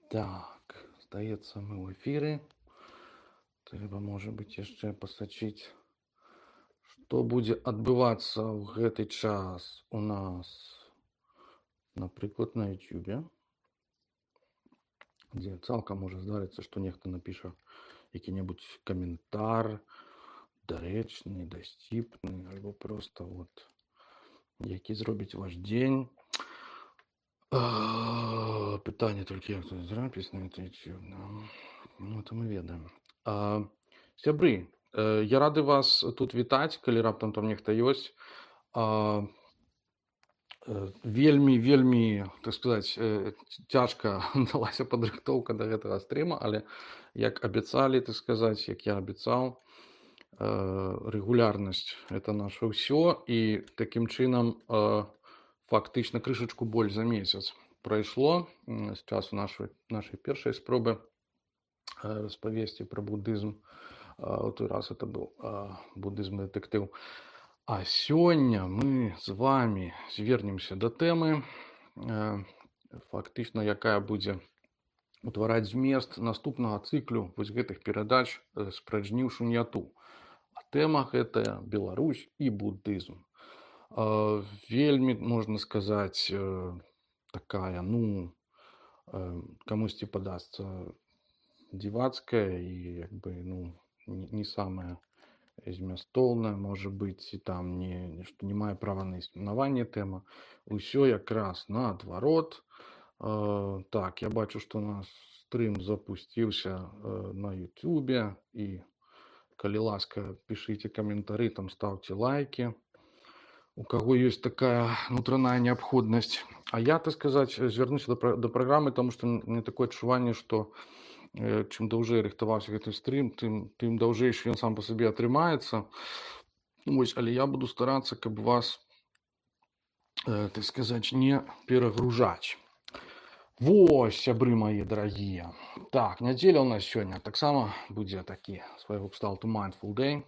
Так, здаецца, мы ў эфіры. Трэба, можа быць, яшчэ пасачыць, што будзе адбывацца ў гэты час у нас, напрыклад, на Ютубе, дзе цалкам можа здарыцца, што нехта напіша які-небудзь каментар, дарэчны, дасціпны, альбо проста які зробіць ваш дзень. Пытанне толькі, як тут зрабіць на YouTube. Ну, то мы ведаем. Сябры, я рады вас тут вітаць, калі раптам там нехта ёсць. Вельмі, так сказаць, цяжка далася падрыхтоўка да гэтага стрыма, але як абяцалі, так сказаць, як я абяцаў, рэгулярнасць – это наша ўсё, і такім чынам фактычна крышачку больш за месяц прайшло з часу нашай першай спробы распавесці пра будызм. У той раз это быў будызм-дэтэктыў. А сёння мы з вами звернемся да тэмы, фактычна якая будзе утвараць змест наступнага цыклю вось гэтых перадач «Спражніў шуньяту». А тэма гэтая Беларусь і будызм. Вельмі, можна сказаць, такая, камусьці падасца дзівацкая і як бы, не самая змястоўная, можа быць, і там не мае права на існаванне тэма. Усё якраз наадварот. Так, я бачу, што у нас стрым запусціўся на Ютубе, і калі ласка, пішыце каментары, там ставце лайки. У каго ёсць такая нутраная неабходнасць. А я, так сказаць, звярнуся да праграмы, таму што мне такое адчуванне, што чым даўжэй рыхтаваўся гэты стрым, тым даўжэйшы ён сам па сабе атрымаецца. Але я буду старацца, каб вас, так сказаць, не перагружаць. Вось, сябры мае дарагія. Так, нядзеля ў нас сёння таксама будзе такі свайго кшталту Mindful Day.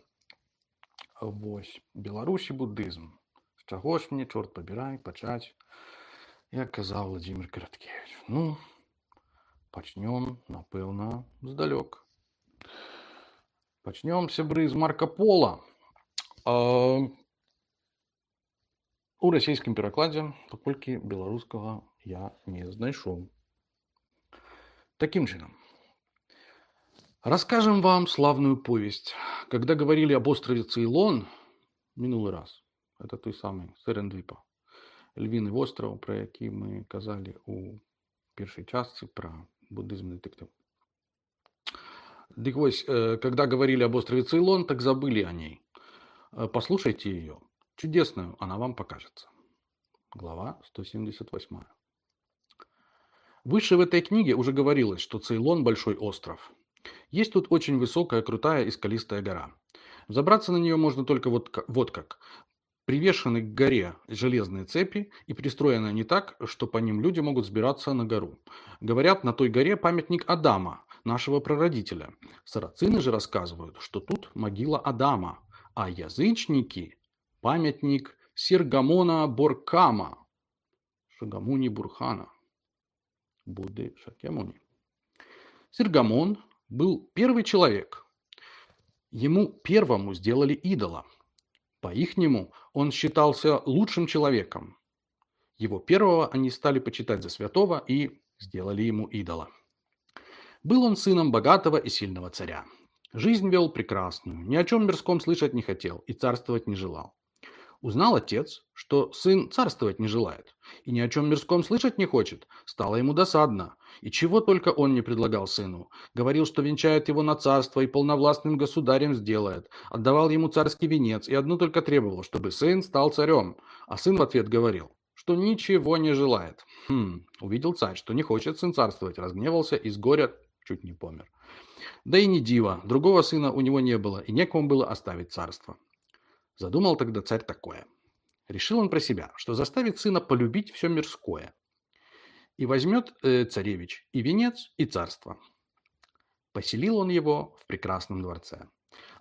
Вось, Беларусь і будызм. З чаго ж мне, чорт пабірай, пачаць, як казаў Владзімір Караткевіч. Пачнём, напэўна, здалёк. Пачнём, сябры, з Марка Пола. У расійскім перакладзе, паколькі беларускага я не знайшоў. Таким чынам. Расскажем вам славную повесть. Когда говорили об острове Цейлон, минулый раз, это той самый Серендвипа, львіны востраў, про які мы казалі у першай частцы про буддизм-детектив. Дык вось, когда говорили об острове Цейлон, так забыли о ней. Послушайте ее. Чудесную она вам покажется. Глава 178. Выше в этой книге уже говорилось, что Цейлон – большой остров. Есть тут очень высокая, крутая и скалистая гора. Взобраться на нее можно только вот как. Привешены к горе железные цепи и пристроены не так, что по ним люди могут взбираться на гору. Говорят, на той горе памятник Адама, нашего прародителя. Сарацины же рассказывают, что тут могила Адама, а язычники – памятник Сиргамона Боркама, Шагамуни Бурхана, Будды Шакьямуни. Сиргамон был первый человек. Ему первому сделали идола. По-ихнему он считался лучшим человеком. Его первого они стали почитать за святого и сделали ему идола. Был он сыном богатого и сильного царя. Жизнь вел прекрасную, ни о чем мирском слышать не хотел и царствовать не желал. Узнал отец, что сын царствовать не желает и ни о чем мирском слышать не хочет. Стало ему досадно. И чего только он не предлагал сыну. Говорил, что венчает его на царство и полновластным государем сделает. Отдавал ему царский венец и одно только требовал, чтобы сын стал царем. А сын в ответ говорил, что ничего не желает. Увидел царь, что не хочет сын царствовать, разгневался и с горя чуть не помер. Да и не диво, другого сына у него не было и некому было оставить царство. Задумал тогда царь такое. Решил он про себя, что заставит сына полюбить все мирское. И возьмет царевич и венец, и царство. Поселил он его в прекрасном дворце.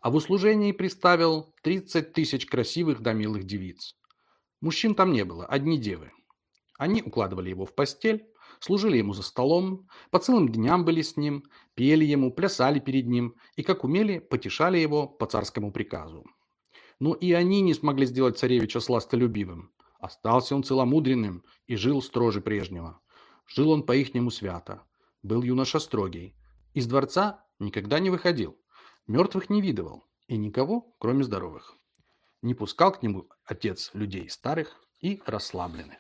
А в услужении приставил 30 тысяч красивых да милых девиц. Мужчин там не было, одни девы. Они укладывали его в постель, служили ему за столом, по целым дням были с ним, пели ему, плясали перед ним и, как умели, потешали его по царскому приказу. Но и они не смогли сделать царевича сластолюбивым. Остался он целомудренным и жил строже прежнего. Жил он по-ихнему свято. Был юноша строгий. Из дворца никогда не выходил. Мертвых не видывал. И никого, кроме здоровых. Не пускал к нему отец людей старых и расслабленных.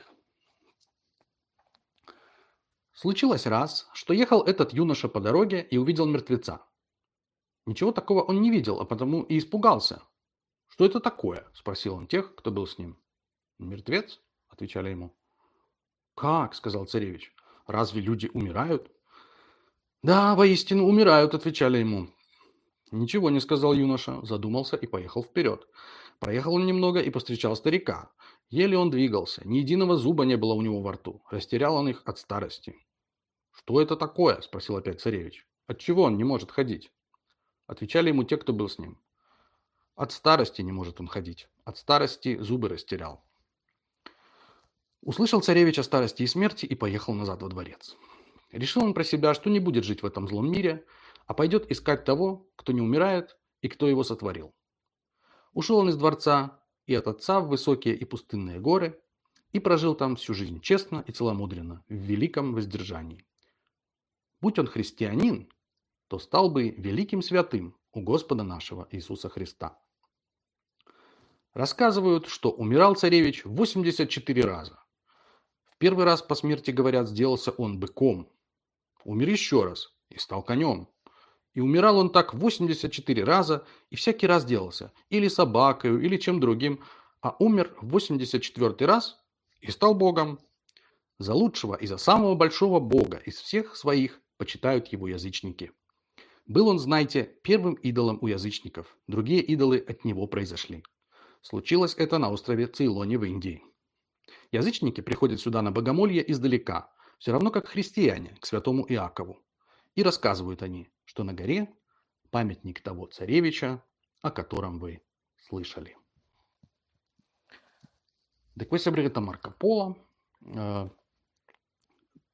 Случилось раз, что ехал этот юноша по дороге и увидел мертвеца. Ничего такого он не видел, а потому и испугался. «Что это такое?» – спросил он тех, кто был с ним. «Мертвец?» – отвечали ему. «Как?» – сказал царевич. «Разве люди умирают?» «Да, воистину умирают», – отвечали ему. Ничего не сказал юноша, задумался и поехал вперед. Проехал он немного и повстречал старика. Еле он двигался, ни единого зуба не было у него во рту. Растерял он их от старости. «Что это такое?» – спросил опять царевич. «Отчего он не может ходить?» Отвечали ему те, кто был с ним. «От старости не может он ходить. От старости зубы растерял». Услышал царевич о старости и смерти и поехал назад во дворец. Решил он про себя, что не будет жить в этом злом мире, а пойдет искать того, кто не умирает и кто его сотворил. Ушел он из дворца и от отца в высокие и пустынные горы и прожил там всю жизнь честно и целомудренно, в великом воздержании. Будь он христианин, то стал бы великим святым у Господа нашего Иисуса Христа. Рассказывают, что умирал царевич 84 раза. В первый раз по смерти, говорят, сделался он быком. Умер еще раз и стал конем. И умирал он так 84 раза, и всякий раз делался или собакою, или чем другим, а умер в 84 раз и стал Богом. За лучшего и за самого большого Бога из всех своих почитают его язычники. Был он, знаете, первым идолом у язычников, другие идолы от него произошли. Случилось это на острове Цейлоне в Индии. Язычники приходят сюда на богомолье издалека, все равно как христиане к святому Иакову. И рассказывают они, что на горе памятник того царевича, о котором вы слышали. Так ось Бригата Марко Поло,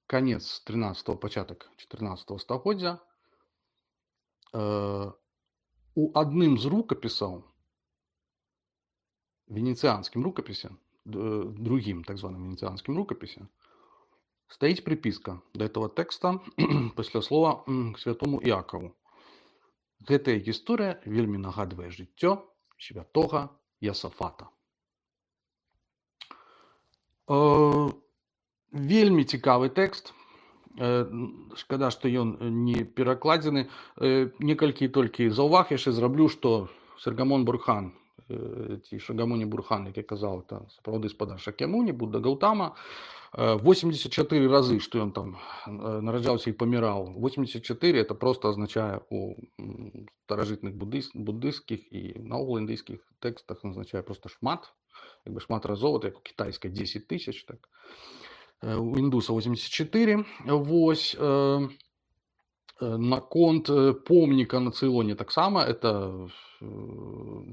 конец 13-го, початок 14-го стагоддзя. У одним з рукописаў, венецианским рукописям, другим так званым венецианским рукописям, стоит приписка до этого текста пасля слова к святому Иакову. Гэтая гісторыя вельмі нагадвае жыццё святога Ясафата. Вельмі цікавы тэкст. Шкада, што ён не перакладзены. Некалькі толькі заўваг яшчэ зраблю, што Саргамон Бурхан, ці Шагамуні Бурхан, як я казаў, это сапраўды спадар Шакьямуні, Будда Гаутама. 84 разы, што ён там нараджаўся і паміраў. 84 это просто означае у старажытных буддыйскіх і наогул індыйскіх тэкстах означае просто шмат, як бы шмат разоў, як у кітайскай 10 тысяч, так. У індуса 84. Вось наконт помніка на Цейлоне таксама это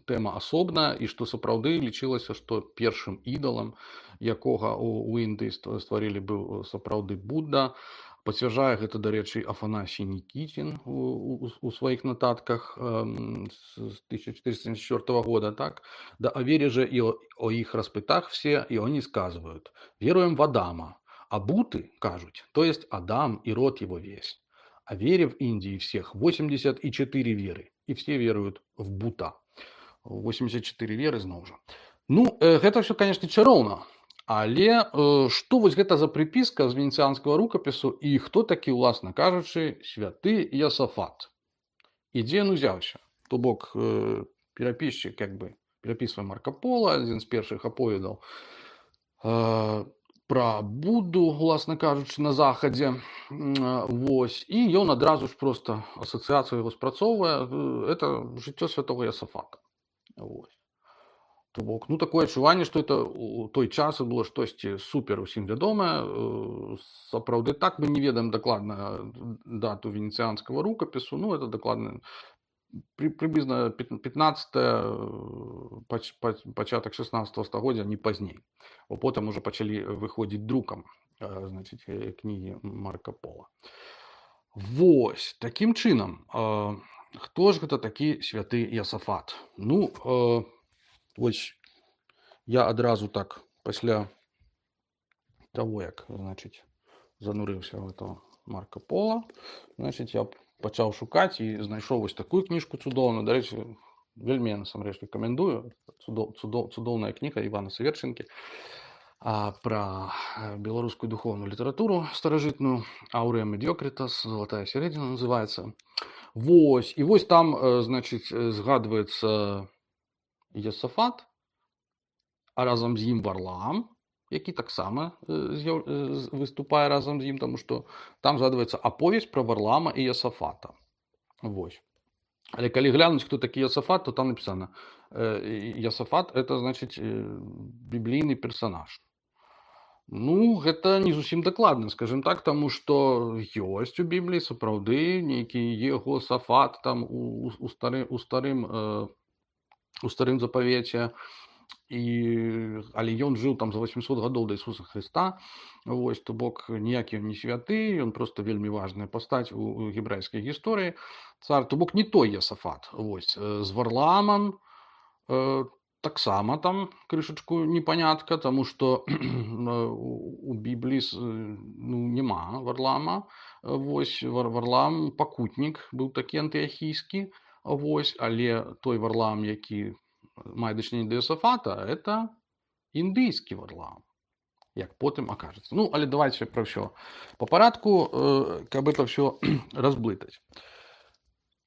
тэма асобная, і што сапраўды лічылася, што першым ідалам, якога у Індыі стварылі, быў сапраўды Будда. Пацвярджае гэта, дарэчы, Афанасій Нікітін у сваіх нотатках з 1474 года. Так? Да о вере же и о их распытах все, и они сказывают: веруем в Адама, а Буты, кажут, то есть Адам и род его весь. О вере в Индии всех 84 веры, и все веруют в Бута. 84 веры зноў жа. Ну, гэта все, конечно, чароўна. Але што вось гэта за прыпіска з венецианскага рукапісу і хто такі, уласна кажучы, святы Ясафат? І дзе ён узяўся? То бок перапісчык, як бы, перапісвае Марко Поло, адзін з першых аповедаў пра Будду, уласна кажучы, на захадзе. Вось. І ён адразу ж проста асацыяцыю яго спрацоўвае. Это жыццё святога Ясафата. Вось. То бок, ну, такое адчуванне, што это у той час было штосьці супер усім вядомае. Сапраўды так, мы не ведаем дакладна дату венецианскага рукапісу. Ну, это дакладна Приблизно 15 початок 16 стагоддзя, не пазней. Бо потым уже пачалі выходзіць друкам, значыць, кнігі Марка Пола. Вось, такім чынам, хто ж гэта такі святы Ясафат? Ну, вось я адразу так пасля таго, як, значыць, занурыўся ў этого Марка Пола, значыць, я пачаў шукаць і знайшоў вось такую кніжку цудоўную. Дарэчы, вельмі насамрэч рэкамендую. Цудоўная кніга Івана Саверчынкі пра беларускую духоўную літаратуру старажытную. Аўрэа Медиокритас, «Золотая середина» называецца. Вось, і вось там, значыць, згадваецца Ясафат, а разам з ім Варлаам, які таксама выступае разам з ім, таму што там згадваецца аповесць пра Варлаама і Ясафата. Вось. Але калі глянуць, хто такі Ясафат, то там напісана: Ясафат — это, значыць, біблійны персанаж. Ну, гэта не зусім дакладна, скажем так, таму што ёсць у Бібліі сапраўды нейкі Егосафат там у старым запавеце, але ён жыў там за 800 гадоў да Ісуса Хрыста. Вось, то бок ніякі ён не святы, ён проста вельмі важная пастаць у гебрайскай гісторыі. Цар, то бок не той Ясафат. Вось, з Варлаамам таксама там крышачку непанятка, таму што у Бібліі няма Варлаама. Вось, Варлаам пакутнік быў такі антыахійскі. Вось, але той Варлаам, які мае дачыненне да Ясафата, это індыйскі Варлаам, як потым акажацца. Ну, але давайте пра ўсё па парадку, каб это ўсё разблытаць.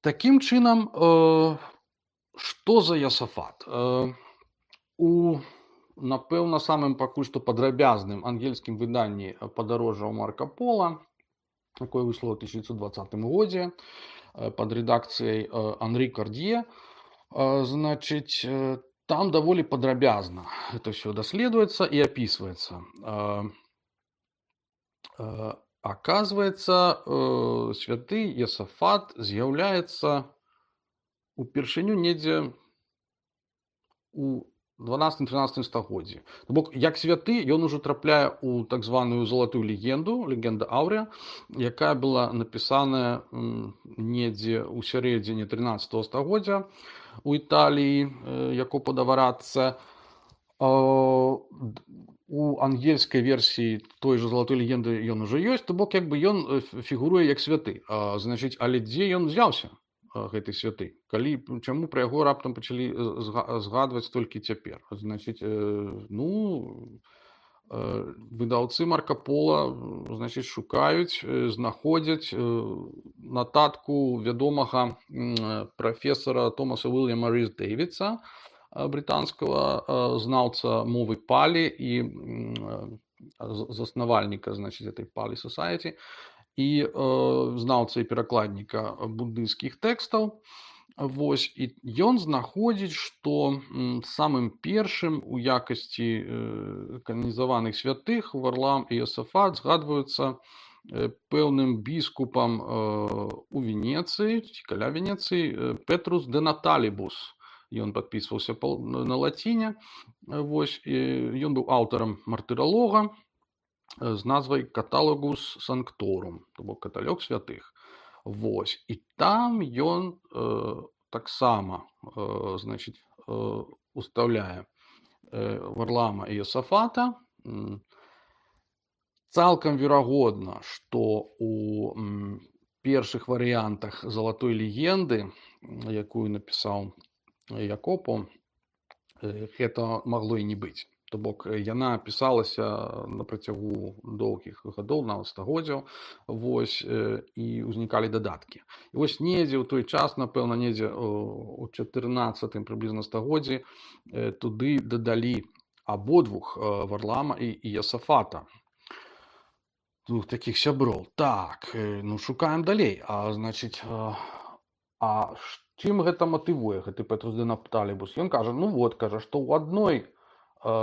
Такім чынам, што за Ясафат? Напэўна, самым пакуль што падрабязным ангельскім выданні падарожжаў Марка Пола, якое выйшло ў 1920 годзе пад рэдакцыяй Анрі Кардье, значыць, там даволі падрабязна это ўсё даследуецца і апісваецца. Аказваецца, святы Ясафат з'яўляецца упершыню недзе у 12-13 стагоддзі. То бок, як святы, ён ужо трапляе ў так званую залатую легенду, легенда Аўрэа, якая была напісаная недзе ў сярэдзіне 13 стагоддзя у Італіі, Якопо да Варатца. У ангельскай версіі той жа залатой легенды ён ужо ёсць, то бок, як бы ён фігуруе як святы. Значыць, але дзе ён узяўся, гэты святы? Чаму пра яго раптам пачалі згадваць толькі цяпер? Значыць, выдаўцы Марка Пола, значыць, шукаюць, знаходзяць нататку вядомага прафесара Томаса Уільяма Різ-Дэвідса, брытанскага знаўца мовы палі і заснавальніка, значыць, этой Палі Society, і знаўца і перакладніка буддыйскіх тэкстаў. Вось, і ён знаходзіць, што самым першым у якасці кананізаваных святых Варлаам і Ясафат згадваюцца пэўным біскупам у Венецыі, ці каля Венецыі, Петрус де Наталібус. Ён падпісваўся на лаціне. Вось, ён быў аўтарам мартыралога з назвай «Каталагус Санкторум», то бок каталог святых. Вось, і там ён таксама, значыць, устаўляе Варлаама і Ясафата. Цалкам верагодна, што у першых варыянтах залатой легенды, якую напісаў Якопо, гэта магло і не быць. То бок, яна пісалася на працягу доўгіх гадоў, нават стагоддзяў, вось, і ўзнікалі дадаткі. І вось недзе ў той час, напэўна, недзе у 14-м прыблізна стагоддзі туды дадалі абодвух, Варлаама і Ясафата, двух такіх сяброў. Так, шукаем далей. Значыць, чым гэта матывуе, гэты Петрус де Наталібус? Ён кажа, што ў адной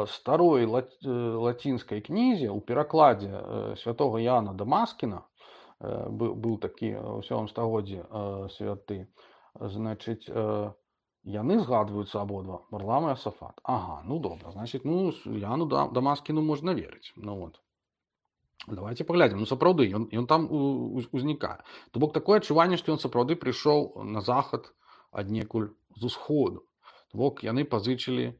старой лацінскай кнізе, у перакладзе святога Яна Дамаскіна, быў такі ў 7 стагоддзі святы, Значыць, яны згадваюцца абодва, Варлам і Асафат. Ага, ну добра, значыць, ну, Яну Дамаскіну можна верыць. Ну вот. Давайте паглядзім. Ну сапраўды, ён там узнікае. То бок такое адчуванне, што ён сапраўды прыйшоў на захад аднекуль з усходу. То бок яны пазычылі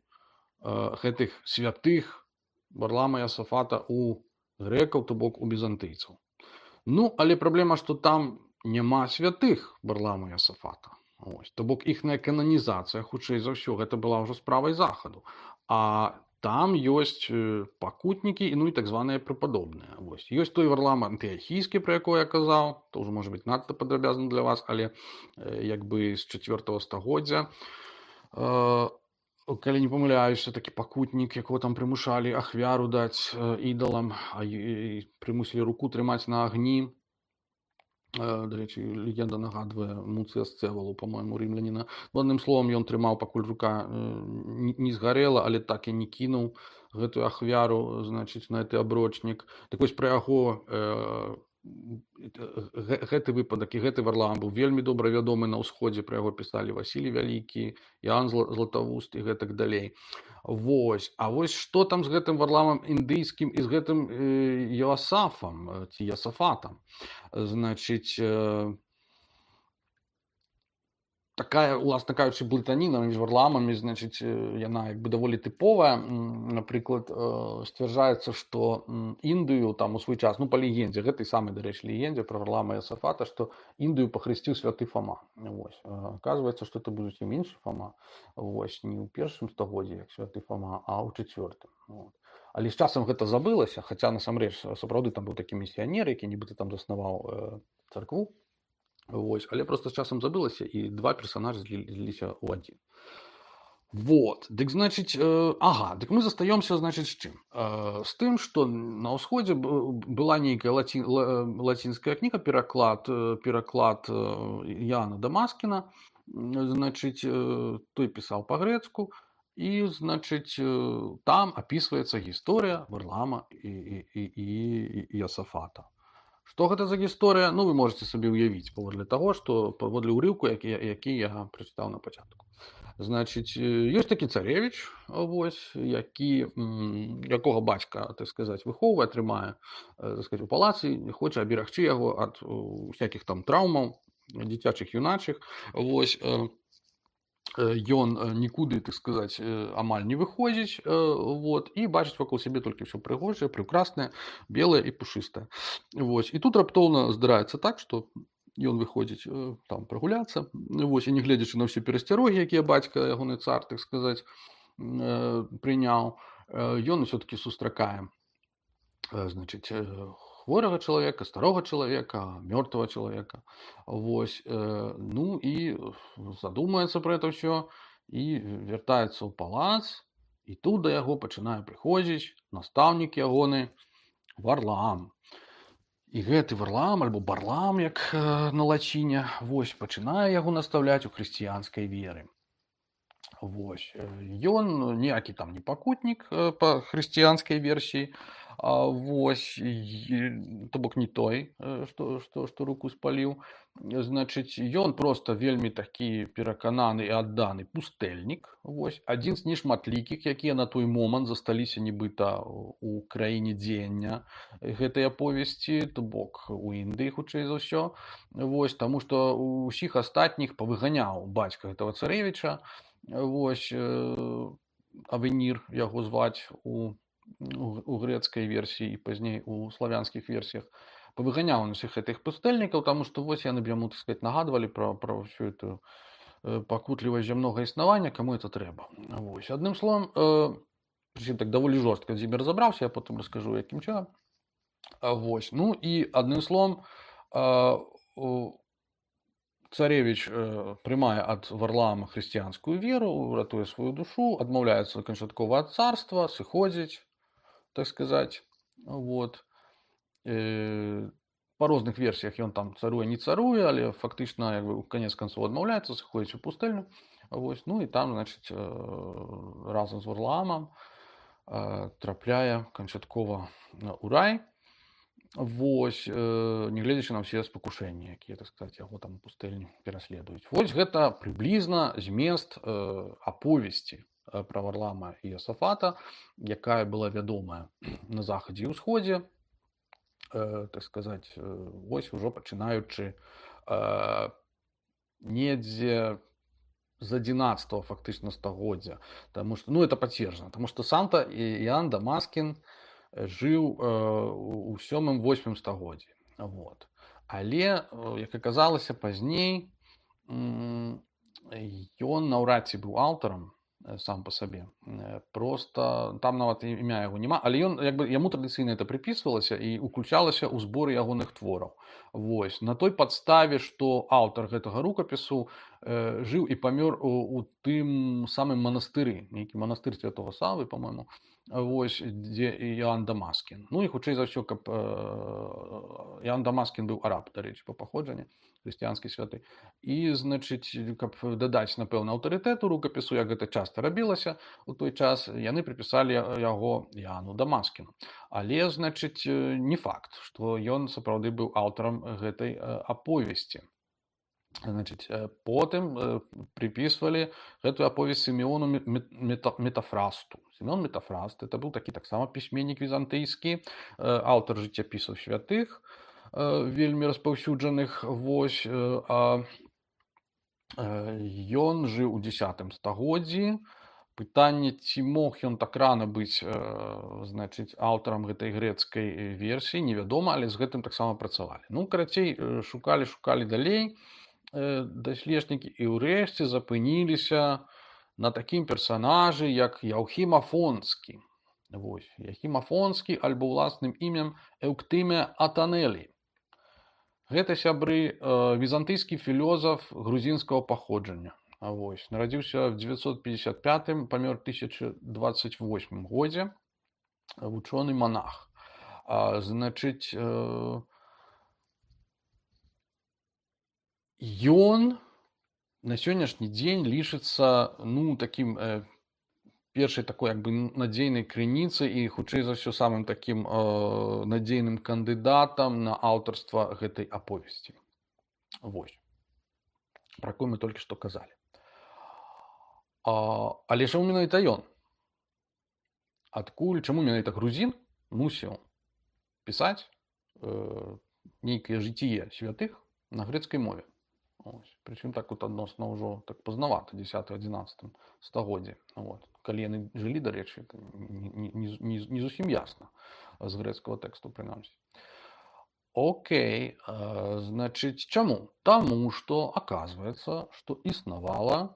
гэтых святых Варлама і Асафата у грэкаў, то бок у візантыйцаў. Ну, але праблема, што там няма святых Варлама і Асафата. Ось. То бок іхная кананізацыя, хутчэй за ўсё, гэта была ўжо справай захаду. А там ёсць пакутнікі, ну і так званыя препадобныя. Вось. Ёсць той Варлам антыахійскі, пра якой я казаў, то ўжо можа быць надта падрабязна для вас, але як бы з 4 стагоддзя. Калі не памыляюся, такі пакутнік, якого там прымушалі ахвяру даць ідалам, а прымусілі руку трымаць на агні. До рэчы, легенда нагадвае Муцыя Сцэвалу, па-мойму, рымляніна. Адным словам, ён трымаў, пакуль рука не згарэла, але так і не кінуў гэтую ахвяру, значыць, на гэты аброчнік. Так вось пра яго гэты выпадак і гэты Варлам быў вельмі добра вядомы на ўсходзе, пра яго пісалі Васілій Вялікі, Іоанн Златавуст і гэтак далей. Вось. А вось што там з гэтым Варламам індыйскім і з гэтым Йоасафам ці Ясафатам? Значыць, такая, уласна кажучы, блытаніна між Варламамі, значыць, яна як бы даволі тыповая. Напрыклад, сцвярджаецца, што Індыю там у свой час, ну па легендзе, гэтай самай, дарэчы, легендзе пра Варлама і Асафата, што Індыю пахрысціў святы Фома. Вось. Аказваецца, што это быў зусім іншы Фома. Вось, не ў 1 стагоддзі, як святы Фома, а ў 4. Вот. Але з часам гэта забылася, хаця насамрэч сапраўды там быў такі місіянер, які нібыта там заснаваў царкву. Вось. Але просто з часам забылася, і два персонажы зліліся ў адзін. Вот. Дык, значыць, дык мы застаёмся, значыць, з чым? З тым, што на ўсходзе была нейкая лацінская кніга, пераклад Іоанна Дамаскіна, значыць, той пісаў па-грэцку, і, значыць, там апісваецца гісторыя Варлама і Ясафата. Што гэта за гісторыя? Ну, вы можете сабе ўявіць, паводле таго, што паводле ўрыўку, які я прачытаў на пачатку. Значыць, ёсць такі царевіч, вось, якога бацька, так сказаць, выхоўвае, трымае, так сказаць, у палацы, хоча аберагчы яго ад усякіх там траўмаў, дзіцячых, юначых. Вось, ён нікуды, так сказаць, амаль не выходзіць, вот, і бачыць вакол сябе толькі ўсё прыгожае, прыкраснае, белае і пушыстае. Вось. І тут раптоўна здараецца так, што ён выходзіць там прагуляцца, вось, і не гледзячы на ўсе перасцярогі, якія бацька, ягоны цар, так сказаць, прыняў, ён усё-такі сустракае, значыць, хворага чалавека, старога чалавека, мёртвага чалавека. Вось. Ну і задумаецца пра гэта ўсё і вяртаецца ў палац, і тут да яго пачынае прыходзіць настаўнік ягоны Варлам. І гэты Варлам, альбо Барлам, як на лаціне, вось, пачынае яго настаўляць у хрысціянскай веры. Вось. Ён ніякі там не пакутнік па хрысціянскай версіі, вось, то бок не той, што руку спаліў. Значыць, ён проста вельмі такі перакананы і адданы пустэльнік. Вось. Адзін з нешматлікіх, якія на той момант засталіся нібыта у краіне дзеяння гэтай аповесці, то бок у Індыі, хутчэй за ўсё. Вось, таму што ўсіх астатніх павыганяў бацька гэтага царэвіча. Вось, Авенір яго зваць у грэцкай версіі і пазней у славянскіх версіях. Павыганяў усіх гэтых пустэльнікаў, таму што вось яны б яму, так сказаць, нагадвалі пра ўсю эту пакутлівасць зямнога існавання, каму это трэба. Вось. Адным словам, так даволі жорстка з імі разабраўся, я потым раскажу, якім чынам. Вось. Ну і адным словам, царевіч прымае ад Варлама хрысціянскую веру, ратуе сваю душу, адмаўляецца канчаткова ад царства, сыходзіць, так сказаць. Вот. Па розных версіях ён там царуе, не царуе, але фактычна, як бы, у канец канцоў адмаўляецца, сыходзіць у пустэльню. Вось. Ну і там, значыць, разам з Варламам трапляе канчаткова ў рай. Вось, нягледзячы на ўсе спакушэнні, якія, так сказаць, яго там у пустэльні пераследуюць. Вось гэта прыблізна змест аповесці пра Варлама і Йосафата, якая была вядомая на захадзе і ўсходзе, так сказаць, вось ужо пачынаючы недзе з 11 фактычна стагоддзя. Таму што, ну, это пацверджана, таму што сам-то Іоанн Дамаскін жыў у 7-8 стагоддзі. Вот. Але, як аказалася пазней, ён наўрад ці быў аўтарам сам па сабе. Просто там нават імя яго няма, але ён, як бы, яму традыцыйна это прыпісвалася і уключалася ў зборы ягоных твораў. Вось. На той падставе, што аўтар гэтага рукапісу жыў і памёр у тым самым манастыры, нейкі манастыр Святога Савы, па-мойму, вось, дзе Іоанн Дамаскін. Ну і хутчэй за ўсё, каб Іоанн Дамаскін быў араб, дарэчы, па паходжанні, хрысціянскі святы. І, значыць, каб дадаць, напэўна, аўтарытэту рукапісу, як гэта часта рабілася у той час, яны прыпісалі яго Іоанну Дамаскіну. Але, значыць, не факт, што ён сапраўды быў аўтарам гэтай аповесці. Значыць, потым приписывали эту аповесць Сімеону Метафрасту. Сімеон Метафраст это быў такі таксама пісьменнік візантыйскі, аўтар жыццяпісаў святых, вельмі распаўсюджаных. Вось, ён жыў у 10 стагоддзі. Пытанне, ці мог ён так рана быць, значыць, аўтарам гэтай грэцкай версіі, невядома, але з гэтым таксама працавалі. Ну, карацей, шукалі далей даследчыкі і ўрэшце запыніліся на такім персанажы, як Яўхім Афонскі. Вось, Яўхім Афонскі, альбо ўласным імем Эўктымія Атанелі. Гэта, сябры, візантыйскі філёзаф грузінскага паходжання. Вось, нарадзіўся в 955, памёр 1028 годзе, вучоны монах. Значыць, ён на сённяшні дзень лічыцца, ну, такім першай такой, як бы, надзейнай крыніцай і, хутчэй за ўсё, самым такім надзейным кандыдатам на аўтарства гэтай аповесці. Вось. Пра якую мы толькі што казалі. Але чаму менавіта ён? Адкуль, чаму менавіта грузін мусіў пісаць нейкае жыцціе святых на грэцкай мове? Прычым так вот адносна ўжо так пазнавата, 10-11 стагоддзі. Вот. Калі яны жылі, дарэчы, не зусім ясна з грэцкага тэксту, прынамсі. Окей, значыць, чаму? Таму што аказваецца, што існавала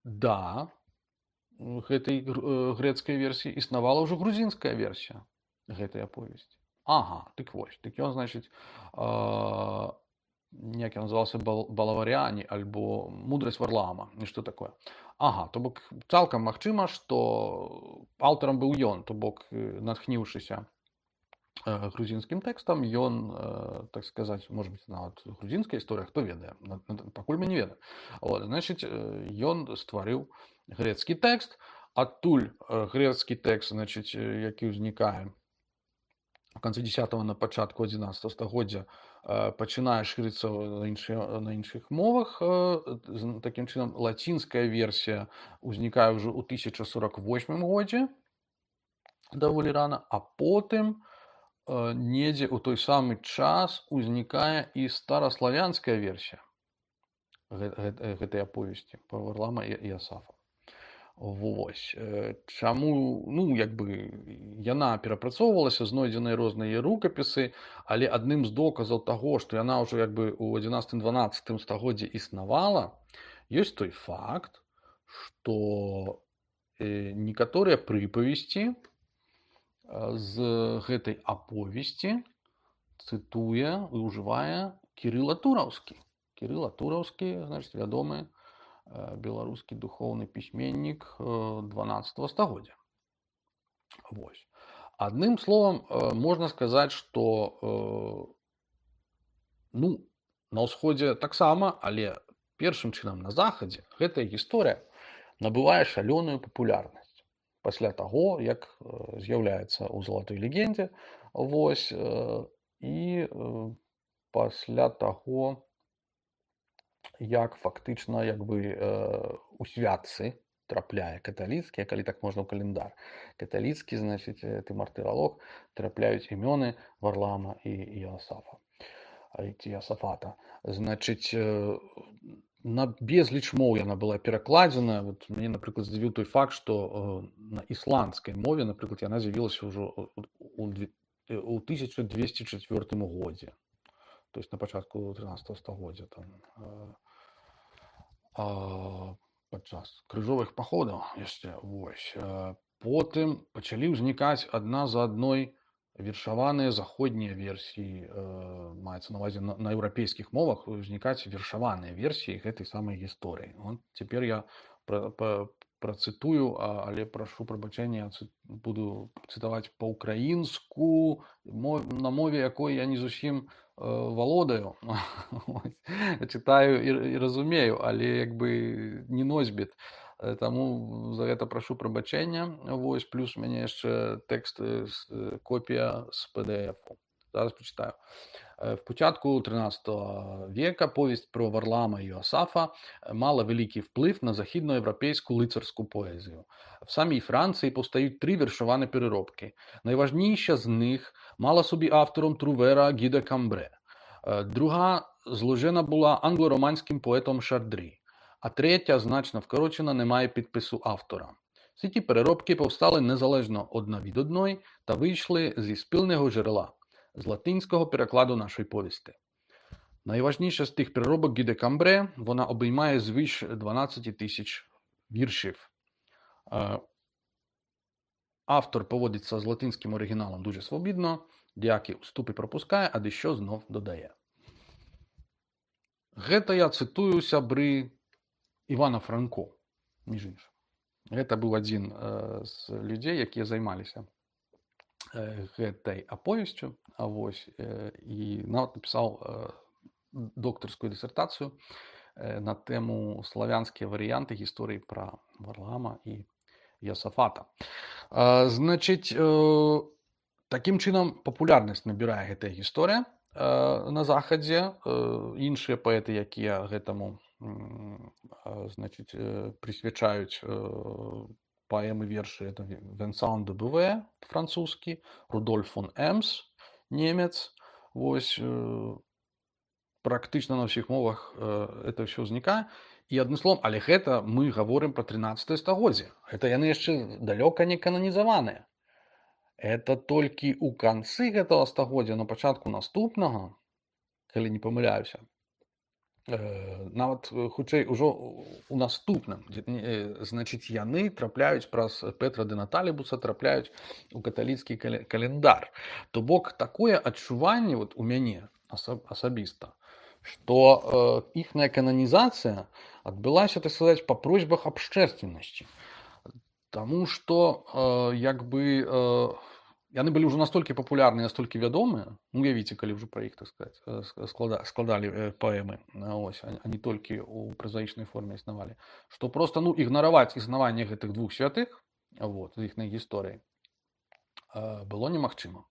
да гэтай грэцкай версіі існавала ўжо грузінская версія гэтай аповесці. Ага, дык вось, дык ён, значыць, як ён называўся, Балаваряне, альбо Мудрасць Варлаама, нешта такое. Ага, то бок цалкам магчыма, што аўтарам быў ён, то бок, натхніўшыся грузінскім тэкстам, ён, так сказаць, можа быць, нават грузінская гісторыя, хто ведае, пакуль мы не ведаем. Значыць, ён стварыў грэцкі тэкст, адтуль грэцкі тэкст, значыць, які ўзнікае в канцы 10-го, на пачатку 11 стагоддзя, пачынае шырыцца на іншых мовах. Такім чынам, лацінская версія ўзнікае ўжо ў 1048 годзе, даволі рана, а потым недзе ў той самы час узнікае і стараславянская версія гэтай аповесці пра Варлама і Йосафа. Вось. Чаму, ну, як бы, яна перапрацоўвалася, знойдзеныя розныя рукапісы, але адным з доказаў таго, што яна ўжо, як бы, у 11-12 стагоддзі існавала, ёсць той факт, што некаторыя прыпавесці з гэтай аповесці цытуе і ўжывае Кірыла Тураўскі. Кірыла Тураўскі, значыць, вядомы беларускі духоўны пісьменнік 12 стагоддзя. Вось. Адным словам, можна сказаць, што, ну, на ўсходзе таксама, але першым чынам на захадзе гэтая гісторыя набывае шалёную папулярнасць. Пасля таго, як з'яўляецца ў залатой легендзе Вось, і пасля таго, як фактычна у святцы трапляе каталіцкія, калі так можна ў календар. Каталіцкі, значыць, ты мартыралог, трапляюць імёны Варлаама і Іосафата. Значыць, на безліч моў яна была перакладзена. Вот мяне, напрыклад, здзівіў той факт, што на ісландскай мове, напрыклад, яна з'явілася ўжо ў 1204 годзе. То есть на пачатку 13 стагоддзя падчас крыжовых паходаў яшчэ. Вось. Потым пачалі ўзнікаць адна за адной вершаваныя заходнія версіі, маецца на ўвазе на еўрапейскіх мовах узнікаць вершаваныя версіі гэтай самай гісторыі. Цяпер я працытую, але прашу прабачэння, буду цытаваць па-ўкраінску, на мове якой я не зусім валодаю. Чытаю і разумею, але не носьбіт. Таму за гэта прашу прабачэння. Вось, плюс у мяне яшчэ тэкст, копія з PDF-у. Зараз прачытаю. В початку 13 века повесть про Варлаама і Іосафа мала великий вплив на західноєвропейську лицарську поезію. В самій Франції повстають 3 віршовані переробки. Найважніша з них мала собі автором Трувера Гі де Камбре. Друга зложена була англо-романським поетом Шардрі. А третя, значно вкорочена, не має підпису автора. Всі ті переробки повстали незалежно одна від одної та вийшли зі спільного джерела, з латинського перекладу нашої повісти. Найважніша з тих переробок Гі де Камбре, вона обіймає звиш 12 тисяч віршів. Автор поводиться з латинським оригіналом дуже свобідно, деякі уступи пропускає, а дещо знов додає. Гэта я цитую сябры Івана Франко, між іншим. Гэта быў адзін з людзей, якія займаліся гэтай аповесцю, і нават напісаў доктарскую дысертацыю на тэму славянскія варыянты гісторыі пра Варлаама і Іосафата. Значыць, такім чынам папулярнасць набірае гэтая гісторыя на захадзе. Іншыя паэты, якія гэтаму прысвячаюць паэмы, вершы, это Венсан де Буве, французскі, Рудольф фон Эмс, немец. Вось, практычна на ўсіх мовах это ўсё ўзнікае. І адным словам, але гэта мы гаворым пра 13 стагоддзе. Гэта яны яшчэ далёка не кананізаваныя. Это толькі ў канцы гэтага стагоддзя, на пачатку наступнага, калі не памыляюся, нават хутчэй ужо у наступным, значыць, яны трапляюць праз Петра де Наталібуса, трапляюць у каталіцкі календар. То бок такое адчуванне у мяне асабіста, што іхная кананізацыя адбылася, так сказаць, па просьбах абшчэрственнасці. Таму што яны былі ўжо настолькі папулярныя, настолькі вядомыя, уявіце, калі ўжо пра іх, так сказаць, складалі паэмы, а не толькі ў празаічнай форме існавалі, што проста ігнараваць існаванне гэтых двух святых з іхнай гісторыяй было немагчыма.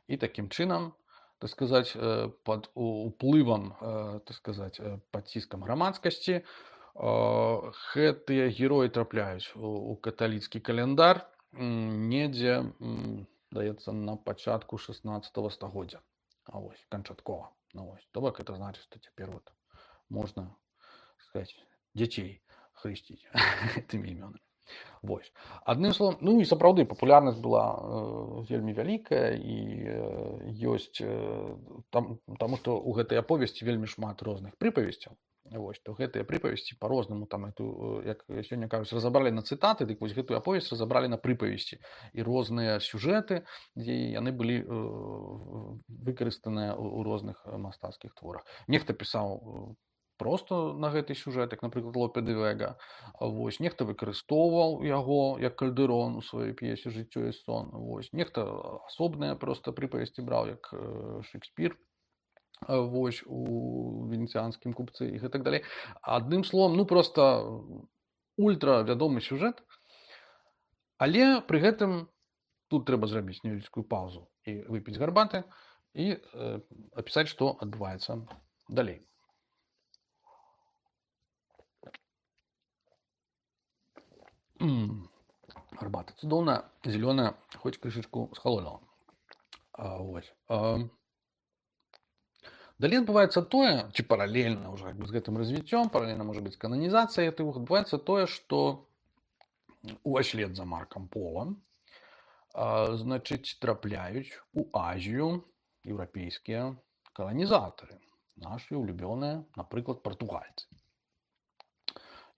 І такім чынам, так сказаць, пад уплывам, так сказаць, пад ціскам грамадскасці гэтыя героі трапляюць у каталіцкі календар недзе, даецца, на пачатку 16 стагоддзя. Канчаткова. То бок это значыць, што цяпер можна, сказаць, дзяцей хрысціць гэтымі імёнамі. Адным словам, і сапраўды папулярнасць была вельмі вялікая, і ёсць, таму што ў гэтай аповесці вельмі шмат розных прыпавесцяў. То гэтыя прыпавесці па-рознаму, як сёння кажуць, разабралі на цытаты, дык вось гэтую аповесць разабралі на прыпавесці. І розныя сюжэты, дзе яны былі выкарыстаныя ў розных мастацкіх творах. Нехта пісаў проста на гэты сюжэт, як, напрыклад, Лопе де Вега. Нехта выкарыстоўваў яго як Кальдэрон у сваёй п'есе «Жыццё і сон». Нехта асобныя проста прыпавесці браў, як Шекспір у венеціанскім купцы і так далей. Адным словам, проста ультра вядомы сюжэт, але пры гэтым тут трэба зрабіць невялічкую паузу і выпіць гарбаты і апісаць, што адбываецца далей. Гарбата цудоўная, зялёная, хоць крышачку схалонула. Вось. Далей адбываецца тое, ці паралельна ўжо з гэтым развіццём, паралельна можа быць кананізацыя, адбываецца тое, што услед за Маркам Полом, значыць, трапляюць у Азію еўрапейскія каланізатары, нашы улюбёныя, напрыклад, партугальцы.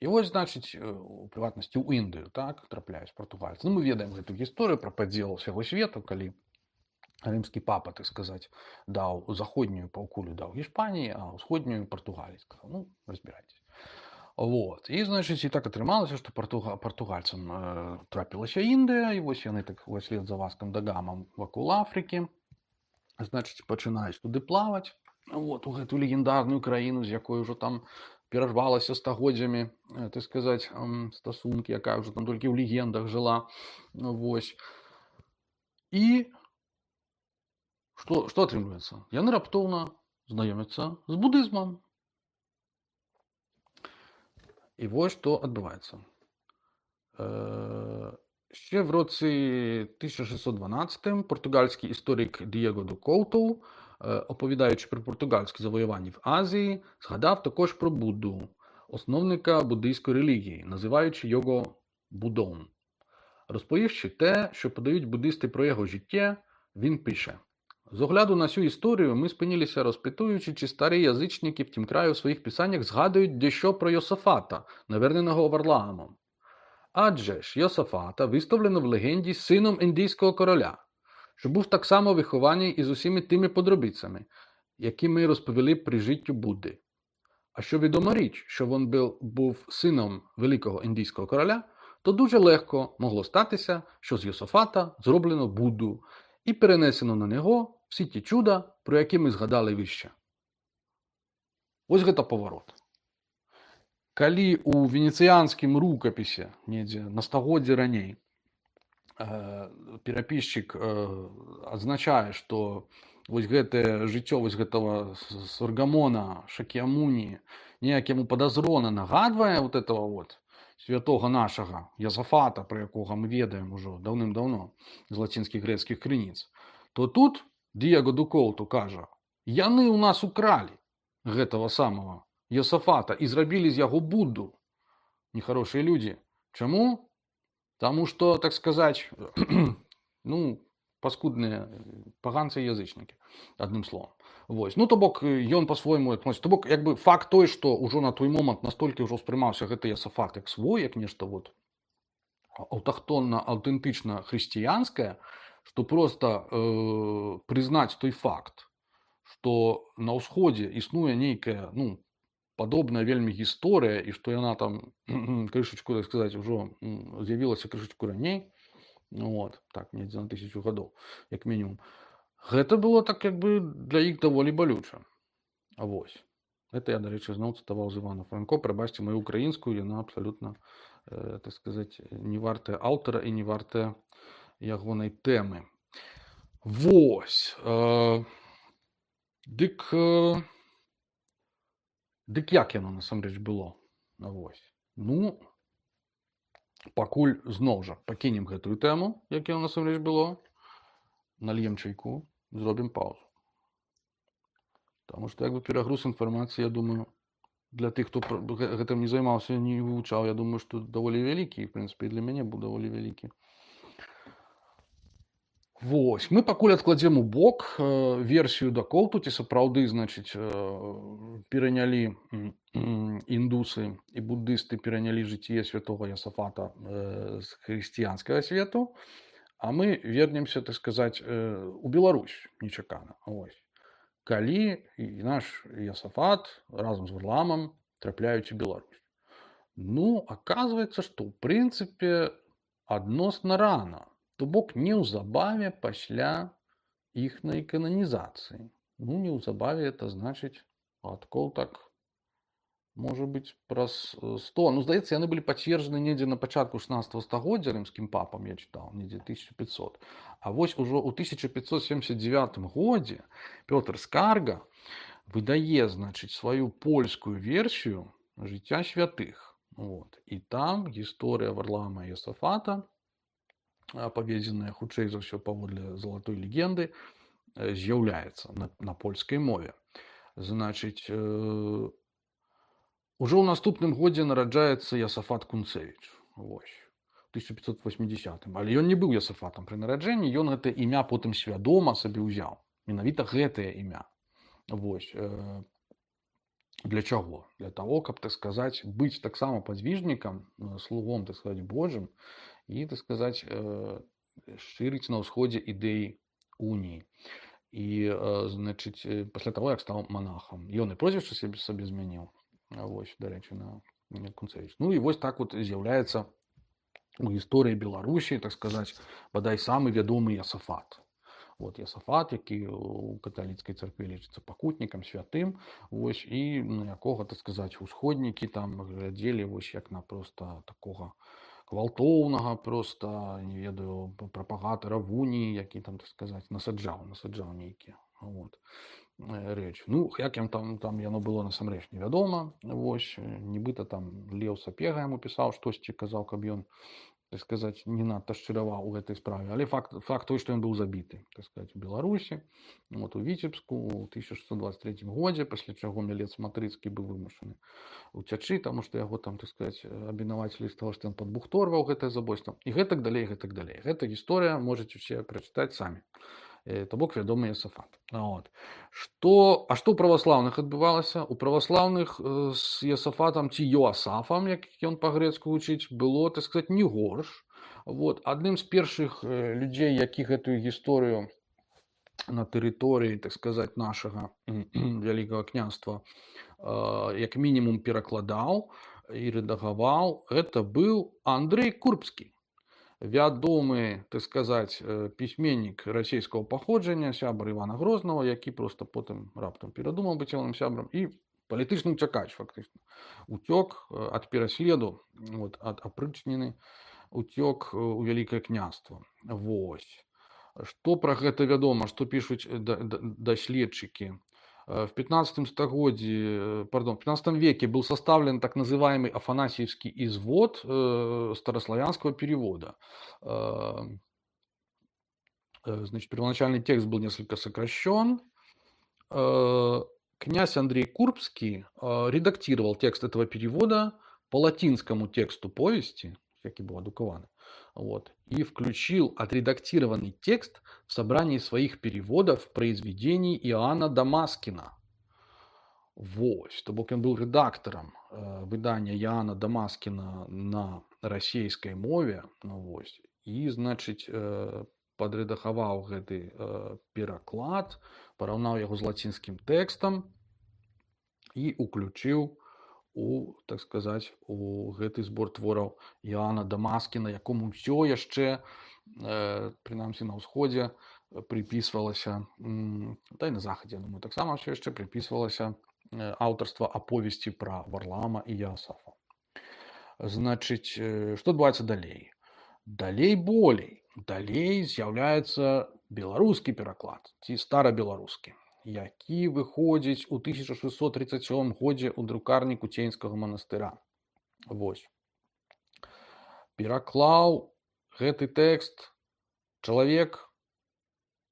І вось, значыць, у прыватнасці ў Індыю, так, трапляюць партугальцы. Ну, мы ведаем гэту гісторыю пра падзел усяго свету, калі рымскі папа, так сказаць, даў заходнюю паўкулю даў Гішпаніі, а ўсходнюю Партугаліі. Сказаў, ну, разбірайцеся. Вот. І, значыць, і так атрымалася, што партугальцам трапілася Індыя, і вось яны так услед за Васкам да Гамам вакол Афрыкі, значыць, пачынаюць туды плаваць, вот, у гэтую легендарную краіну, з якой ужо там перарвалася стагоддзямі, так сказаць, стасункі, якая ўжо там толькі ў легендах жыла. Вось. І што атрымліваецца? Яны раптоўна знаёмяцца з будызмам. І вось што адбываецца. Ще в році 1612 португальський історик Дієго до Коуту, оповідаючи про португальські завоювання в Азії, згадав також про Будду, основника буддийської релігії, називаючи його Буддом. Розповівши те, що подають буддисти про його життя, він пише: «З огляду на цю історію ми спинилися, розпитуючи, чи старі язичники в тім краю в своїх писаннях згадують дещо про Йосафата, наверненого Варламом. Адже ж Йосафата виставлено в легенді сином індійського короля, що був так само вихований із усіми тими подробицями, які ми розповіли при життю Будди. А що відома річ, що він був сином великого індійського короля, то дуже легко могло статися, що з Йосафата зроблено Будду і перенесено на нього всі ті чуда, про які ми згадали вище». Ось гэта поворот. Калі у венецыянскім рукапісе недзе на стагоддзе раней перапісчык адзначае, што вось гэтае жыццё вось гэтага Саргамона Шакьямуні неяк яму падазрона нагадвае вот этого вот святога нашага Йосафата, про якога мы ведаем ужо даўным-даўно з лацінскіх грэцкіх крыніц, то тут Дієго до Коуту кажа: яны ў нас укралі гэтага самого Йосафата і зрабілі з яго Будду. Нехорошыя людзі. Чаму? Таму што, так сказаць, ну, паскудныя паганцы і язычнікі, адным словам. Вось. Ну, то бок, ён па-свойму адносіць. То бок, як бы факт той, што ўжо на той момант настолькі ўжо ўспрымаўся гэты Йосафат як свой, як нешта вот аўтахтонна, аўтэнтычна хрысціянскае, што проста прызнаць той факт, што на ўсходзе існуе нейкая, ну, падобная вельмі гісторыя, і што яна там крышачку, так сказаць, ужо з'явілася крышачку раней, вот, так, недзе на 1000 гадоў, як мінімум. Гэта было так, як бы, для іх даволі балюча. А вось. Гэта я, дарэчы, зноў цытаваў з Івана Франко. Прабачце маю украінскую, яна абсалютна, так сказаць, не вартая аўтара і не вартая ягонай тэмы. Вось. Дык як яно насамрэч было? Вось. Ну, пакуль зноў жа пакінем гэтую тэму, як яно насамрэч было, нальем чайку, зробім паузу. Таму што як бы перагруз інфармацыі, я думаю, для тых, хто гэтым не займаўся, не вывучаў, я думаю, што даволі вялікі, і, в прынцыпе, для мяне быў даволі вялікі. Вось, мы пакуль адкладзем у бок версію да Коуту, ці сапраўды, значыць, перанялі індусы і буддысты перанялі жыццё святога Йосафата з хрысціянскага свету, а мы вернемся, так сказаць, у Беларусь нечакана. Вось. Калі наш Йосафат разам з Варламам трапляюць у Беларусь. Ну, аказваецца, што ў прынцыпе адносна рана. То бок неўзабаве пасля іхнай кананізацыі. Ну, неўзабаве, это значыць, гадкоў так Можа быць, праз 100. Ну, здаецца, яны былі пацверджаны недзе на пачатку 16 стагоддзя рымскім папам, я чытаў, недзе 1500. А вось ужо ў 1579 годзе Пётр Скарга выдае, значыць, сваю польскую версію жыцця святых. Вот. І там гісторыя Варлаама і Йосафата, апаведзеная хутчэй за ўсё паводле залатой легенды, з'яўляецца на польскай мове. Значыць, ужо ў наступным годзе нараджаецца Йосафат Кунцевіч. Вось. 1580. Але ён не быў Йосафатам пры нараджэнні, ён гэта імя потым свядома сабе ўзяў. Менавіта гэтае імя. Вось. Для чаго? Для того, каб, так сказаць, быць таксама падвижнікам, слугом, так сказаць, Божым і, так сказаць, шырыць на ўсходзе ідэі уніі. І, значыць, пасля таго, як стаў манахам. Ён і прозвішча сабе змяніў. Вось, дарэчы, на Кунцевіч. Ну і вось так вот з'яўляецца у гісторыі Беларусі, так сказаць, бадай самы вядомы Йосафат. Вот Йосафат, які у каталіцкай царкве лічыцца пакутнікам, святым, вось, і на якога, так сказаць, усходнікі там глядзелі вось як на проста такога гвалтоўнага, проста, не ведаю, прапагатара вуніі, які там, так сказаць, насаджаў нейкія. Вот. Рэч. Ну, як ім там яно было насамрэч невядома. Вось, нібыта там Леў Сапега яму пісаў штосьці, казаў, каб ён, так сказаць, не надта шчыраваў у гэтай справе. Але факт той, што ён быў забіты, так сказаць, у Беларусі, вот, у Віцебску ў 1623 годзе, пасля чаго Мялец Матрыцкі быў вымушаны уцячы, таму што яго там, так сказаць, абвінавацілі з таго, што ён падбухторваў гэтае забойства. І гэтак далей, гэтак далей. Гэта гісторыя можаце ўсе прачытаць самі. То бок вядомы Йосафат. Вот. А што ў праваслаўных адбывалася? У праваслаўных з Йосафатам ці Йоасафам, як ён па-грэцку гучыць, было, так сказаць, не горш. Вот. Адным з першых людзей, які гэтую гісторыю на тэрыторыі, так сказаць, нашага вялікага княства як мінімум перакладаў і рэдагаваў, гэта быў Андрэй Курбскі. Вядомы, так сказаць, пісьменнік расійскага паходжання, сябар Івана Грознага, які проста потым раптам перадумаў быць ягоным сябрам і палітычны ўцякач, фактычна. Уцёк ад пераследу, вот, ад апрычніны, уцёк у вялікае княства. Вось. Што пра гэта вядома, што пішуць даследчыкі? В 15 веке был составлен так называемый Афанасьевский извод старославянского перевода. Значит, первоначальный текст был несколько сокращен. Князь Андрей Курбский редактировал текст этого перевода по латинскому тексту повести, який был адукаваны, вот, и включил отредактированный текст в собрании своих переводов произведений Иоанна Дамаскина. Вось, то бок он был редактором выдания Иоанна Дамаскина на расійскай мове, ну, вось, і, значыць, падрэдагаваў гэты пераклад, параўнаў яго з лацінскім тэкстам і уключыў у, так сказаць, у гэты збор твораў Іоанна Дамаскіна, якому ўсё яшчэ, прынамсі на ўсходзе, припісвалася, та і на захадзе, думаю, таксама ўсё яшчэ припісвалася аўтарства аповесці пра Варлаама і Йосафа. Значыць, што адбываецца далей? Далей з'яўляецца беларускі пераклад, ці старабеларускі, які выходзіць у 1637 годзе ў друкарні Куценьскага манастыра. Вось. Пераклаў гэты тэкст чалавек,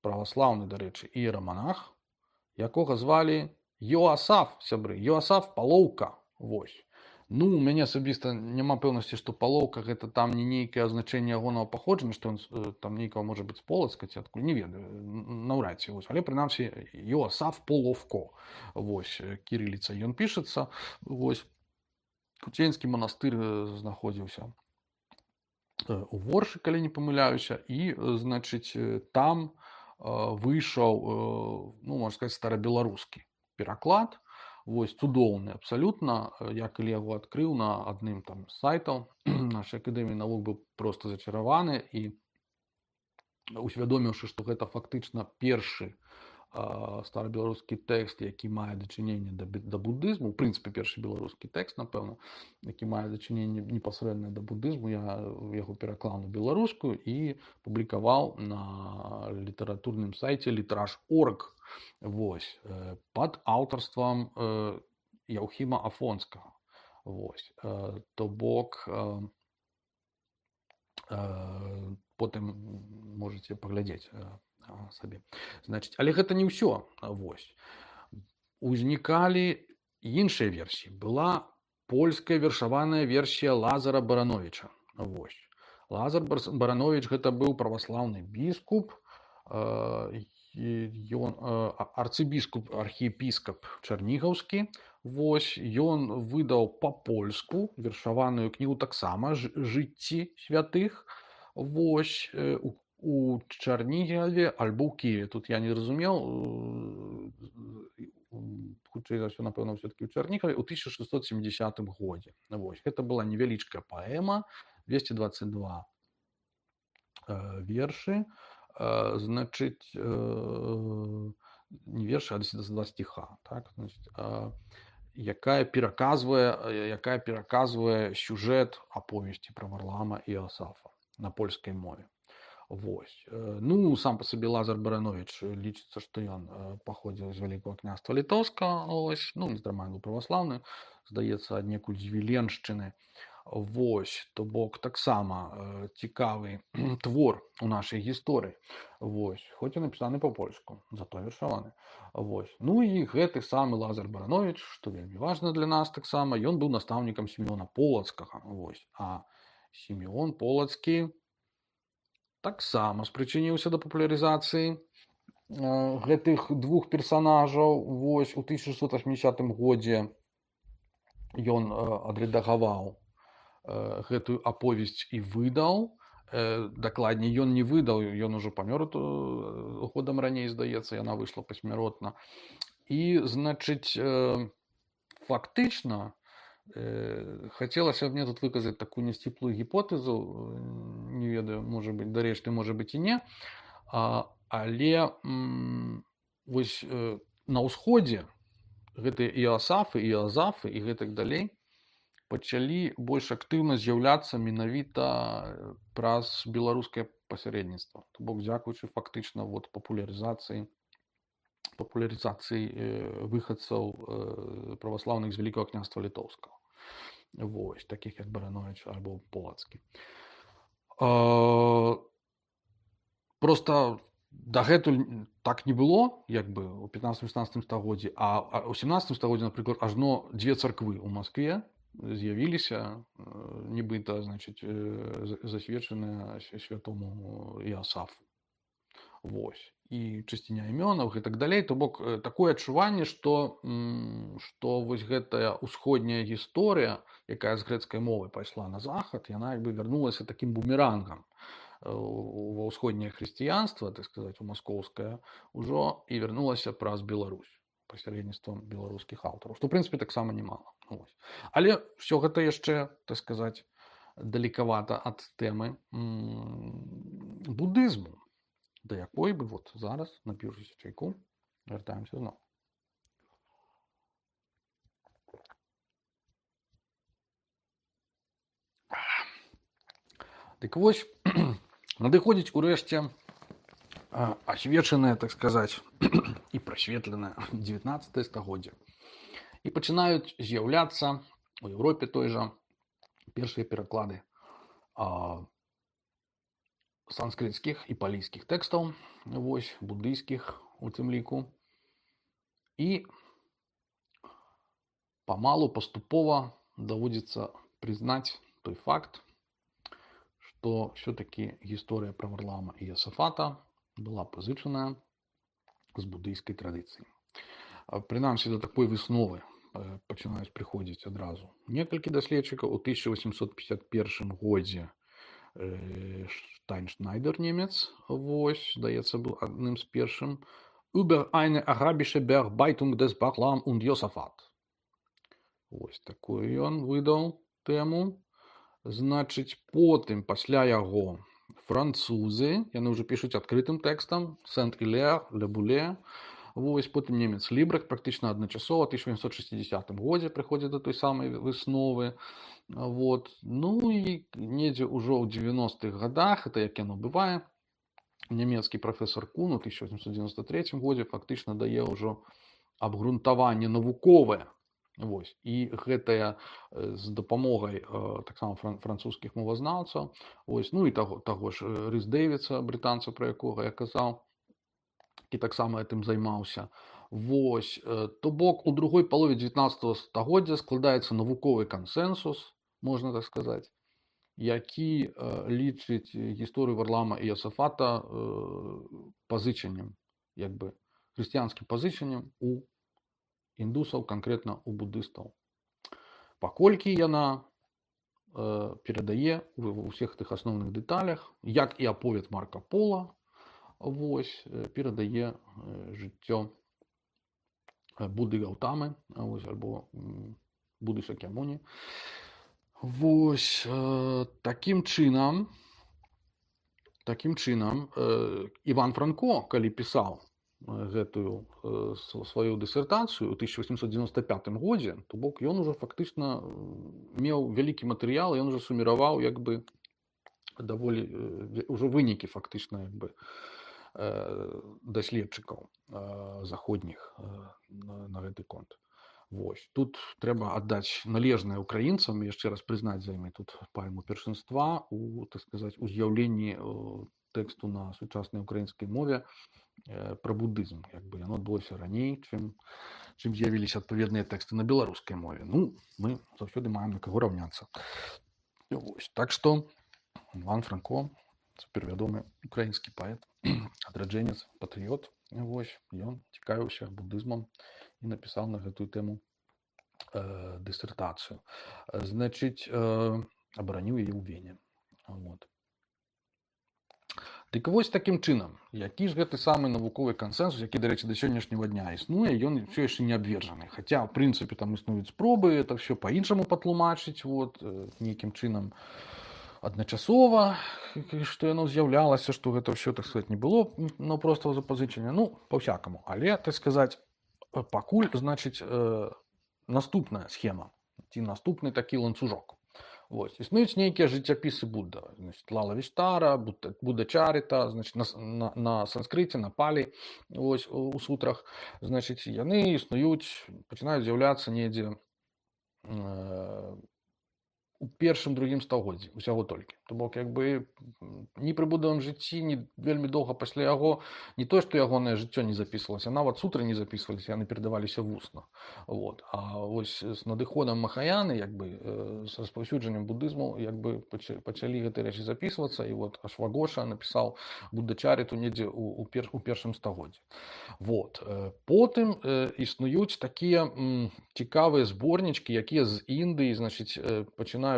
праваслаўны, дарэчы, іераманах, якога звалі Йоасаф, сябры, Йоасаф Палоўка. Вось. Ну, у мяне асабіста няма пэўнасці, што Палоўка гэта там не нейкае азначэнне ягонага паходжання, што ён там нейкага можа быць з Полацка ці адкуль, не ведаю, наўрад ці. Але прынамсі Йоасаф Половко. Вось, кірыліца ён пішацца. Вось, Куценьскі манастыр знаходзіўся у Воршы, калі не памыляюся, і, значыць, там выйшаў, ну, можна сказаць, старабеларускі пераклад. Вось, цудоўны абсалютна. Я калі яго адкрыў на адным там з сайтаў нашай акадэміі навук, быў проста зачараваны і усвядоміўшы, што гэта фактычна першы старабеларускі тэкст, які мае дачыненне да будызму, у прынцыпе першы беларускі тэкст, напэўна, які мае дачыненне непасрэдна да будызму, я яго пераклаў на беларускую і публікаваў на літаратурным сайце Літраж.орг, вось, пад аўтарствам Яўхіма Афонскага. Вось, то бок, потым можаце паглядзець сабе. Значыць, але гэта не ўсё. Вось. Узнікалі іншыя версіі. Была польская вершаваная версія Лазара Барановіча. Вось. Лазар Барановіч гэта быў праваслаўны біскуп, ён арцыбіскуп, архіепіскап Чарнігаўскі. Вось, ён выдаў па-польску вершаваную кнігу таксама «Жыцці святых». Вось, у Чарнігаве альбо ў Кіеве. Тут я не разумеў, хутчэй за ўсё, напэўна, ўсё-такі ў Чарнігаве, у 1670 годзе. Вось, гэта была невялічкая паэма, 222 вершы, значыць, не вершы, а 222 стиха, так, значыць, якая пераказвае сюжэт аповесці пра Варлаама і Іосафа на польскай мове. Вось. Ну, сам па сабе Лазар Барановіч лічыцца, што ён паходзіў з Вялікага княства Літоўскага, ось, ну, нездарма быў праваслаўны, здаецца, аднекуль з Віленшчыны. Вось, то бок таксама цікавы твор у нашай гісторыі. Вось, хоць і напісаны па-польску, зато вершаваны. Вось. Ну і гэты самы Лазар Барановіч, што вельмі важна для нас таксама, ён быў настаўнікам Сімеона Полацкага. Вось. А Сімеон Полацкі таксама спрычыніўся да папулярызацыі гэтых двух персанажаў. Вось, у 1680 годзе ён адрэдагаваў гэтую аповесць і выдаў. Дакладней, ён не выдаў, ён ужо памёр годам раней, здаецца, яна выйшла пасмяротна. І, значыць, фактычна, хацелася мне тут выказаць такую нясціплую гіпотэзу, не ведаю, можа быць, дарэшты, можа быць і не, але вось на ўсходзе гэтыя Іосафы, Іозафы і гэтак далей пачалі больш актыўна з'яўляцца менавіта праз беларускае пасярэдніцтва. То бок, дзякуючы фактычна папулярызацыі выхадцаў праваслаўных з Вялікага княства Літоўскага. Вось, такіх як Барановіч альбо Полацкі. Проста дагэтуль так не было, як бы у 15-16 стагоддзі, а ў 17 стагоддзі, напрыклад, ажно дзве царквы ў Маскве з'явіліся, нібыта, значыць, засведчаныя святому Іосафу. Вось. І чысціня імёнаў і так далей. То бок, такое адчуванне, што вось гэтая ўсходняя гісторыя, якая з грэцкай мовы пайшла на захад, яна як бы вярнулася такім бумерангам ва ўсходняе хрысціянства, так сказаць, у маскоўскае, ужо і вярнулася праз Беларусь пасярэдніцтвам беларускіх аўтараў, што, ў прынцыпе, таксама немала. Вось. Але ўсё гэта яшчэ, так сказаць, далекавата ад тэмы будызму, да якой бы вот зараз, напіўшыся чайку, вяртаемся зноў. Дык вось, надыходзіць урэшце асвечанае, так сказаць, і прасветленае 19 стагоддзе. І пачынаюць з'яўляцца у Еўропе той жа першыя пераклады санскрытскіх і палійскіх тэкстаў, вось, буддыйскіх у тым ліку. І памалу, паступова даводзіцца прызнаць той факт, што ўсё-такі гісторыя пра Варлаама і Іосафата была пазычаная з буддыйскай традыцыі. Прынамсі, да такой высновы пачынаюць прыходзіць адразу некалькі даследчыкаў. У 1851 годзе Штайншнайдер, немец, вось, здаецца, быў адным з першым, «Über eine arabische Bearbeitung des Barlaam und Josaphat». Вось такую ён выдаў тэму. Значыць, потым, пасля яго, французы, яны ўжо пішуць адкрытым тэкстам, Сент-Ілер, Ле Буле, Вось, потым немец Лібрах практычна адначасова 1860 годзе прыходзіць да той самай высновы. Вот. Ну і недзе ўжо ў 90-х годах, это як яно бывае, нямецкі прафесор Кун у 1893 годзе фактычна дае ўжо абгрунтаванне навуковае. Вось. І гэтая з дапамогай таксама французскіх мовазнаўцаў, вось, ну і таго ж Рыс Дэвідса, брытанца, пра якога я казаў, які таксама гэтым займаўся. Вось. То бок у другой палове 19 стагоддзя складаецца навуковы кансэнсус, можна так сказаць, які лічыць гісторыю Варлама і Йосафата пазычаннем, як бы хрысціянскім пазычаннем у індусаў, канкрэтна у буддыстаў. Паколькі яна перадае ва ўсіх тых асноўных дэталях, як і аповед Марка Пола, вось, перадае жыццё Будды Гаўтамы, вось, альбо Будды Шакьямуні. Вось, такім чынам Іван Франко, калі пісаў гэтую сваю дысертацыю ў 1895 годзе, то бок ён ужо фактычна меў вялікі матэрыял, ён ужо суміраваў як бы даволі ўжо вынікі фактычна як бы даследчыкаў заходніх на гэты конт. Вось. Тут трэба аддаць належнае украінцам, яшчэ раз прызнаць за імі тут пальму першынства у, так сказаць, у з'яўленні тэксту на сучаснай украінскай мове пра буддызм. Як бы яно адбылося раней, чым з'явіліся адпаведныя тэксты на беларускай мове. Ну, мы заўсёды маем на каго раўняцца. Вось. Так што Іван Франко, цяпервядомы украінскі паэт, адраджэнец, патрыёт, вось, ён цікавіўся буддызмам і напісаў на гэтую тэму дысертацыю. Значыць, абараніў яе ў Вене. Вот. Дык вось такім чынам, які ж гэты самы навуковы кансэнсус, які, дарэчы, да сённяшняга дня існуе, ён ўсё яшчэ не абвержаны. Хаця, ў прынцыпе, там існуюць спробы это ўсё па-іншаму патлумачыць, вот, нейкім чынам адначасова, што яно з'яўлялася, што гэта ўсё, так сказаць, не было простого запазычання, ну, па-всякаму. Але, так сказаць, пакуль, значыць, наступная схема, ці наступны такі ланцужок. Вось. Існуюць нейкія жыццяпісы Будда. Значыць, Лала Віштара, Будда Чаріта, значыць, на санскрыце, на палі, вось, у сутрах. Значыць, яны існуюць, пачынаюць з'яўляцца недзе у першым-другім стагоддзі, усяго толькі. То бок, як бы, ні пры будавым жыцці, ні вельмі доўга пасля яго, не то, што ягонае жыццё не запісвалася, нават сутры не запісваліся, яны перадаваліся вусна. Вот. А вось з надыходам Махаяны, як бы, з распаўсюджаннем буддызму, як бы, пачалі гэтыя рэчы запісвацца, і вот Ашвагоша напісаў Будда-чаріту недзе у першым стагоддзі. Вот. Потым існуюць такія цікавыя зборнічкі, якія з Індыі, значыць, пачынаюць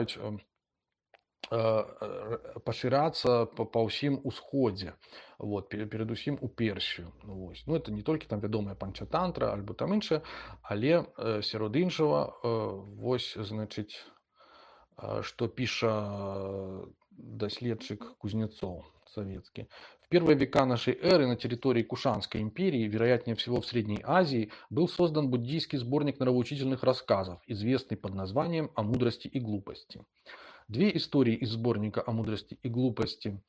пашырацца па ўсім усходзе, вот, перадусім у Персію. Вось. Ну, это не толькі там вядомая панчатантра, альбо там іншае, але сярод іншага, вось, значыць, што піша даследчык Кузнецов советский. В первые века нашей эры на территории Кушанской империи, вероятнее всего в Средней Азии, был создан буддийский сборник нравоучительных рассказов, известный под названием «О мудрости и глупости». Две истории из сборника «О мудрости и глупости»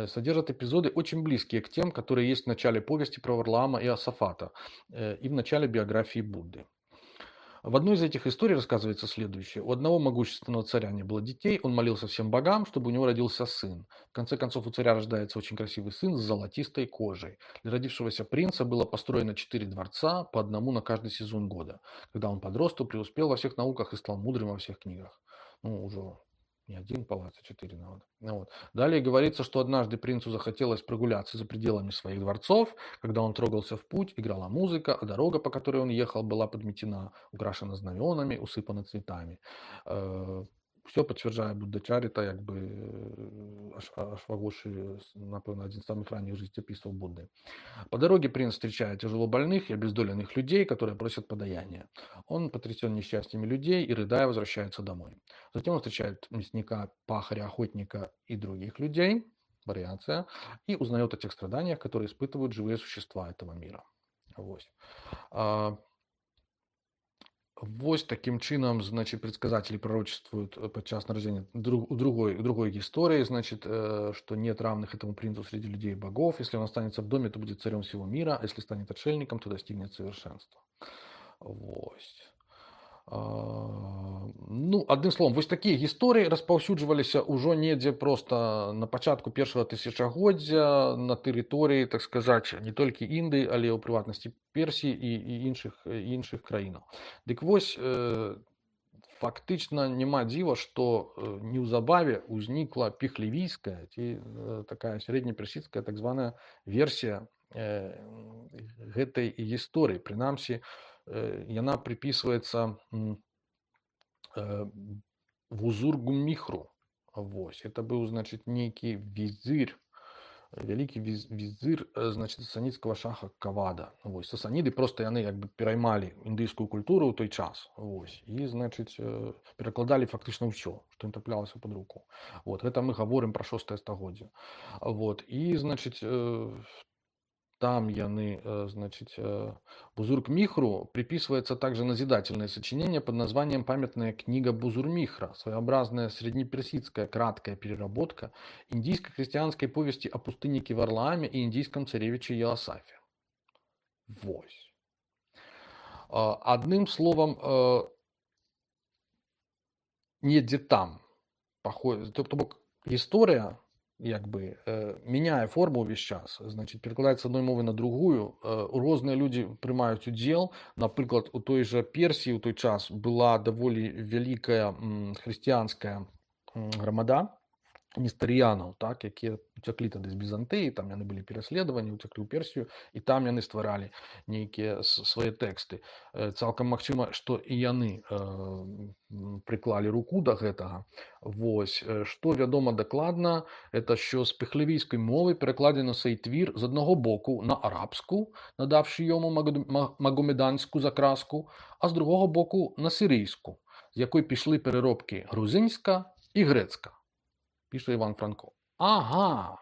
содержат эпизоды, очень близкие к тем, которые есть в начале повести про Варлаама и Йосафата и в начале биографии Будды. В одной из этих историй рассказывается следующее. У одного могущественного царя не было детей, он молился всем богам, чтобы у него родился сын. В конце концов, у царя рождается очень красивый сын с золотистой кожей. Для родившегося принца было построено 4 дворца, по одному на каждый сезон года. Когда он подрос, то преуспел во всех науках и стал мудрым во всех книгах. Ну, уже не один палац, а 4 навод. Вот. Далее говорится, что однажды принцу захотелось прогуляться за пределами своих дворцов. Когда он трогался в путь, играла музыка, а дорога, по которой он ехал, была подметена, украшена знаменами, усыпана цветами. Все подтверждает Будда-чарита, як бы Ашвагоши, напевно, один из самых ранних жизнеописов Будды. По дороге принц встречает тяжело больных и обездоленных людей, которые просят подаяния. Он потрясен несчастьями людей и, рыдая, возвращается домой. Затем он встречает мясника, пахаря, охотника и других людей, вариация, и узнает о тех страданиях, которые испытывают живые существа этого мира. Вось. А, Вось таким чынам, значит, предсказатели пророчествуют подчас нараджэння другой истории, значит, что нет равных этому принцу среди людей и богов. Если он останется в доме, то будет царем всего мира, а если станет отшельником, то достигнет совершенства. Вось. Ну, адным словом, вось такія гісторыі распаўсюджваліся ўжо недзе проста на пачатку першага тысячагоддзя на тэрыторыі, так сказаць, не толькі Індыі, але ў прыватнасці Персіі і іншых краінаў. Дык вось, фактычна няма дзіва, што неўзабаве ўзнікла піхлівійская ці такая сярэднеперсідская так званая версія гэтай гісторыі. Прынамсі, яна приписывается Бузургу-Михру. Вось. Это был, значит, некий визирь, великий визирь, значит, сасанідскага шаха Кавада. Вось. Сасаніды просто яны як бы пераймалі індыйскую культуру ў той час. Вось. І, значит, перакладалі фактычна ўсё, што ім траплялася пад руку. Вот. Гэта мы гаворым пра 6 стагоддзе. Вот. І, значит, там яны, значит, Бузург-Михру приписывается также назидательное сочинение под названием «Памятная книга Бузур-Михра», своеобразная среднеперсидская краткая переработка индийско-христианской повести о пустыннике Варлааме и индийском царевиче Иосафе. Вось. Одним словом, недзе там, то бок история, як бы мяняе форму ўвесь час, значит, перакладаецца з адной мовы на другую. Розныя людзі прымаюць удзел. Напрыклад, у той жа Персіі ў той час была даволі вялікая хрысціянская грамада нестарыянаў, так, якія уцяклі тады з Бізантыі, там яны былі пераследаваны, уцяклі ў Персію, і там яны стваралі нейкія свае тэксты. Цалкам магчыма, што і яны прыклалі руку да гэтага. Вось. Што вядома дакладна, это що з піхлівійскай мовы перакладзена цей твір з аднаго боку на арабску, надавши йому магомеданську закраску, а з другого боку на сирійську, з якої пішли переробки грузинська і грецька. Пише Іван Франко. Ага.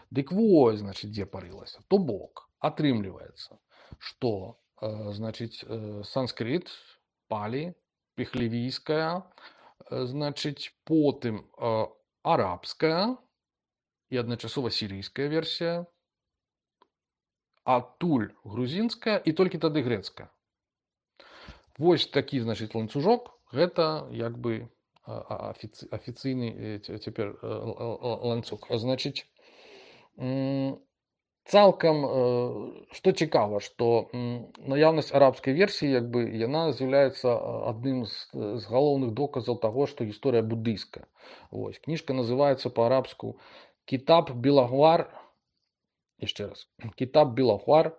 Дык вось, значит, дзе парылася. То бок, атрымліваецца, што, значит, санскрыт, палі, піхлівійская, значит, потым арабская і адначасова сірійская версія, адтуль грузінская і толькі тады грецкая. Вось такі, значит, ланцужок, гэта як бы афіцыйны цяпер ланцуг. Значит, цалкам, што цікава, што наяўнасць арабскай версіі, як бы, яна з'яўляецца адным з галоўных доказаў таго, што гісторыя буддыйская. Вось. Кніжка называецца па-арабску «Кітаб Билагвар», яшчэ раз, «Кітаб Билагвар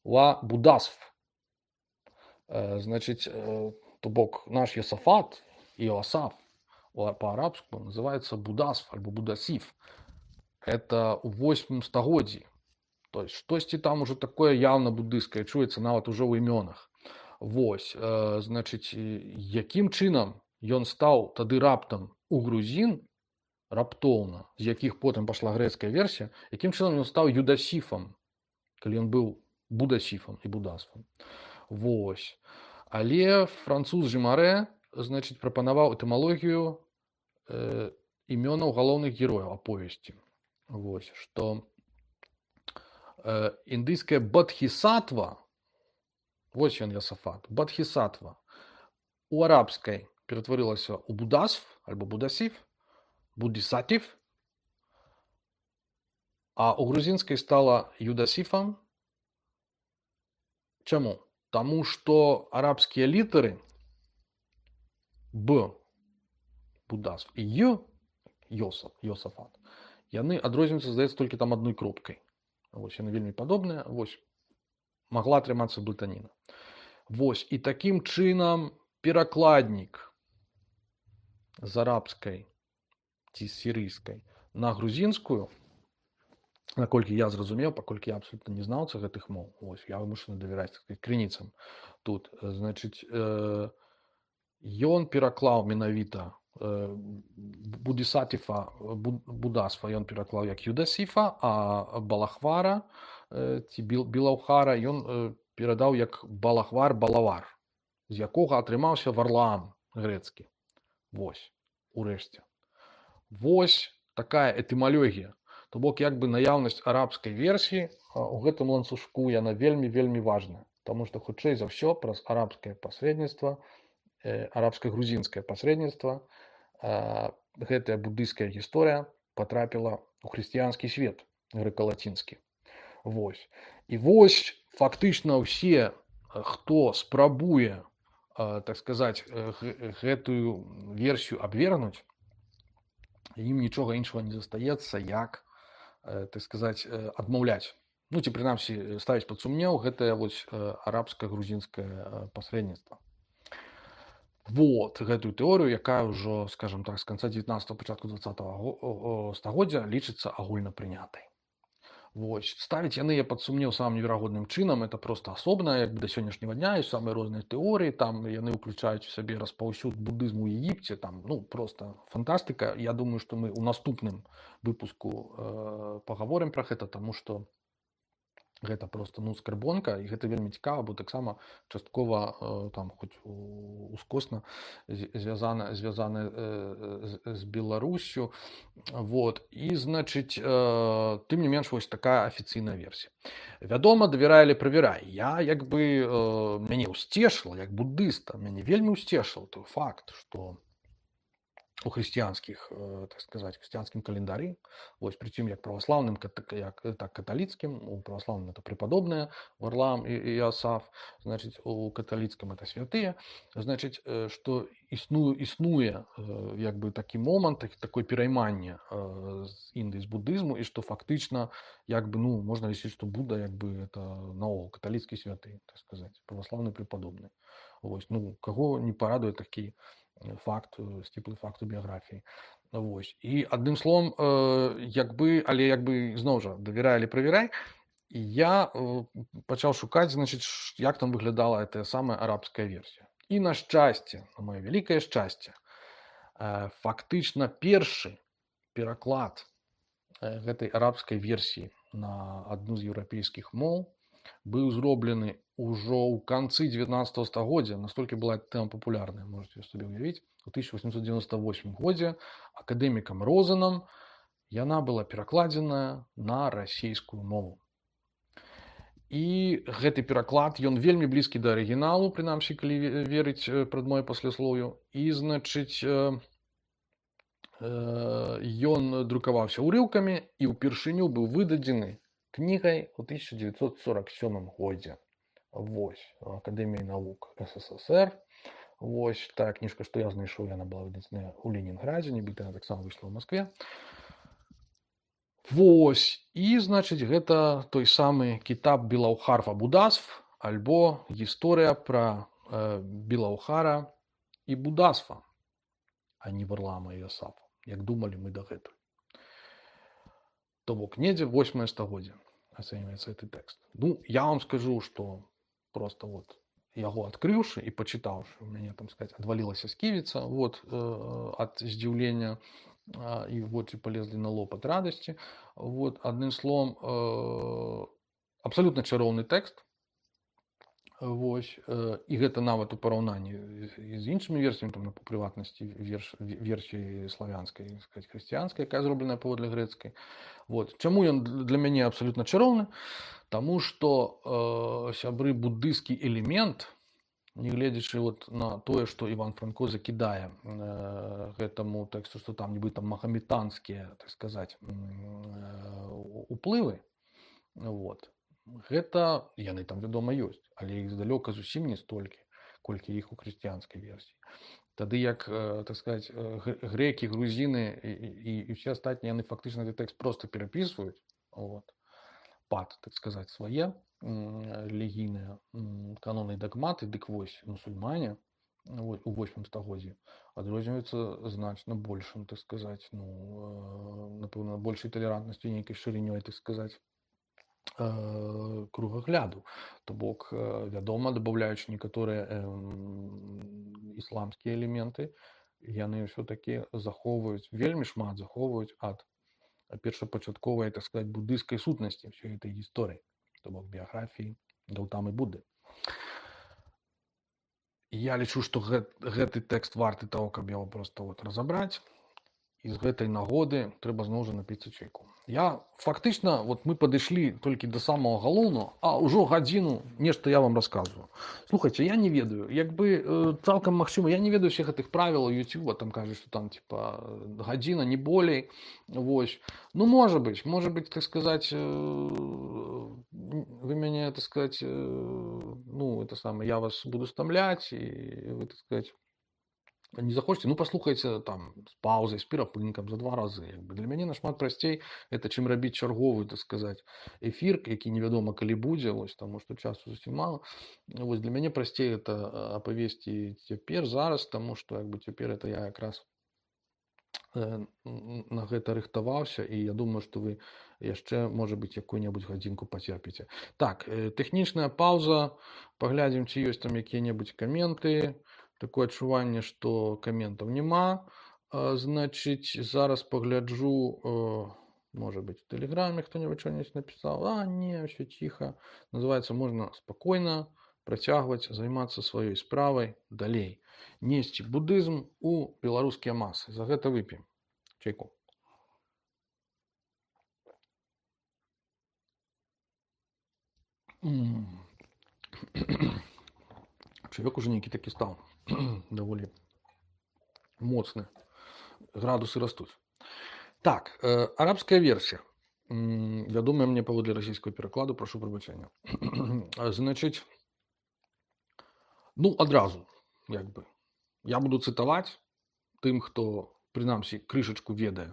ва Будасф». Значит, то бок наш Йосафат, Иосаф, по-арабску называется Будасф альбо Будасиф. Это у 8 стагоддзі. То есть штосьці там уже такое явно буддыйскае чуецца нават ужо ў імёнах. Вось, значит, якім чынам ён стаў тады раптам у грузін, раптоўна, з якіх потым пашла грэцкая версія, якім чынам ён стаў Юдасіфам, калі ён быў Будасіфам і Будасфам. Вось. Але француз Жымарэ, значит, прапанаваў этымалогію імёнаў галоўных герояў аповесці. Вось, што індыйская Бадхісатва, вось ён Йосафат, Бадхісатва, у арабскай ператварылася ў Будасф альбо Будасіф, Будісатіф, а у грузінскай стала Юдасіфам. Чаму? Таму што арабскія літары Б, Будасф, і Й, Йосафат, яны адрозніваюцца, здаецца, толькі там адной кропкай. Вось, яны вельмі падобныя. Вось, магла атрымацца блытаніна. Вось, і такім чынам перакладнік з арабскай ці сірыйскай на грузінскую, наколькі я зразумеў, паколькі я абсолютна не знаўца гэтых моў, вось, я вымушаны давяраць крыніцам тут, значит, ён пераклаў менавіта Будісатіфа, Будасфа ён пераклаў як Юдасіфа, а Балахвара, ці Білаўхара, ён перадаў як Балахвар-Балавар, з якога атрымаўся Варлаам грэцкі. Вось, урэшце. Вось такая этымалогія. То бок, як бы наяўнасць арабскай версіі у гэтым ланцужку яна вельмі важная, таму што хутчэй за ўсё праз арабскае пасрэдніцтва, арабска-грузінскае пасрэдніцтва гэтая буддыйская гісторыя патрапіла ў хрысціянскі свет грэка-лацінскі. Вось. І вось фактычна ўсе, хто спрабуе, так сказаць, гэтую версію абвергнуць, ім нічога іншага не застаецца, як, так сказаць, адмаўляць. Ну, ці прынамсі ставіць пад сумнеў гэтае вось арабска-грузінскае пасрэдніцтва. Вот гэтую тэорыю, якая ўжо, скажем так, з канца 19-го, пачатку 20-го стагоддзя лічыцца агульнапрынятай. Вось. Ставіць яны пад сумнеў самым неверагодным чынам, это проста асобна, як бы да сённяшняга дня ёсць самыя розныя тэорыі, там яны ўключаюць у сабе распаўсюд буддызму ў Егіпце, там, ну, проста фантастыка. Я думаю, што мы ў наступным выпуску пагаворым пра гэта, таму што гэта просто, ну, скарбонка, і гэта вельмі цікава, бо таксама часткова там хоць ускосна звязана з Беларусю. Вот. І, значыць, тым не менш, вось такая афіцыйная версія. Вядома, давярай или правярай. Я, як бы, мяне ўсцешыла, як буддыста, мяне вельмі ўсцешыла той факт, што у хрысціянскіх, так сказаць, хрысціянскім календары, вось, прычым як праваслаўным, так каталіцкім, у праваслаўным это преподобныя Варлаам і Іасаф, значыць, у каталіцкім это святыя, значыць, што існуе як бы такі момант, такое перайманне з Індыі, з буддызму, і што фактычна, як бы, ну, можна лічыць, што Будда, як бы, это наогул каталіцкі святы, так сказаць, праваслаўны преподобны. Вось, ну, каго не парадуе такі факт, сціплы факт у біяграфіі. Вось. І адным словам, як бы, але як бы зноў жа давярай или правярай, я пачаў шукаць, значыць, як там выглядала гэтая самая арабская версія. І на шчасце, на маё вялікае шчасце, фактычна першы пераклад гэтай арабскай версіі на адну з еўрапейскіх моў быў зроблены ўжо ў канцы 19-го стагоддзя, настолькі была тэма папулярная, можете сабе ўявіць, у 1898 годзе акадэмікам Розанам яна была перакладзеная на расейскую мову. І гэты пераклад, ён вельмі блізкі да арыгіналу, прынамсі, калі верыць прадмове пасляслоўю, і, значыць, ён друкаваўся ўрыўкамі і ўпершыню быў выдадзены кнігай у 1947 годзе. Вось, Акадэміяй навук СССР. Вось, тая кніжка, што я знайшоў, яна была выдадзена ў Ленінградзе, нібыта яна таксама выйшла ў Маскве. Вось, і, значыць, гэта той самы кітаб Білаўхар ва Будасф, альбо гісторыя пра Білаўхара і Будасфа, а не Варлаама і Іасафа, як думалі мы дагэтуль. То бок, недзе 8-е стагоддзе ацэньваецца гэты тэкст. Ну, я вам скажу, што просто вот яго адкрыўшы і пачытаўшы, у мяне, там сказаць, адвалілася сківіца, вот, ад здзіўлення, і вочы полезлі на лоб ад радасці. Вот, адным словам, абсалютна чароўны тэкст. Вось, і гэта нават у параўнанні з іншымі версіямі, там, па прыватнасці версіі славянскай, сказаць, хрысціянскай, якая зробленая паводле грэцкай. Вот. Чаму ён для мяне абсалютна чароўны? Таму што, сябры, буддыйскі элемент, нягледзячы вот на тое, што Іван Франко закідае гэтаму тэксту, што там нібыта магаметанскія, так сказаць, уплывы, вот, гэта, яны там, вядома, ёсць, але іх здалёка зусім не столькі, колькі іх у хрысціянскай версіі. Тады як, так сказаць, грэкі, грузіны і ўсе астатнія, яны фактычна гэты тэкст проста перапісваюць, вот, пад, так сказаць, свае рэлігійныя каноны і дагматы, дык вось, мусульмане у 8 стагоддзі адрозніваюцца значна большым, так сказаць, ну, напэўна, большай талерантнасцю, нейкай шырынёй, так сказаць, кругагляду. То бок, вядома, дабаўляючы некаторыя ісламскія элементы, яны ўсё-такі захоўваюць, вельмі шмат захоўваюць ад першапачатковай, так сказаць, буддыйскай сутнасці ўсёй гэтай гісторыі. то бок біяграфіі Гаўтамы Будды. Я лічу, што гэты тэкст варты таго, каб яго проста разабраць. І з гэтай нагоды трэба зноў жа напіцца чайку. Я фактычна, мы падышлі толькі да самага галоўнага, а ўжо гадзіну нешта я вам расказваю. Слухайце, я не ведаю, цалкам магчыма, я не ведаю ўсіх гэтых правілаў Ютуба, там кажуць, што там гадзіна, не болей. Вось. Ну, можа быць, так сказаць, вы мяне, так сказаць, я вас буду стамляць, і вы, так сказаць, не захочете, паслухайце там з паўзай, з перапынкам за 2 разы. Для мяне нашмат прасцей гэта, чым рабіць чарговы, так сказаць, эфір, які невядома калі будзе, таму што часу зусім мала. Для мяне прасцей это апавесці цяпер, зараз, таму што цяпер это я якраз на гэта рыхтаваўся, і я думаю, што вы яшчэ, можа быць, якую-небудзь гадзінку пацерпіце. Так, тэхнічная паўза, паглядзім, ці ёсць там якія-небудзь каменты. Такое адчуванне, што каментаў няма. Значыць, зараз пагляджу, можа быць, у тэлеграме хто-небудзь што-небудзь напісаў. Не, ўсё ціха. Называецца, можна спакойна працягваць займацца сваёй справай далей. Несці будызм у беларускія масы. За гэта вып'ем чайку. Чаёк уже нейкі такі стаў. Даволі моцны. Градусы растуць. Так, арабская версія. Вядомая мне паводле расійскага перакладу, прашу прабачэння. Значыць, адразу, я буду цытаваць тым, хто, прынамсі, крышачку ведае,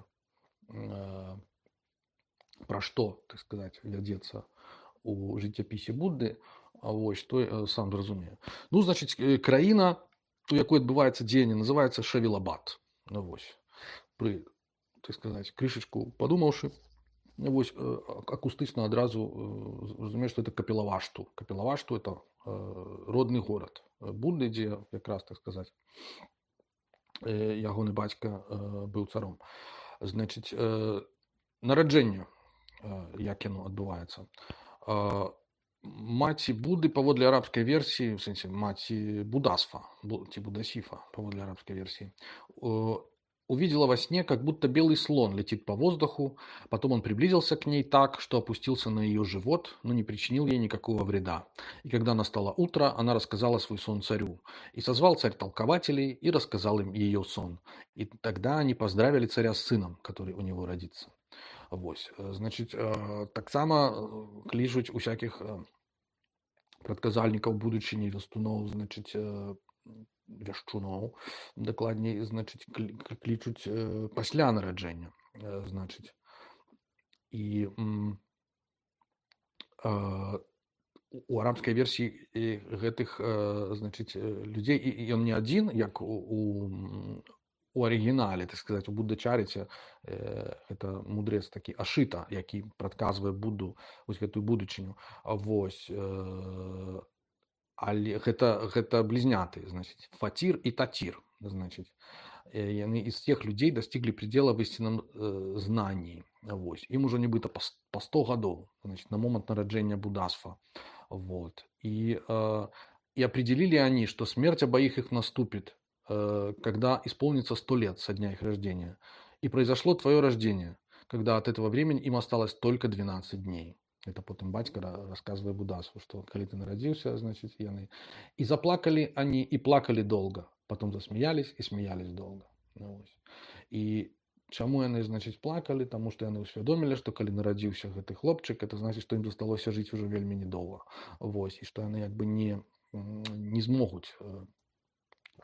пра што, так сказаць, вядзецца у жыццяпісе Будды, той сам зразумее. Значыць, краіна, у якой адбываецца дзеянне, называецца Шавілабад. Пры, так сказаць, крышачку падумаўшы, акустычна адразу разумееш, што это Капілавашту. Капілавашту это родны горад Будды, дзе якраз, так сказаць, ягоны бацька быў царом. Значыць, нараджэнне, як яно адбываецца. Маці Будды, паводле арабскай версіі, в сэнсе маці Будасфа, ці Будасифа, паводле арабской версии, увидела во сне, как будто белый слон летит по воздуху, потом он приблизился к ней так, что опустился на ее живот, но не причинил ей никакого вреда. И когда настало утро, она рассказала свой сон царю. И созвал царь толкователей и рассказал им ее сон. И тогда они поздравили царя с сыном, который у него родится. Значыць, таксама клічуць усякіх прадказальнікаў будучыні, вястуноў, значыць, вяшчуноў, дакладней, значыць, клічуць пасля нараджэння, значыць. І у арабскай версіі гэтых, значыць, людзей, і ён не адзін, як у арыгінале, так сказаць, у Будда-чарыце, гэта мудрец такі Ашыта, які прадказвае Будду, гэтую будучыню. Але гэта блізняты, значыць, Фатір і Татір, значыць. Яны из тех людей достигли предела в истинном знании. Им уже нібыта по 100 гадоў, значит, на момент нараджэння Будасфа. И определили они, что смерть обоих их наступит, когда исполнится 100 лет со дня их рождения. И произошло твое рождение, когда от этого времени им осталось только 12 дней. Это потом батька рассказывает Будасфу, что когда ты народился, значит, яны. И заплакали они, и плакали долго. Потом засмеялись и смеялись долго. И чаму яны, значит, плакали? Потому что яны усвядомили, что калі нарадзіўся гэты хлопчык, это значит, что им засталося жить уже вельмі недолго. И что яны як бы не змогуць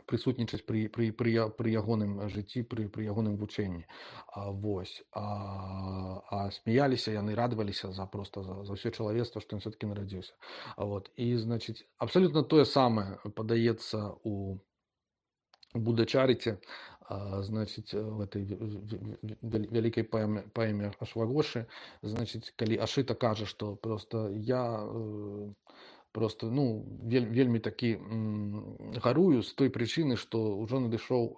прысутнічаць пры ягоным жыцці, пры ягоным вучэнні. А смяяліся яны, радаваліся за ўсё чалавецтва, што ён все-таки нарадзіўся. І, значыць, абсолютно тое самае падаецца у Будда-чарыце, значыць, в этой вялікай паэме Ашвагошы, значыць, калі Ашыта кажа, што вельмі такі гарую з той прычыны, што ўжо надышоў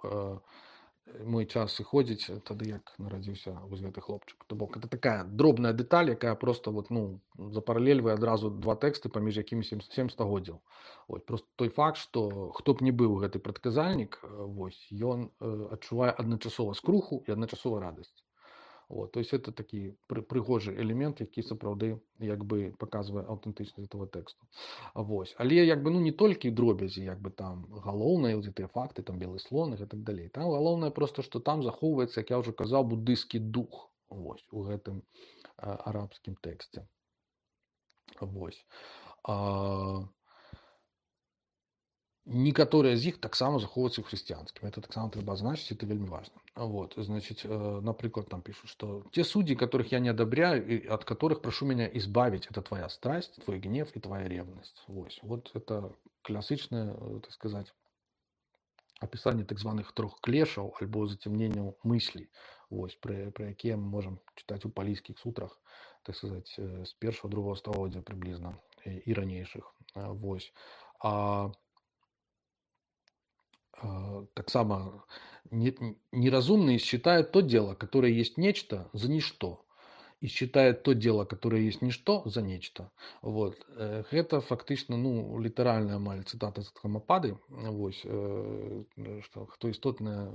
мой час сыходзіць тады, як нарадзіўся вось гэты хлопчык. То бок это такая дробная дэталь, якая просто вот, ну, запаралельвае адразу два тэксты, паміж якімі сем стагоддзяў. Вот. Просто той факт, што хто б не быў гэты прадказальнік, вось, ён адчувае адначасова скруху і адначасова радасць. Вот, то есть это такі прыгожы элемент, які сапраўды як бы паказвае аўтэнтычнасць этого тэксту. Вось. Але як бы, ну, не толькі дробязі, як бы там галоўныя вот гэтыя факты, там белы слон і так далей. Там галоўнае просто, што там захоўваецца, як я ўжо казаў, буддысцкі дух, вось, у гэтым арабскім тэксце. Вось. Некаторыя з іх таксама захоўваюцца ў хрысціянскім. Это таксама трэба азначыць, это вельмі важна. Вот, значит, напрыклад, там пишут, что те судьи, которых я не одобряю, и от которых прошу меня избавить, это твоя страсть, твой гнев и твоя ревность. Вот это класычнае, так сказать, опісанне так званых трох клешаў альбо зацемненняў мыслей, вось, пра якія мы можам чытаць у палійскіх сутрах, так сказать, з першого другого стагоддзя прыблізна і ранейшых. Вось. Таксама неразумные считают то дело, которое есть нечто, за ничто. И считают то дело, которое есть ничто, за нечто. Вот. Гэта фактычна, ну, літаральная амаль цытата з Дхаммапады. Вось, што хто істотнае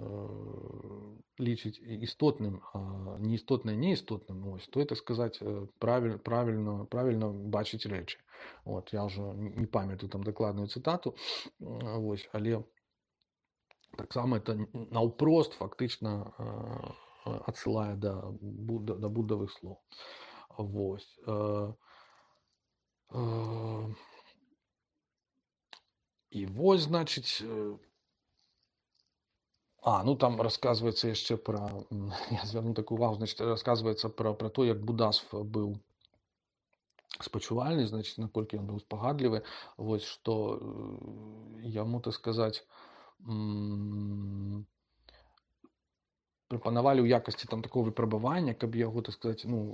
лічыць істотным, а неістотнае неістотным, вось, то, так сказать, правильно бачыць рэчы. Вот. Я ўжо не памятаю там дакладную цытату, вось, але таксама это наўпрост фактычна адсылае да буддавых слоў. Вось. І вось, значыць, ну там рассказывается яшчэ пра, я звярну такую увагу, значит, рассказывается пра то, як Будасв быў спачувальны, значит, наколькі ён быў спагадлівы, вось, што яму, так сказать, прапанавалі ў якасці там такого выпрабавання, каб яго, так сказать, ну,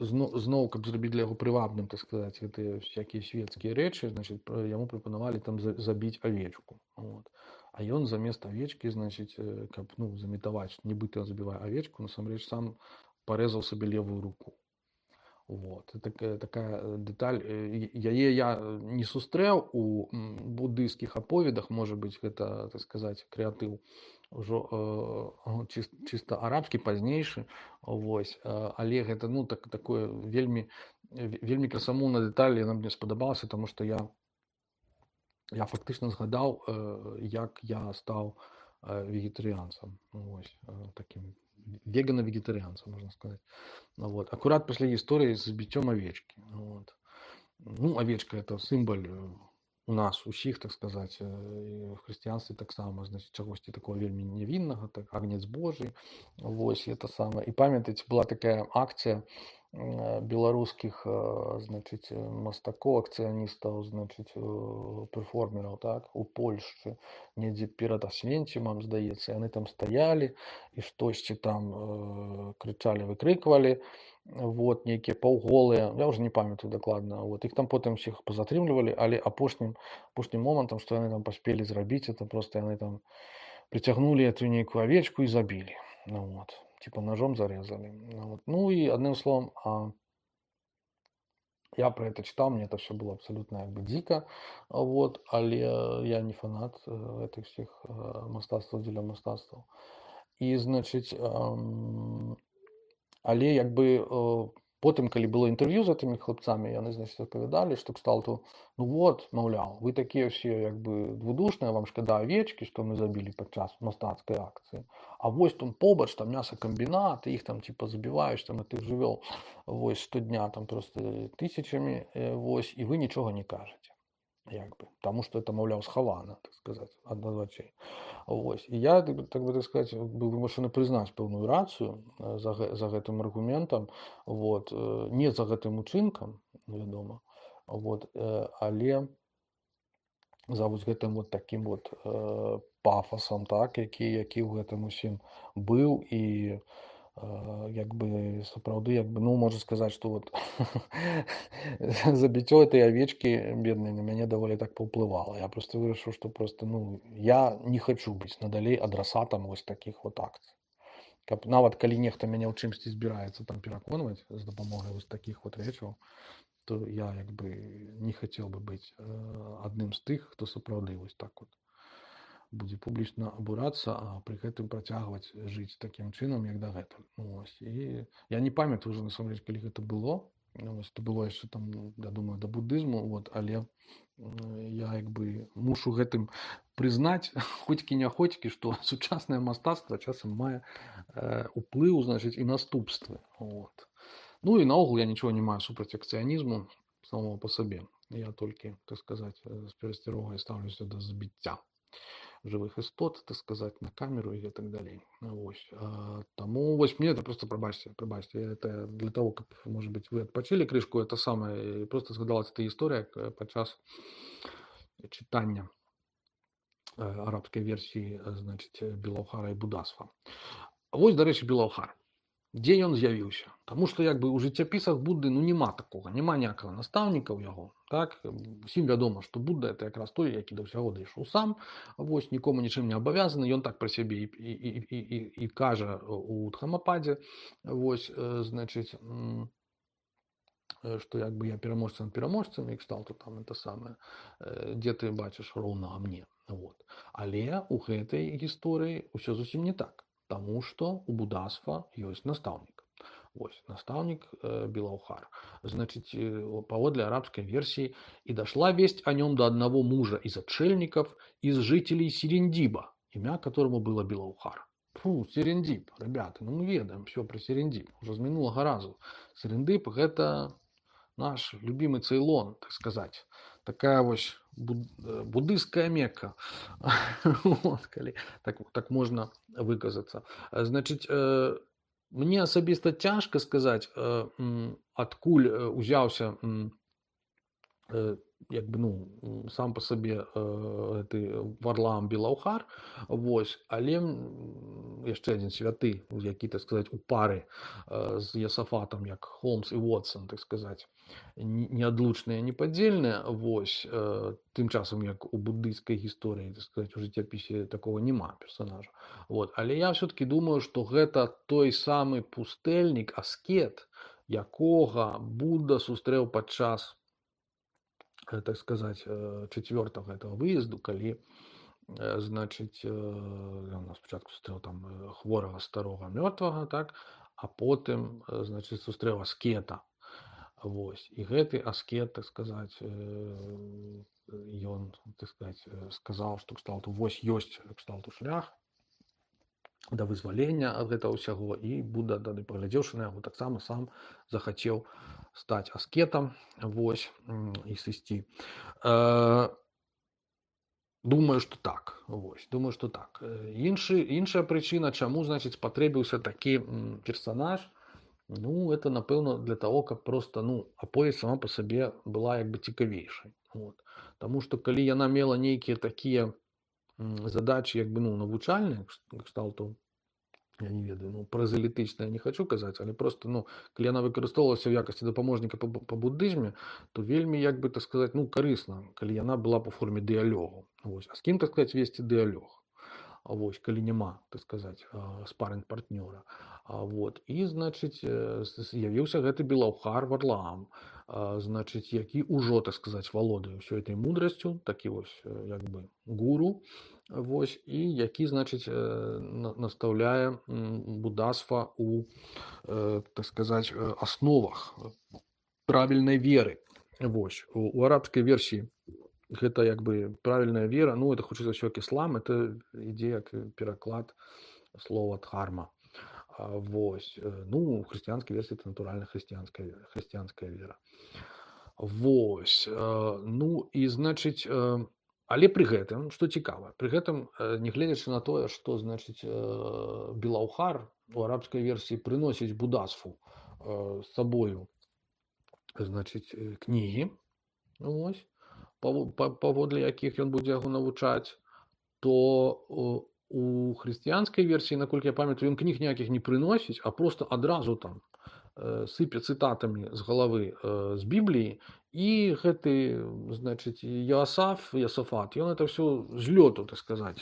зноў, каб зрабіць для яго прывабным, так сказать, гэтыя всякія светскія рэчы, значит, яму прапанавалі там забіць авечку. Вот. А ён замест авечкі, значит, каб, ну, замітаваць, нібыта ён забівае авечку, насамрэч сам парэзаў сабе левую руку. Вот. Такая дэталь, яе я не сустрэў у буддыйскіх аповедах, можа быць, гэта, так сказать, крэатыў ўжо чыста арабскі, пазнейшы, вось, але гэта, ну, такое вельмі красамоўная дэталь, яна мне спадабалася, таму што я фактычна згадаў, як я стаў вегетарыянцам, вось, таким вегана-вегетарианцем, можно сказать. Вот. Аккурат пасля гісторыі з забіццём авечкі. Вот. Ну, авечка это сімвол у нас усіх, так сказать, в хрысціянстве таксама, значит, чагосьці такого вельмі нявіннага, так, агнец Божий. Вось, это самое. І памятаеце, была такая акцыя беларускіх, значит, мастакоў, акцыяністаў, значит, перформераў, так, у Польшчы, недзе перад Асвенцімам, здаецца, яны там стаялі і штосьці там крычалі, выкрыквалі, вот, нейкія паўголыя, я ўжо не памятаю дакладна, вот, іх там потым усіх пазатрымлівалі, але апошнім момантам, што яны там паспелі зрабіць, это просто яны там прыцягнулі эту нейкую авечку і забілі, ну, вот, типа ножом зарезали. Вот. Ну и одним словом, я про это читал, мне это все было абсолютно как бы дико, вот, але я не фанат этих всех мастацтваў дзеля мастацтваў. І, значыць, але як бы потым, калі было інтэрв'ю з гэтымі хлопцамі, яны, значит, адпавядалі, што кшталту, ну вот, маўляў, вы такія ўсе як бы двудушныя, вам шкада авечкі, што мы забілі падчас мастацкай акцыі. А вось там побач, там мясакамбінат, іх там типа забіваюць, там гэтых жывёл, вось, штодня там просто тысячамі, вось, і вы нічога не кажаце. Як бы, таму што это, маўляў, схавана, так сказаць, ад вачэй. Вось. І я, так бы так сказаць, быў вымушаны прызнаць пэўную рацыю за гэтым аргументам, вот, не за гэтым учынкам, вядома, вот, але за вось гэтым вот таким вот пафасам, так, які ў гэтым усім быў, і Якби сапраўды, ну, можна сказаць, што вот забіццё этой авечкі беднай на мяне даволі так паўплывала. Я просто вырашыў, што просто, ну, я не хачу быць надалей адрасатам вось такіх вот акцый. Каб нават калі нехта мяне ў чымсьці збіраецца там пераконваць з дапамогай вось такіх вот рэчаў, то я як бы не хацеў бы быць адным з тых, хто сапраўды вось так вот будзе публічна абурацца, а пры гэтым працягваць жыць такім чынам, як дагэтуль. Вось. І я не памятаю ўжо насамрэч, калі гэта было. Вось, это было яшчэ там, я думаю, да будызму, вот, але я як бы мушу гэтым прызнаць хоцькі-няхоцькі, што сучаснае мастацтва часам мае уплыў, значыць, і наступствы. Вот. Ну і наогул я нічого не маю супраць акцыянізму самого па сабе. Я толькі, так сказаць, з перасцярогай стаўлюся да забіцця жывых істот, так сказаць, на камеру і так далей. Вось. Таму вось мне это просто прабачце, это для того, каб, может быть, вы адпачылі крышку, это самае, просто згадалась эта гісторыя падчас чытання арабскай версіі, значыць, Белаўхара і Будасфа. Вось, дарэчы, Белаўхар. Дзе ён з'явіўся? Таму што як бы ў жыццяпісах Будды ну няма такога, няма ніякага настаўніка ў яго. Так? Усім вядома, што Будда это якраз той, які да ўсяго дайшоў сам, вось, нікому нічым не абавязаны, ён так пра сябе і кажа у Дхамападзе, вось, значыць, што як бы я пераможца над пераможцам, і кшталту там это самае, дзе ты бачыш роўнага мне. Вот. Але ў гэтай гісторыі ўсё зусім не так. Тому что у Будасфа есть наставник. Ось, наставник Белаўхар. Значит, паводле арабской версии, и дошла весть о нем до одного мужа из отшельников, из жителей Серендиба, имя которому было Белаўхар. Фу, Серендиб, ребята, ну мы ведаем все про Серендиб, уже с минулого разу. Серендиб это наш любимый Цейлон, так сказать. Такая вось буддыйская Мекка. Вот, калі так можна выказацца. Значыць, мне асабіста цяжка сказаць, адкуль узяўся як бы, ну, сам па сабе гэты Варлаам Белаўхар, вось, але яшчэ адзін святы, які, так сказаць, у пары з Ясафатам, як Холмс і Вотсон, так сказаць, неадлучныя, непадзельныя, вось, тым часам, як у буддыйскай гісторыі, так сказаць, у жыццяпісе такого няма персонажа. Вот. Але я все-таки думаю, што гэта той самы пустэльнік, аскет, якога Будда сустрэў падчас, так сказать, чацвёртага этого выезду, калі, значыць, ён спачатку сустрэў там хворага старога мёртвага, так, а потым, значыць, сустрэў аскета. Вось. І гэты аскет, так сказаць, ён, так сказаць, сказаў, што кшталту вось ёсць кшталту шлях да вызвалення ад гэтага ўсяго, і Будда, тады паглядзеўшы на яго, таксама сам захацеў стаць аскетам, вось, і сысці. Думаю, што так. Вось, думаю, што так. Іншая прычына, чаму, значыць, спатрэбіўся такі персанаж, ну, это, напэўна, для того, каб просто, ну, аповесць сама па сабе была як бы цікавейшай. Вот. Таму што калі яна мела нейкія такія задачи, як бы, ну, навучальныя, кшталту, я не ведаю, ну, празалітычна я не хочу казаць, але просто, ну, калі яна выкарыстоўвалася ў якасці дапаможніка па буддызме, то вельмі, як бы, так сказаць, ну, карысна, калі яна была па форме дыялогу. Вось. А з кім, так сказаць, весці дыялог? Вось, калі няма, так сказаць, спарринг-партнёра. Вот. І, значыць, з'явіўся гэты Белаўхар Варлаам, значыць, які ўжо, так сказаць, валодае ўсёй этой мудрасцю, такі вось, як бы, гуру, вось, і які, значыць, настаўляе Будасфа у, так сказаць, асновах правільнай веры. Вось. У арабскай версіі гэта як бы правільная вера, ну, это хутчэй за ўсё іслам, это ідзе як пераклад слова дхарма. Вось. Ну, у хрысціянскай версіі это натуральна хрысціянская вера. Вось. Ну, і, значыць, але пры гэтым, што цікава, пры гэтым, нягледзячы на тое, што, значыць, Белаўхар у арабскай версіі прыносіць Будасфу з сабою, значыць, кнігі, вось, паводле якіх ён будзе яго навучаць, то У хрысціянскай версіі, наколькі я памятаю, ён кніг ніякіх не прыносіць, а просто адразу там сыпе цытатамі з галавы з Бібліі, і гэты, значыць, Ясафат, ён это все з лёту, так сказаць,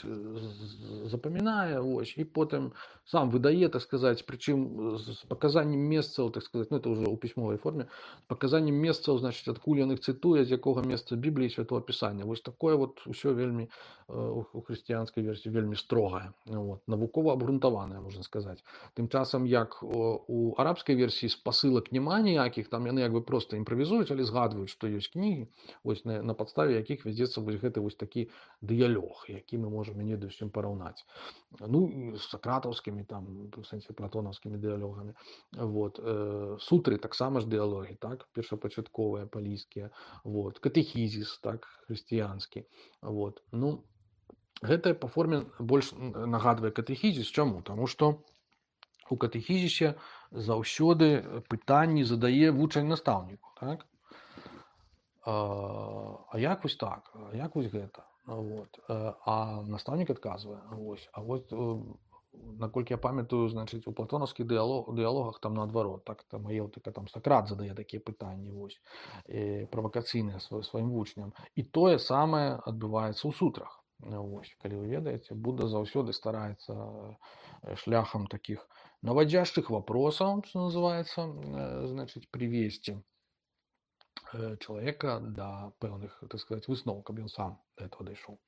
запамінае, вось, і потым сам выдае, так сказаць, прычым з паказаннем месцаў, так сказаць, ну это ўжо ў пісьмовай форме, з паказаннем месцаў, значыць, адкуль ён іх цытуе, з якога месца Бібліі святого пісання. Вось такое вот усё вельмі у хрысціянскай версіі вельмі строгае, вот, навукова абгрунтаванае, можна сказаць. Тым часам, як у арабскай версіі спасылак няма ніякіх, там яны як бы проста імправізуюць, але згадваюць, што ёсць кнігі, вось на падставе якіх вядзецца вось гэты вось такі дыялог, які мы можам не ведаю з чым параўнаць. Ну і з сакратаўскімі там, у сэнсе платонаўскімі дыялогамі. Вот. Сутры таксама ж дыялогі, так, першапачатковыя палійскія, вот. Катэхізіс, так, хрысціянскі. Вот. Ну, гэта па форме больш нагадвае катэхізіс. Чаму? Таму што у катэхізісе заўсёды пытанні задае вучань настаўніку, так? А як вось так? А як вось гэта? Вот. А настаўнік адказвае. Вось. А вось, наколькі я памятаю, значыць, у платонаўскіх дыялогах там наадварот, так, там Аелтыка, там Сакрат задае такія пытанні, вось, правакацыйныя сваім вучням. І тое самае адбываецца ў сутрах. Вось, калі вы ведаеце, Будда заўсёды стараецца шляхам такіх наводящих вопросаў, што называецца, значыць, привесці чалавека да пэўных, так сказаць, высноў, каб ён сам да этого дайшоў.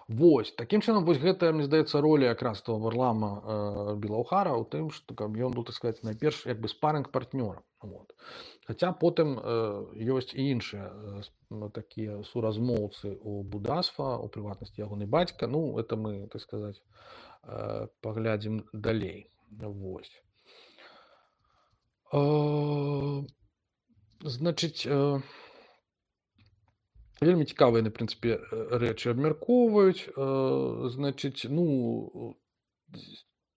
Вось, такім чынам, вось гэта, мне здаецца, роля якраз того Варлама Белаўхара ў тым, што каб ён быў, так сказаць, найперш як бы спарынг-партнёрам. Вот. Хаця потым ёсць і іншыя такія суразмоўцы у Будасфа, у прыватнасці ягоны бацька. Ну, это мы, так сказаць, паглядзім далей. Вось. Значыць, вельмі цікавыя, на прынцыпе, рэчы абмяркоўваюць. Значыць, ну,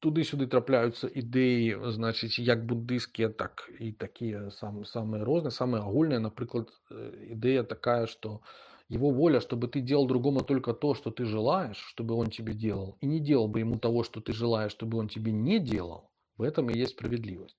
туды-сюды трапляюцца ідэі, значыць, як буддыйскія, так і такія самыя розныя, самыя агульныя. Напрыклад, ідэя такая, что его воля, чтобы ты делал другому только то, что ты желаешь, чтобы он тебе делал, и не делал бы ему того, что ты желаешь, чтобы он тебе не делал, в этом и есть справедливость.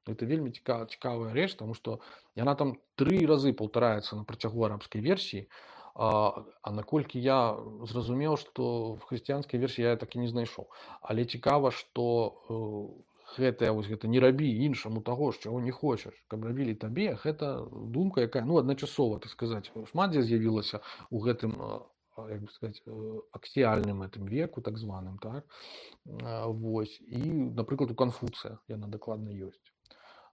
Это вельмі цікавая рэч, тому што яна там 3 разы паўтараецца на працягу арабскай версіі, а наколькі я зразумеў, што в хрысціянскай версіі я так і не знайшоў. Але цікава, што гэта не рабі іншаму таго, чаго не хочаш, каб рабілі табе, гэта думка, якая, ну, адначасова, так сказаць, шмат дзе з'явілася ў гэтым, як бы сказаць, аксіяльным гэтым веку, так званым, так? Вось. І, напрыклад, у Канфуцыя яна дакладна ёсць.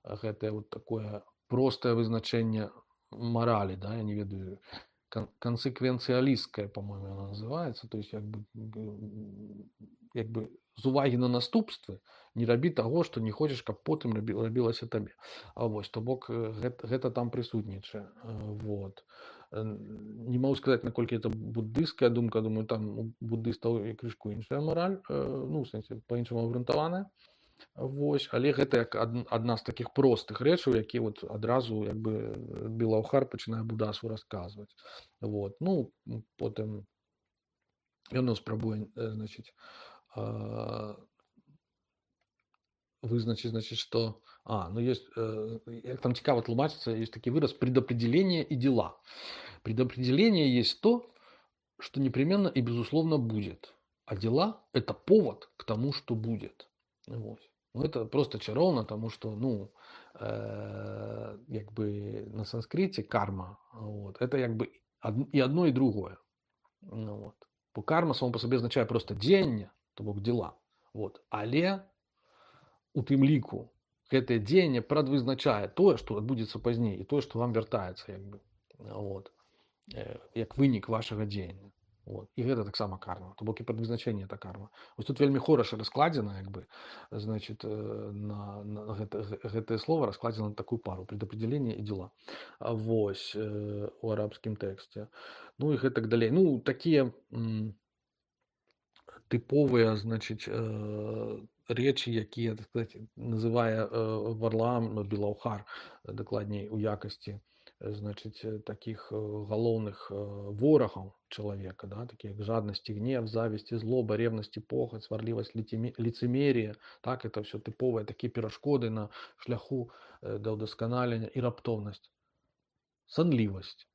Гэтае вот такое простае вызначэнне маралі, да, я не ведаю, консеквенциалистская, по-моему, она называется, то есть як бы з увагі на наступствы не рабі таго, што не хочаш, каб потым рабілася табе. А вось, то бок гэта там прысутнічае. Вот. Не могу сказаць, наколькі это буддыйская думка, думаю, там у буддыстаў і крышку іншая мараль, ну, в сэнсе, па-іншаму абгрунтаваная. Вось, але гэта як адна з такіх простых рэчаў, які вот адразу як бы Белаўхар пачынае Будасу расказваць. Вот. Ну, потым ён спрабуе, значыць, вызначыць, значыць, што ну, есть, як там цікава тлумачыцца, есть такі выраз «предопределение и дела». Предопределение есть то, что непременно и безусловно будет, а дела – это повод к тому, что будет. Вот. Ну, это просто чароўна, тому что, ну, як бы на санскрите карма, вот, это як бы и одно, и другое. Ну, вот. Бо карма само по собі означає просто дзеянне, то бок дела. Вот. Але у тым ліку гэтае дзеянне прадвызначае тое, што адбудзецца пазней, і тое, што вам вяртаецца, як бы, вот, як вынік вашага дзеяння. Вот. І гэта таксама карма, то бок і прадвызначэнне это карма. Вось тут вельмі хораша раскладзена, як бы, значит, на гэтае слово раскладзена на такую пару предопределение і дела. Вось, у арабскім тэксце. Ну і гэтак далей. Ну, такія тыповыя, значыць, рэчы, якія, так сказаць, называе Варлаам Белаўхар, дакладней, у якасці значит, таких галоўных ворагаў чалавека, да, такие как жадность и гнев, зависть и злоба, ревность и похоть, сварлівасць, лицемерие. Так, это все тыповыя такие перашкоды на шляху да ўдасканалення і раптоўнасць. Сонливость.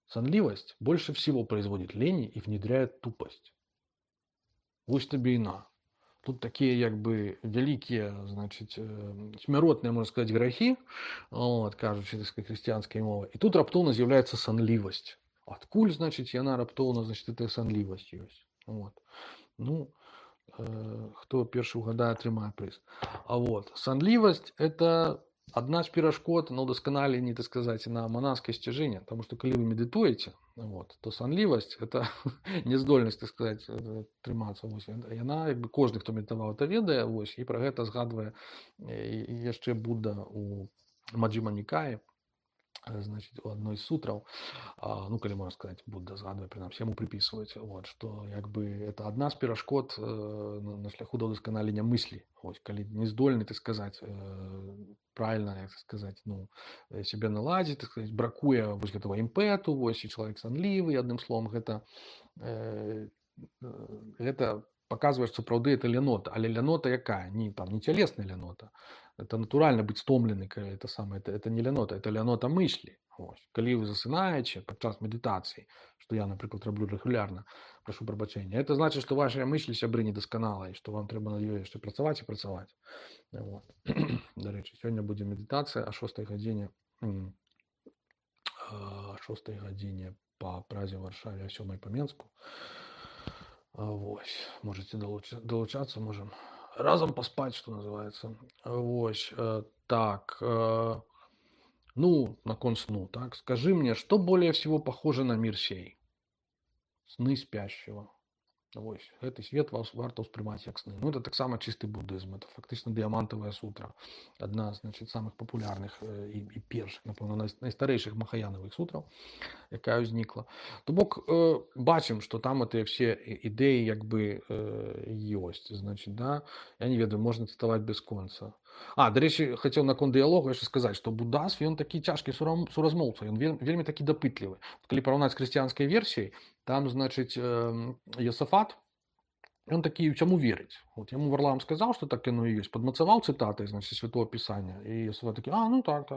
Сонливость больше всего производит лени и внедряет тупость. Вось табе і на. Тут такие как бы великие, значит, смяротныя, можно сказать, грехи, вот, кажучи, так сказать, христианской мовой. И тут раптоўна з'яўляецца сонливость. Адкуль, значит, яна раптоўна, значит, эта сонливость ёсць. Вот. Ну, хто першы угадае, атрымае прыз. А вот, сонливость – это одна з перашкод на ўдасканаленні, так сказать, на манаскае сцяжэнне. Потому что калі вы медитуете, вот, то сонливость – это нездольнасць, так сказать, трымацца. Вось. Яна, як бы, кожны, хто медитаваў, это ведае, вось, і пра гэта згадвае яшчэ Будда у Маджхіма Нікаі, значит, у одной из сутраў, ну, калі можно сказать, Будда згадвае, прынамсі, яму приписываюць, вот, что, як бы, это одна з перашкод на шляху да ўдасканалення мыслі. Вось, калі не здольны, так сказать, правильно, як сказать, ну, себе наладзіць, так сказать, бракуе вось гэтага імпэту, вось, і чалавек сонлівы, адным словом, гэта показвае, што сапраўды это лянота. Але лянота якая? Не цялесная лянота. Это натуральна быць стомлены, калі это не лянота, это лянота мыслі. Ось. Калі вы засынаеце падчас медытацыі, што я, напрыклад, раблю рэгулярна, прашу прабачэння, это значыць, што вашыя мыслі, сябры, недасканалыя, што вам трэба над ёй яшчэ працаваць і працаваць. Вот. Дарэчы, сёння будзе медытацыя о 6 гадзіне, 6 гадзіне па празе ў Варшаве, а 7 па Менску. Вось. Можете долучаться, можем разом поспать, что называется. Вось. Так. Ну, наконт сну, так. Скажи мне, что более всего похоже на мир сей? Сны спящего. Вось. Гэты свет варта ўспрымаць як сны. Ну, это таксама чысты буддызм. Это фактычна дыямантавая сутра. Адна, значит, самых папулярных і першых, напэўна, найстарэйшых махаянавых сутраў, якая ўзнікла. То бок, бачым, што там гэтыя все ідэі як бы ёсць. Значит, да, я не ведаю, можна цытаваць бясконца. Дарэчы, хацеў наконт дыялогу яшчэ сказаць, што буддазм, ён такі цяжкі суразмоўца, ён вельмі такі дапытлівы. Калі параўнаць з хрысціянскай версіяй, там, значит, Йосафат, он такі чаму верыць. Вот яму Варлаам сказаў, што так яно і ёсць, падмацаваў цытатай, значит, Святого Пісання, і Йосафат такі, ну так.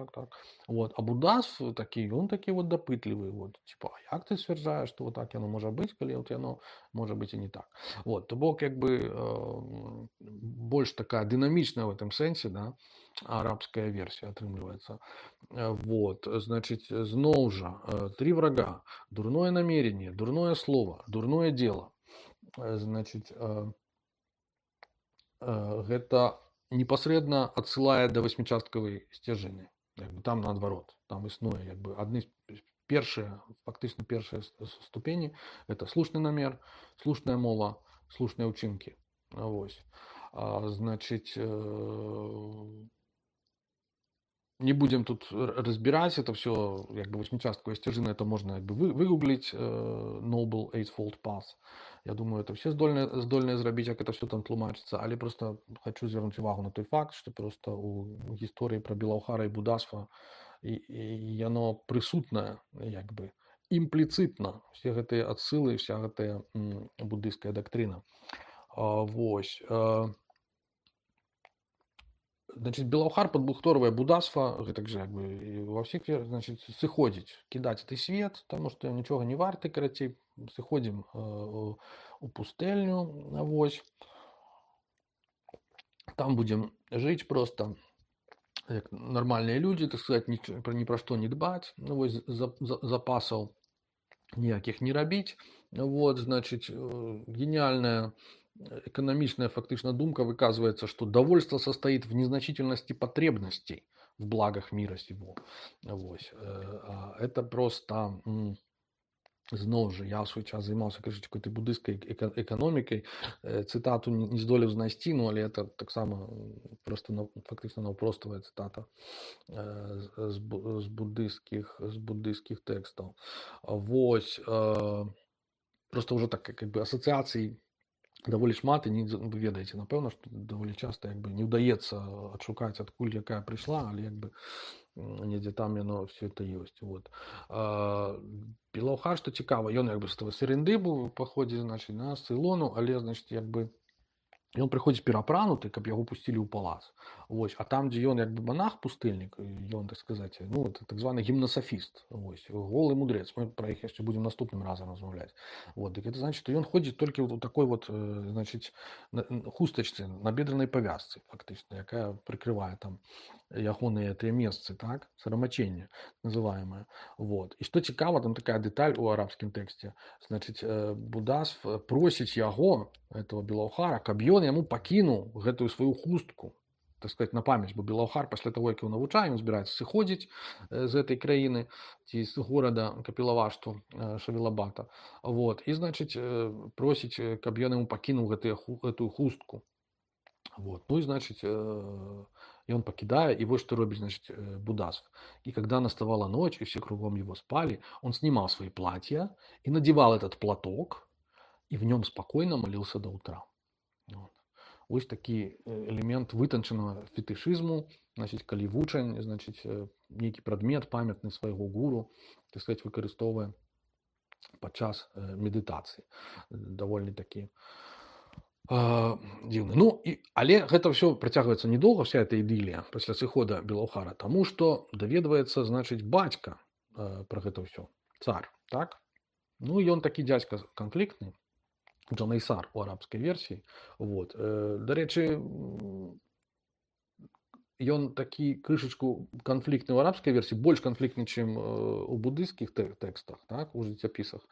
Вот. А буддазм такі, он такі вот дапытлівы, вот, типа, а як ты сцвярджаеш, што вот так яно можа быць, калі вот яно можа быць і не так. Вот. То бок, як бы, больш такая дынамічная в этом сэнсе, да, арабская версия атрымліваецца. Вот, значит, зноў жа, 3 врага: дурное намерение, дурное слово, дурное дело. Значит, гэта непасрэдна адсылае да васьмічасткавай сцяжыны. Там наадварот, там існуе як бы адны першыя, фактычна першыя ступені. Это слушны намер, слушная мова, слушныя ўчынкі. Вось. Значит, не будем тут разбирать это все, как бы восьмичастковая сцяжына, это можно как бы выгуглить, Noble Eightfold Path. Я думаю, это все здольныя зрабіць, як это все там тлумачыцца, але просто хочу звярнуць увагу на той факт, что просто у гісторыі пра Белаўхара і Будасва яно прысутнае, як бы імпліцытна, все гэтыя адсылы, вся гэтая буддыйская дактрына. Вось. Значит, Белаўхар падбухторвае будасва, гэтак жа, як бы, ва ўсіх, значит, сыходзіць, кідаць гэты свет, таму што нічога не варты, карацей, сыходзім у пустэльню, вось. Там будзем жыць просто як нармальныя людзі, так сказать, ні пра што не дбаць, ну, вось, запасаў ніякіх не рабіць. Вот, значит, гениальная экономичная фактично думка выказывается, что довольство состоит в незначительности потребностей в благах мира сего. Вот. Это просто, зноў жа, я в свой час займаўся, кажучи, какой-то буддийской экономикой, цитату не здолеў знайсці, но але это таксама просто фактично наўпростовая цитата з буддийских текстов. Вот. Просто уже так как бы ассоциаций даволі шмат, і вы ведаеце, напэўна, што даволі часта як бы не ўдаецца адшукаць, адкуль якая прыйшла, але як бы недзе там яно все это ёсць. Вот. Белаўхар, што цікава, ён як бы з Серенды быў паходзіць, значыць, на Цейлону, але, значыць, як бы ён прыходзіць перапрануты, каб яго пусцілі ў палац. Вось. А там, дзе ён як бы монах пустэльнік, ён, так сказаць, ну, это так званы гімнасафіст, вось, голы мудрэц. Мы пра іх яшчэ будзем наступным разам размаўляць. Вот. Дык это значыць, што ён ходзіць толькі ў такой вот, значыць, хустачцы, на бедранай павязцы, фактычна, якая прыкрывае там ягоныя тыя месцы, так, сарамачэнне называемае. Вот. І што цікава, там такая дэталь у арабскім тэксце, значыць, Будасв просіць яго, этого Белаўхара, каб ён яму пакінуў гэтую сваю хустку, так сказать, на памяць, бо Белаўхар пасля таго, як ён навучае, ён збіраецца сыходзіць з гэтай краіны ці з горада Капілавашту Шавілабата. Вот. І, значыць, просіць, каб ён яму пакінуў гэтую хустку. Вот. Ну і, значыць, ён пакідае, і вось што робіць, значыць, Будасв. И когда наставала ночь, и все кругом его спали, он снимал свои платья и надевал этот платок, и в нем спокойно молился до утра. Вот. Ось такі элемент вытанчанага фетышызму, значыць, калі вучань, значыць, нейкі прадмет памятны свайго гуру, так сказать, выкарыстоўвае падчас медытацыі. Даволі такі дзіўны. Ну, але гэта ўсё працягваецца недоўга, вся эта ідылія пасля сыхода Белаўхара, таму што даведваецца, значыць, бацька пра гэта ўсё, цар, так? Ну, ён такі дзядзька канфліктны, Джанайсар у арабскай версіі. Вот. Дарэчы, ён такі крышачку канфліктны ў арабскай версіі, больш канфліктны, чым у будысцкіх тэкстах, так, у жыццяпісах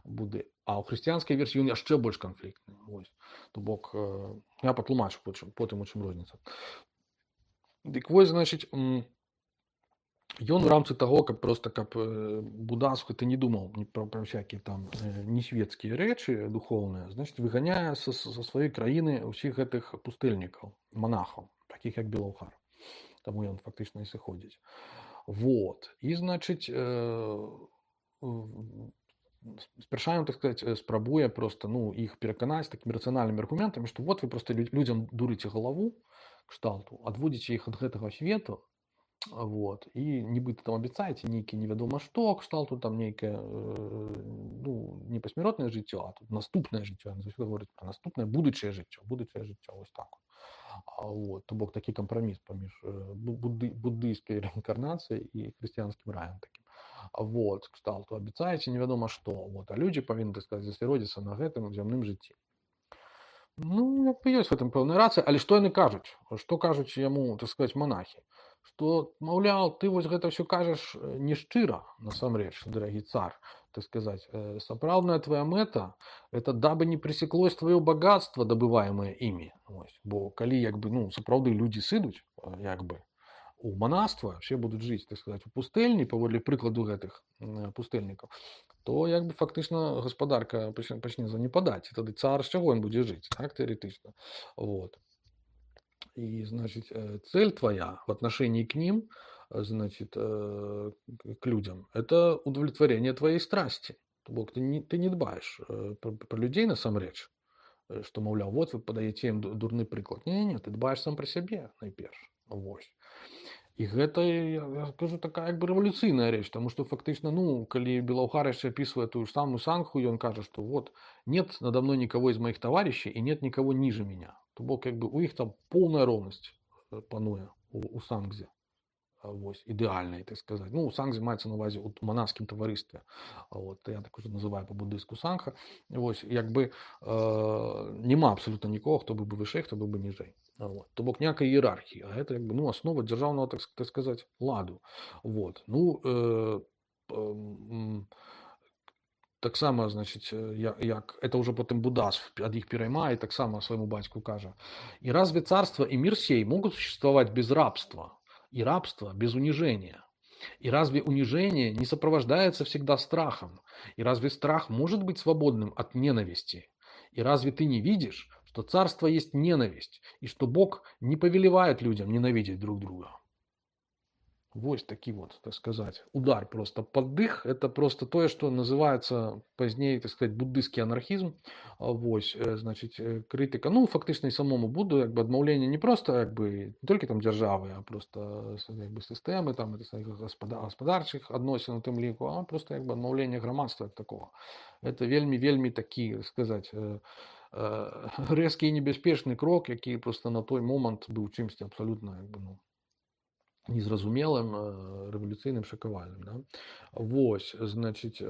Буды. А ў хрысціянскай версіі ён яшчэ больш канфліктны. Вось. То бок, я патлумачу потым, у чым розніца. Дык вось, значыць, ён у рамцы таго, каб Будасв ты не думаў пра всякія там несветскія рэчы духоўныя, значыць, выганяе са сваёй краіны ўсіх гэтых пустэльнікаў, монахаў, такіх як Белаўхар. Таму ён фактычна і сыходзіць. Вот. І, значыць, спярша ён, так сказаць, спрабуе проста, ну, іх пераканаць такімі рацыянальнымі аргументамі, што вот вы проста людзям дурыце галаву, кшталту, адводзіце іх ад гэтага свету, вот, і нібыта там абяцаеце нейкі невядома што, кшталту там нейкае, ну, не пасмяротнае жыццё, а тут наступнае жыццё, яны заўсёды говораць пра наступнае будучае жыццё, вось так. Вот, то бок такі кампраміс паміж буддыйскай рэінкарнацыяй і хрысціянскім раем такім. Вот, кшталту абяцаеце невядома што, вот, а людзі павінны, так сказаць, засяродзіцца на гэтым зямным жыцці. Ну, як бы ёсць в гэтым пэўная рацыя, але што яны кажуць? Што кажуць яму, так сказаць, монахі? Што, маўляў, ты вось гэта ўсё кажаш не шчыра, насамрэч, дарагі цар, так сказаць. Сапраўдная твоя мэта – это дабы не пресеклось твоё богатство, добываемое імі. Бо калі, як бы, ну, сапраўды людзі сыдуць, як бы, у манаства, все будуць жыць, так сказаць, у пустэльні, паводле прыкладу гэтых пустэльнікаў, то, як бы, фактычна гаспадарка пачне занепадаць, і тады цар з чаго ён будзе жыць, так, тэарэтычна. Вот. И, значит, цель твоя в отношении к ним, значит, к людям, это удовлетворение твоей страсти. Бог, ты не дбаешь про людей насамрэч, что, маўляў, вот вы подаеце ім дурны прыклад. Не, ты дбаешь сам про сябе найперш. Вось. І гэта, я скажу, такая як бы рэвалюцыйная рэч, тому што фактычна, ну, калі Белаўхар яшчэ апісвае тую ж самую сангху, ён кажа, што вот нет надо мной никого из моих товарищей и нет никого ниже меня. То бок, як бы, у іх там поўная роўнасць пануе у сангзе. Вось, ідэальнай, так сказаць. Ну, у сангзе маецца на ўвазе ў манаскім таварыстве. Вот, я так уже называю па-будыску сангха. Вось, як бы няма абсалютна нікога, хто быў бы вышэй, хто быў бы ніжэй. Вот. То бок ніякай іерархіі, а гэта, як бы, ну, аснова дзяржаўнага, так сказаць, ладу. Вот. Ну, таксама, значыць, як это уже потым Будасв ад іх пераймае, таксама свайму бацьку кажа: «И разве царство и мир сей могут существовать без рабства? И рабство без унижения? И разве унижение не сопровождается всегда страхом? И разве страх может быть свободным от ненависти? И разве ты не видишь, что царство есть ненависть, и что Бог не повелевает людям ненавидеть друг друга?» Вось такі вот, так сказать, удар просто под дых. Это просто тое, што называецца пазней, так сказать, буддысцкі анархізм. Вось, значыць, крытыка, ну, фактычна і самому Будду, як бы адмаўленне не проста, як бы, не толькі там дзяржавы, а просто як бы сістэмы, там, гаспадарчых адносін у тым ліку, а просто як бы адмаўленне грамадства як такого. Это вельмі, вельмі такі, сказаць, рэзкі і небяспечны крок, які просто на той момант быў чымсьці абсалютна, як бы, ну, незразумелым, рэвалюцыйным, шакавальным, да? Вось, значыць,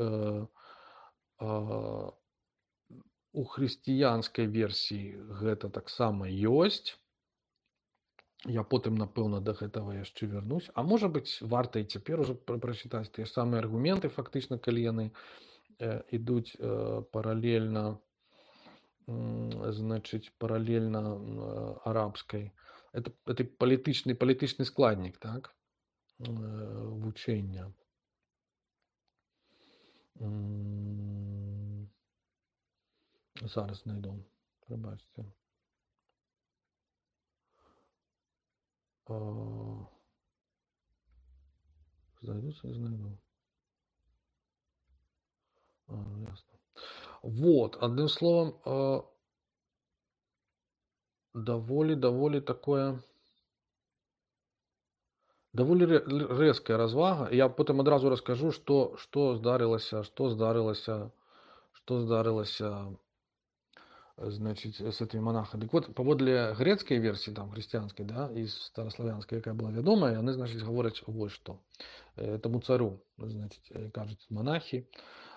у хрысціянскай версіі гэта таксама ёсць. Я потым, напэўна, да гэтага яшчэ вярнусь. А можа быць, варта і цяпер ужо прачытаць тыя самыя аргументы, фактычна, калі яны ідуць паралельна, значыць, паралельна арабскай. Это палітычны складнік, так, вучэння. Зараз знайду, прабачце. Знайду. Ясно. Вот, адным словам, даволі такое, даволі рэзкая развага. Я потым адразу раскажу, што здарылася, значыць, с этими монахами. Дык вот, паводле грэцкай версіі, там, хрысціянскай, да, і стараславянскай, якая была вядомая, яны, значыць, гавораць вось што. Этому цару, значит, кажут монахи,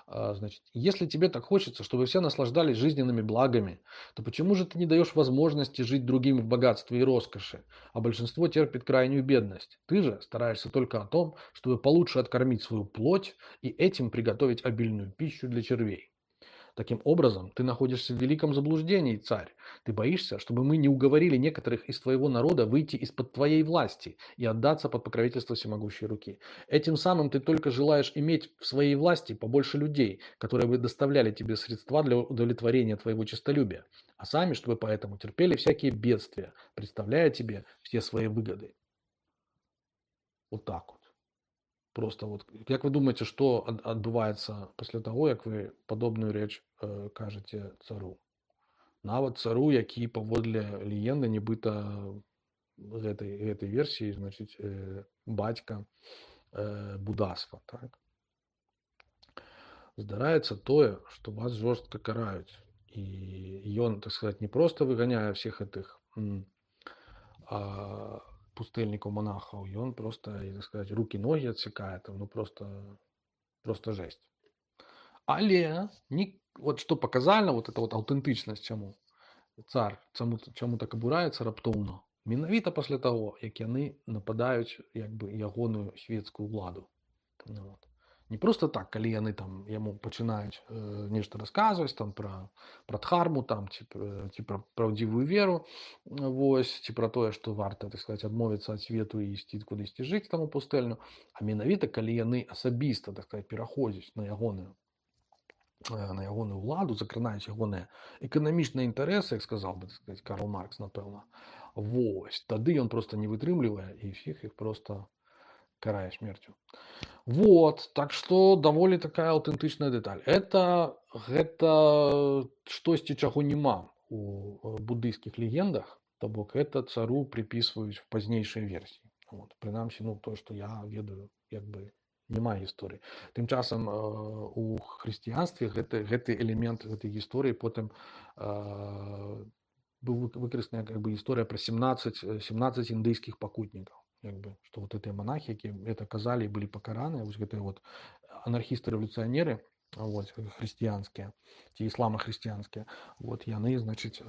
значит, если тебе так хочется, чтобы все наслаждались жизненными благами, то почему же ты не даешь возможности жить другим в богатстве и роскоши, а большинство терпит крайнюю бедность? Ты же стараешься только о том, чтобы получше откормить свою плоть и этим приготовить обильную пищу для червей. Таким образом, ты находишься в великом заблуждении, царь. Ты боишься, чтобы мы не уговорили некоторых из твоего народа выйти из-под твоей власти и отдаться под покровительство всемогущей руки. Этим самым ты только желаешь иметь в своей власти побольше людей, которые бы доставляли тебе средства для удовлетворения твоего честолюбия, а сами, чтобы поэтому терпели всякие бедствия, представляя тебе все свои выгоды. Вот так вот. Просто вот, як вы думаете, што адбываецца пасля таго, як вы падобную рэч кажаце цару? Нават цару, які паводле легенды, нібыта гэтай версіі, значыць, бацька буддаства, так? Здараецца тое, што вас жорстка караюць. І ён, так сказать, не просто выганяе всех этих пустэльнікаў, монахаў, ён просто, так сказать, руки-ноги отсекает, ну просто жесть. Але вот что показальна, вот эта вот аўтэнтычнасць, чаму цар, чаму так абураецца раптоўна, менавіта пасля таго, як яны нападаюць як бы ягоную свецкую ўладу. Вот. Не просто так, калі яны там яму пачынаюць нешта расказваць там пра дхарму, там, ці пра праўдзівую веру, вось, ці пра тое, што варта, так сказать, адмовіцца ад свету і ісці кудысьці жыць там у пустэльню, а менавіта калі яны асабіста, так сказать, пераходзяць на ягоную ўладу, закранаюць ягоныя эканамічныя інтарэсы, як сказаў бы, так сказать, Карл Маркс, напэўна. Вось, тады ён просто не вытрымлівае і ўсіх іх просто карае смерцю. Вот, так что даволі такая аўтэнтычная дэталь. Гэта штосьці, чаго няма у буддыйскіх легендах, то бок это цару припісваюць в пазнейшай версіі. Вот, прынамсі, ну, то, што я ведаю, як бы няма гісторыі. Тым часам у хрысціянстве гэты элемент гэтай гісторыі потым быў выкарыстана как бы гісторыя пра 17 індыйскіх пакутнікаў. Як бы, што вот гэтыя монахі, якія это казалі і былі пакараныя, вось гэтыя вот анархісты-рэвалюцыянеры, вот, хрысціянскія ці ісламахрысціянскія, вот яны, значыць,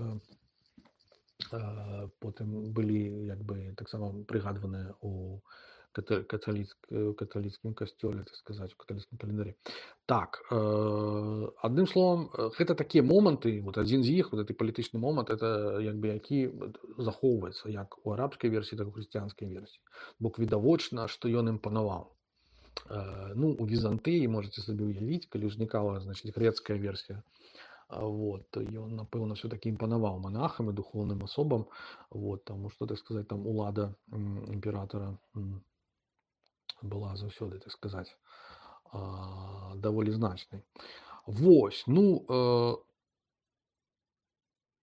потым былі як бы таксама прыгадваныя у каталіцкім касцёле, так сказаць, у каталіцкім календарі. Так, адным словам, гэта такія моманты, вот адзін з іх, вот гэты палітычны момант, это як бы які захоўваецца як у арабскай версіі, так і у хрысціянскай версіі. Бок відавочна, што ён ім панаваў. Ну, у Візантыі можаце сабе ўявіць, калі ўзнікала, значыць, грэцкая версія, вот, ён, напэўна, все-таки імпанаваў монахам і духовным асобам, вот, таму што, так сказаць, там улада імператора была заўсёды, так сказаць, даволі значнай. Вось, ну,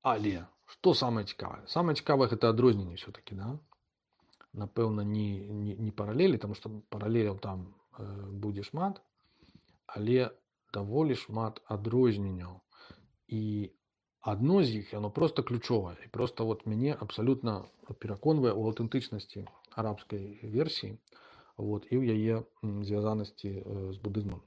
але што самае цікавае? Самае цікавае гэта адрозненне ўсё-такі, да? Напэўна, не паралелі, таму што паралеляў там будзе шмат, але даволі шмат адрозненняў. І адно з іх, яно проста ключовае. І проста вот мяне абсалютна пераконвае ў аўтэнтычнасці арабскай версіі, вот, і ў яе звязанасці з будызмам.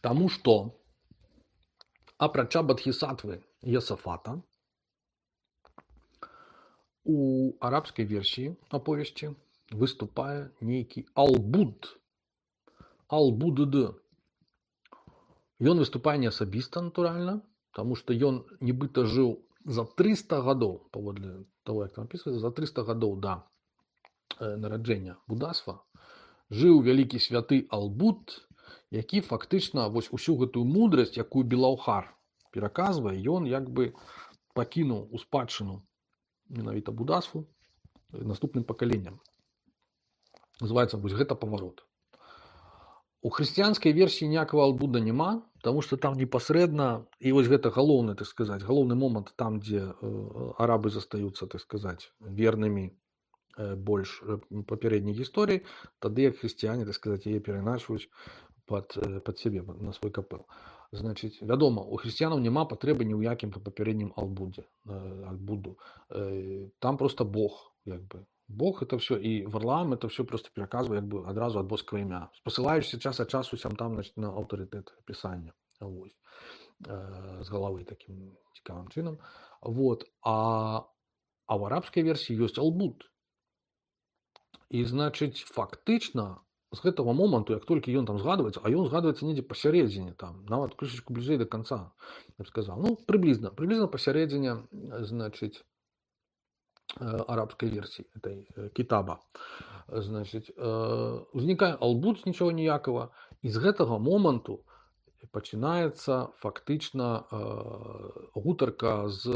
Таму што апрача Бадхісатвы Йосафата, у арабскай версіі аповесці выступае нейкі Албуд. Албудд. Ён выступае не асабіста, натуральна, таму што ён нібыта жыў за 300 гадоў, паводле таго, як там апісваецца, за 300 гадоў да нараджэння будасва, жыў вялікі святы Албуд, які фактычна вось усю гэтую мудрасць, якую Белаўхар пераказвае, ён як бы пакінуў у спадчыну менавіта будасву наступным пакаленням. Называецца вось гэта паварот. У хрысціянскай версіі ніякага Албуда няма, таму што там непасрэдна, і вось гэта галоўны, так сказаць, галоўны момант там, дзе арабы застаюцца, так сказаць, вернымі больш папярэдняй гісторыі, тады як хрысціяне, так сказаць, яе пераначваюць пад сябе, на свой капэл. Значыць, вядома, у хрысціянаў няма патрэбы ні ў якім папярэднім Албуду. Там проста Бог, як бы. Бог это все, и Варлаам это все просто пераказвае як бы адразу ад боскага імя, спасылаючыся час ад часу там на аўтарытэт пісання, вось, з галавы такім цікавым чынам. Вот. А ў арабскай версіі ёсць Албуд. І, значыць, фактычна з гэтага моманту, як толькі ён там згадваецца, а ён згадваецца недзе пасярэдзіне, там, нават крышачку бліжэй да канца, я б сказаў. Ну, прыблізна пасярэдзіне, значыць, арабской версии этой китаба. Значит, узнікае Албуд з нічога ніякага, і з гэтага моманту пачынаецца фактычна гутарка з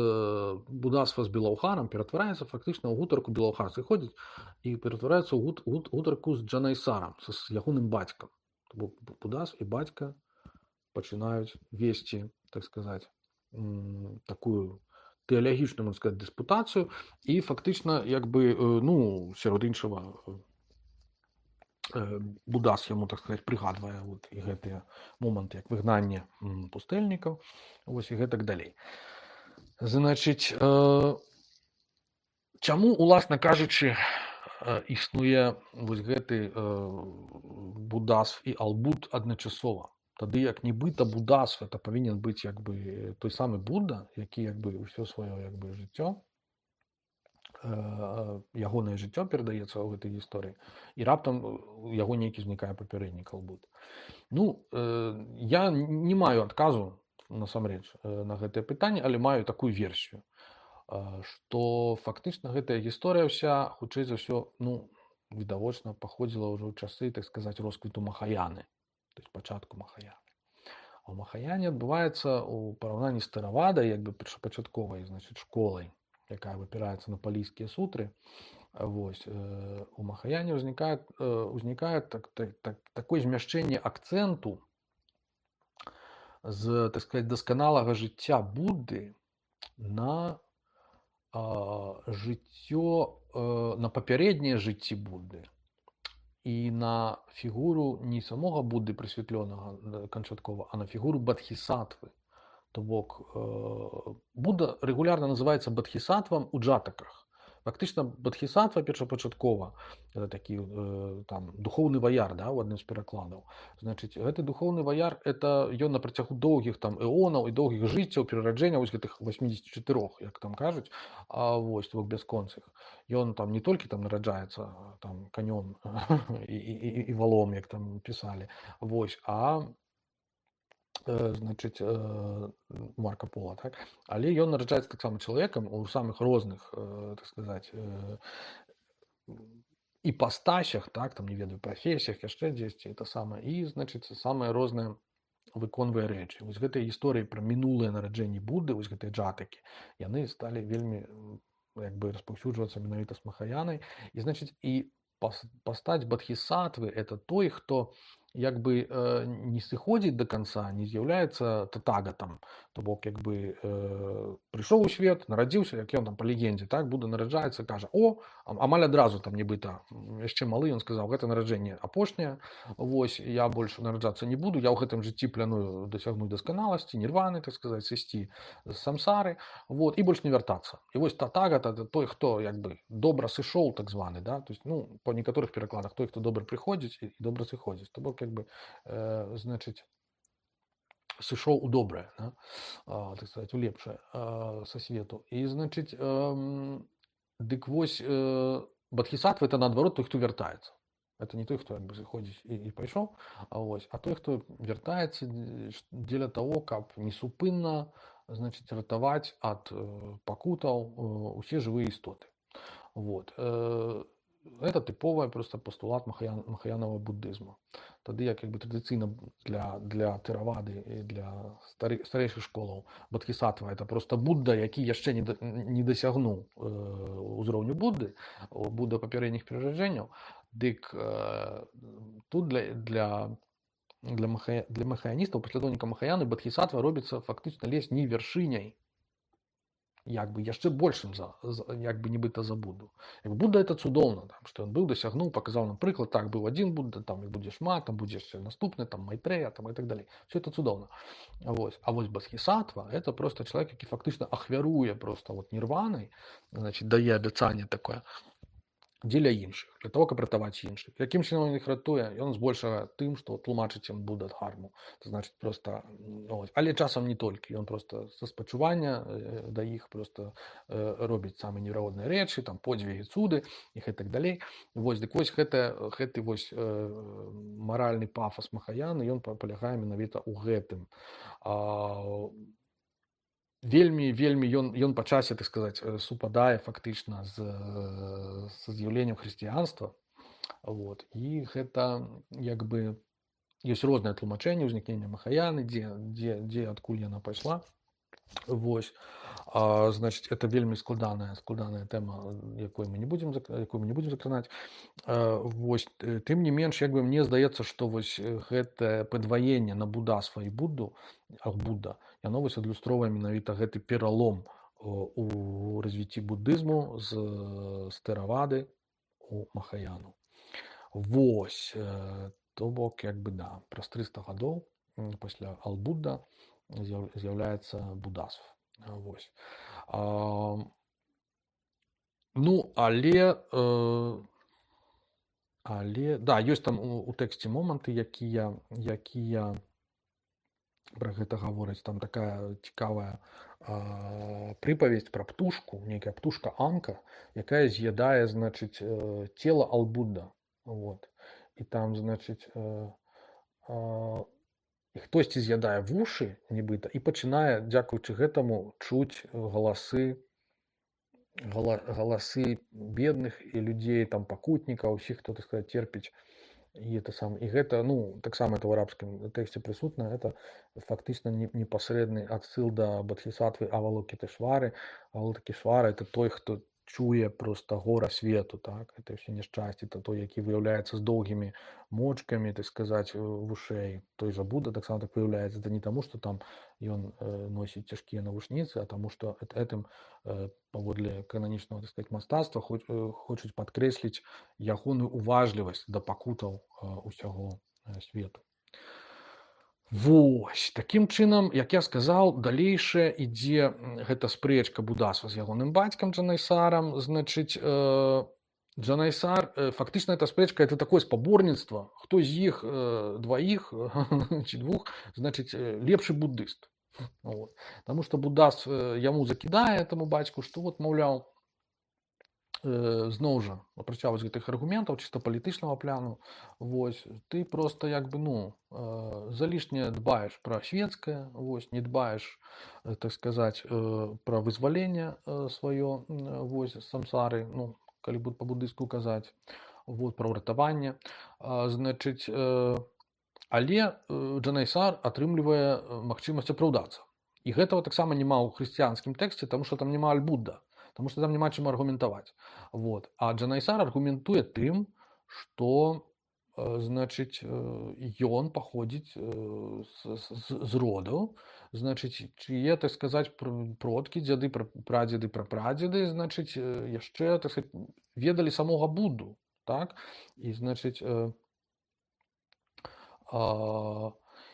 будасва з Белаўхарам, ператвараецца фактычна ў гутарку Белаўхар сыходзіць і ператвараецца ў гутарку з Джанайсарам, з ягоным бацькам. Будас і бацька пачынаюць весці, так сказаць, такую тэалагічную, можна сказаць, дыспутацыю, і фактычна, як бы, ну, сярод іншага, Будас яму, так сказаць, прыгадвае вот, і гэтыя моманты, як выгнанне пустэльнікаў, вось, і гэтак далей. Значыць, чаму, уласна кажучы, існуе вось гэты Будасв і Албуд адначасова? Тады як нібыта будасв это павінен быць як бы той самы Будда, які як бы ўсё сваё як бы жыццё, ягонае жыццё перадаецца ў гэтай гісторыі, і раптам у яго нейкі знікае папярэднік Албуд. Ну, я не маю адказу насамрэч на гэтае пытанне, але маю такую версію, што фактычна гэтая гісторыя ўся, хутчэй за ўсё, ну, відавочна паходзіла ўжо ў часы, так сказаць, росквіту Махаяны. То есть пачатку Махаяны. А ў Махаяне адбываецца ў параўнанні з Тэравадай, як бы першапачатковай, значыць, школай, якая выпіраецца на палійскія сутры. Вось, у Махаяне ўзнікае такое змяшчэнне акцэнту з, так сказаць, дасканалага жыцця Будды на жыццё, на папярэднія жыцці Будды. І на фігуру не самога Будды прасвятлёнага канчаткова, а на фігуру Бадхісатвы. То бок, Будда рэгулярна называецца Бадхісатвам у джатаках. Фактычна Бадхісатва першапачаткова, это такі там духоўны ваяр, да, у адным з перакладаў. Значыць, гэты духоўны ваяр, это ён на працягу доўгіх там эонаў і доўгіх жыццяў, перараджэнняў, вось гэтых 84, як там кажуць, вось, то бок бясконцых. Ён там не толькі там нараджаецца там канём і валом, як там пісалі, вось, а значыць, Марка Пола, так? Але ён нараджаецца таксама чалавекам у самых розных, так сказаць, іпастасях, так, там, не ведаю, прафесіях, яшчэ дзесьці, это самае, і, значыць, самыя розныя выконвае рэчы. Вось гэтыя гісторыі пра мінулыя нараджэнні Будды, вось гэтыя джатакі, яны сталі вельмі як бы распаўсюджвацца менавіта з махаянай. І значыць і пастаць бадхісатвы это той, хто як бы не сыходзіць до конца, не з'яўляецца татагатам, то бок як бы прыйшоў у свет, нарадзіўся, як ён там па легендзе, так, Будда нараджаецца, кажа: о, амаль адразу там нібыта яшчэ малы, ён сказаў: гэта нараджэнне апошняе, вось я больш нараджацца не буду, я ў гэтым жыцці пляную дасягнуць дасканаласці, нірваны, так сказаць, сысці з самсары, вот, і больш не вяртацца. І вось татагат это той, хто як бы добра сышоў, так званы, да, то есть, ну, по некаторых перакладах той, хто добра прыходзіць і добра сыходзіць, то бок як бы значыць сышоў у добрае, да? Так сказать, у лепшае са свету. І значыць дык вось бадхісатва это наадварот той, хто вяртаецца. Это не той, хто як бы зыходзіць і пайшоў, а той, хто вяртаецца дзеля таго, каб несупынна, значыць, ратаваць ад пакутаў усе жывыя істоты. Вот. Это тыповая просто пастулат махаянавага буддызму. Тады як бы традыцыйна для тэравады і для старэйшых школаў бадхісатва это просто Будда, які яшчэ не дасягнуў узроўню Будды, Будда папярэдніх перараджэнняў. Дык тут для махаяністаў, паслядоўніка махаяны, бадхісатва робіцца фактычна лезь не вяршыняй, як бы яшчэ большым як бы нібыта за Будду. Будда это цудоўна, там, што ён быў, дасягнуў, паказаў нам прыклад, так, быў адзін Будда, там іх будзе шмат, там будзе яшчэ наступны, там Майтрэя, там і так далей. Все это цудоўна. Вось. А вось бадхісатва это просто чалавек, які фактычна ахвяруе просто вот нірванай, значит, дае абяцанне такое дзеля іншых, для того, каб ратаваць іншых. Якім чынам ён іх ратуе? Ён збольшага тым, што тлумачыць ім Будда-дхарму. Значит, просто, але часам не толькі. Ён просто са спачування да іх просто робіць самыя неверагодныя рэчы, там подзвігі, цуды і так далей. Вось, дык вось гэты вось маральны пафас махаяны, ён палягае менавіта ў гэтым. Вельмі ён па часе, так сказаць, супадае фактычна з з'яўленнем хрысціянства. Вот. І гэта як бы ёсць розныя тлумачэнні ўзнікнення махаяны, дзе адкуль яна пайшла. Вось. Значит, это вельмі складаная тэма, якую мы не будзем закранаць. Вось. Тым не менш, як бы мне здаецца, што вось гэтае падваенне на буддасва і Будду, Будда, яно вось адлюстроўвае менавіта гэты пералом у развіцці буддызму з тэравады у махаяну. Вось. То бок, як бы, да, праз 300 гадоў пасля Ал-Будда з'яўляецца буддасва. Вось. Ну, але да, ёсць там у тэксце моманты, якія пра гэта гавораць. Там такая цікавая прыпавесць пра птушку, нейкая птушка-анка, якая з'ядае, значыць, цела Ал-Будда. Вот. І там, значыць, і хтосьці з'ядае вушы, нібыта, і пачынае, дзякуючы гэтаму, чуць галасы бедных і людзей, там, пакутнікаў, усіх, хто, так сказаць, терпіць. І гэта, ну, таксама это ў арабскім тэксце прысутна, это фактычна непасрэдны адсыл да бадхісатвы Авалокітешвары. Авалокітешвара это той, хто чуе просто гора свету, так, это все няшчасце, это той, які выяўляецца з доўгімі мочкамі, так сказаць, вушэй. Той жа Будда таксама так выяўляецца. Это не таму, што там ён носіць цяжкія навушніцы, а таму, што гэтым паводле кананічнага, так сказаць, мастацтва хочуць падкрэсліць ягоную уважлівасць да пакутаў усяго свету. Вось. Такім чынам, як я сказаў, далейшая ідзе гэта спрэчка буддасва з ягоным бацькам Джанайсарам. Значыць, Джанайсар, фактычна эта спрэчка, это такое спаборніцтва, хто з іх дваіх ці двух, значыць, лепшы буддыст. Вот. Таму што буддаст яму закідае этому бацьку, што вот, маўляў, зноў жа, апрача вось гэтых аргументаў чыста палітычнага пляну, вось, ты просто як бы, ну, залішне дбаеш пра светскае, вось, не дбаеш, так сказаць, пра вызваленне сваё, вось, самсары, ну, калі будзе па-буддыску казаць, вот, пра ўратаванне, значыць, але Джанайсар атрымлівае магчымасць апраўдацца. І гэтага таксама няма ў хрысціянскім тэксце, таму што там няма Аль-Будда. Таму што там няма чым аргументаваць. Вот. А Джанайсар аргументуе тым, што значыць ён паходзіць з роду, значыць чые, так сказаць, продкі, дзяды, прадзеды, прапрадзеды, значыць яшчэ, так сказаць, ведалі самога Будду, так? І значыць и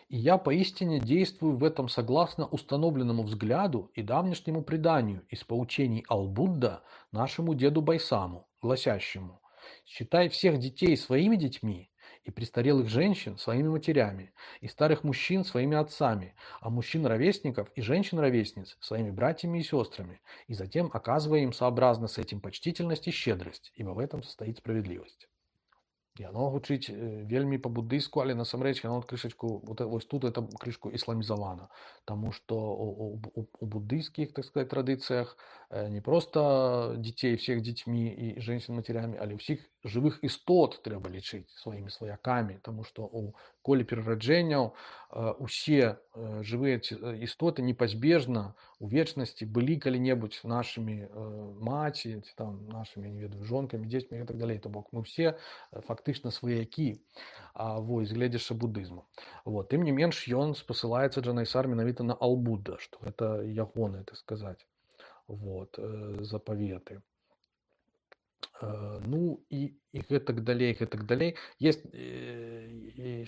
я поистине действую в этом согласно установленному взгляду и давнешнему преданию из поучений Ал-Будда нашему деду Байсаму, гласящему: «Считай всех детей своими детьми, и престарелых женщин своими матерями, и старых мужчин своими отцами, а мужчин-ровесников и женщин-ровесниц своими братьями и сестрами, и затем оказывая им сообразно с этим почтительность и щедрость, ибо в этом состоит справедливость». Яно гучыць вельмі па-буддыйску, але насамрэч яно крышачку вось тут это крышку ісламізавана, таму што у буддыйскіх, так сказать, традыцыях не проста дзяцей всех дзецьмі і женщин матерямі, але ўсіх жывых істот трэба лічыць сваімі сваякамі, таму што у коле перараджэнняў усе жывыя істоты непазбежна у вечнасці былі калі-небудзь нашымі маці, там нашымі, не ведаю, жонкамі, дзецьмі і так далей. То бок мы все фактычна сваякі, вось, гледзячы буддызму. Вот. Тым не менш ён спасылаецца Джанайсар менавіта на Ал-Будда, што гэта ягоныя, так сказаць, вот, запаветы. Ну і гэтак далей, гэтак далей. Есть,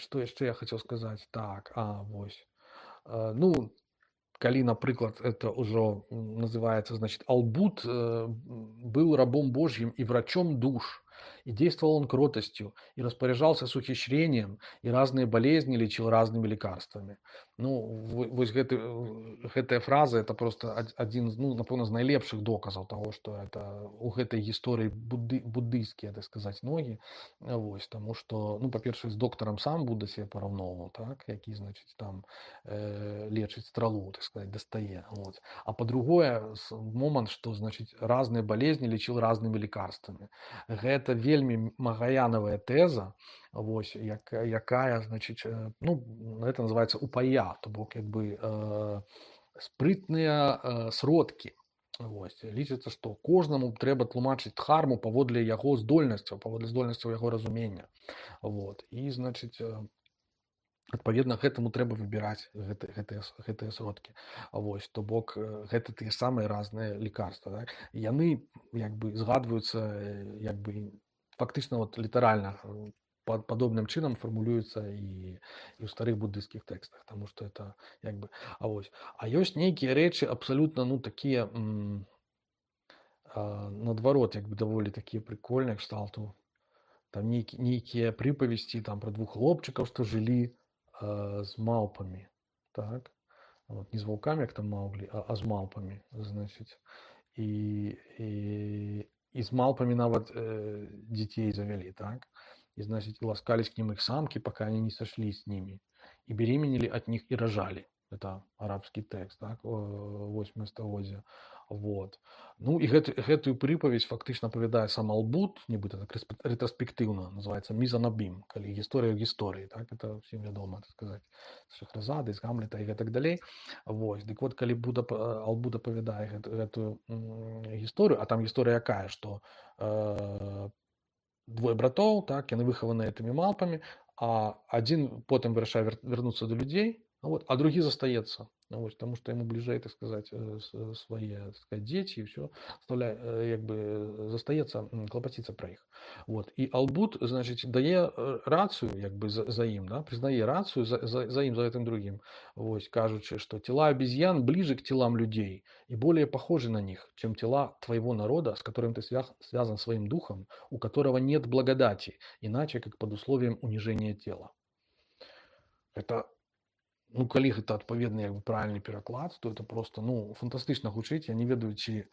што яшчэ я хацеў сказаць? Так, вось. Ну, калі, напрыклад, это ўжо называется, значит, Ал-Будд был рабом Божьим и врачом душ, и действовал он кротостью, и распоряжался с ухищрением, и разные болезни лечил разными лекарствами. Ну, вось гэтая фраза, это просто один, ну, напэўна, з найлепшых доказаў таго, што это у гэтай гісторыі буддыйскія, так сказаць, ногі. Вось, таму што, ну, па-першае, з доктарам сам Будда себе параўноўваў, так, які, значыць, там лечыць стралу, так сказать, дастае. Вот. А по-другое, момант, што, значыць, разныя болезни лечил разными лекарствами. Гэта вельмі магаянавая тэза, вось, якая, значыць, ну, это называется упая, то бок, як бы, спрытныя сродкі. Вось. Лічыцца, што кожнаму трэба тлумачыць дхарму паводле яго здольнасцяў, паводле здольнасцяў яго разумення. Вот. І, значыць, адпаведна гэтаму трэба выбіраць гэтыя сродкі. Вось, то бок гэта тыя самыя разныя лекарства, так? Яны як бы згадваюцца як бы фактычна вот літаральна падобным чынам фармулююцца і ў старых буддыйскіх тэкстах, таму што это як бы вось. А ёсць нейкія рэчы абсалютна, ну, такія наадварот, як бы даволі такія прыкольныя кшталту. Там нейкія прыпавесці там пра двух хлопчыкаў, што жылі з малпамі, так? Вот, не з ваўкамі, як там Маўглі, а з малпамі, значыць. І з малпамі нават дзяцей завялі, так? И, значит, ласкались к ним их самки, пока они не сошлись с ними. И беременели от них и рожали. Это арабский текст, так? 8 стагоддзя. Вот. Ну, и гэтую прыпаведь фактычна апавядае сам Ал-Будд, нібыта так рэтраспектыўна, называется «Мизанабим», калі гісторыя ў гісторыі, так? Это всем вядома, так сказать, з Шахразады, з Гамлета і гэтак далей. Вось. Дык вот, калі Ал-Будд апавядае гэтую гісторыю, а там гісторыя якая, што двое братоў, так, яны выхаваныя гэтымі малпамі, а адзін потым вырашае вярнуцца да людзей, вот, а другі застаецца, вот, таму што яму бліжэй, так сказаць, свае, так сказаць, дзеці, і ўсё, як бы застаецца клапаціцца пра іх. Вот. І Ал-Будд, значыць, дае рацыю, як бы за ім, да, прызнае рацыю за ім, за гэтым другім, вось, кажучы, што тела обезьян ближе к телам людей и более похожи на них, чем тела твоего народа, с которым ты связан своим духом, у которого нет благодати, иначе как под условием унижения тела. Это, ну, калі гэта адпаведны, як бы, правільны пераклад, то это просто, ну, фантастычна гучыць. Я не ведаю, ці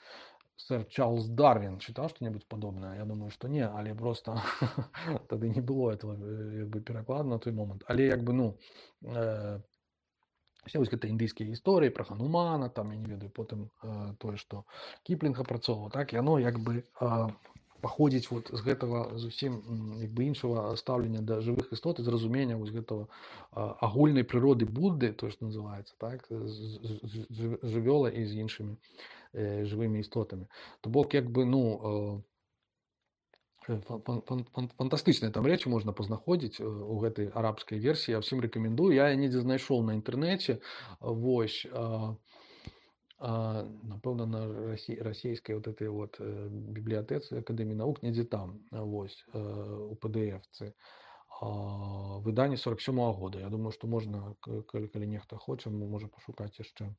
сэр Чарльз Дарвин чытаў што-небудзь падобнае. Я думаю, што не, але просто тады не было этого, як бы, перакладу на той момант. Але, як бы, ну, все вось гэта індыйскія гісторыі пра Ханумана, там, я не ведаю, потым тое, што Кіплінг апрацоўваў, так, яно, як бы, паходзіць вот з гэтага зусім як бы іншага стаўлення да жывых істот і зразумення вось гэтага агульнай прыроды Будды, то што называецца, так, жывёла і з іншымі жывымі істотамі. То бок як бы ну фантастычныя там рэчы можна пазнаходзіць у гэтай арабскай версіі. Я ўсім рэкамендую. Я недзе знайшоў на інтэрнэце. Вось напэўна на расійскай вот этой вот бібліятэцы акадэміі навук недзе там вось у PDF-цы выданне 47-го года. Я думаю, што можна, калі нехта хоча, можа пашукаць яшчэ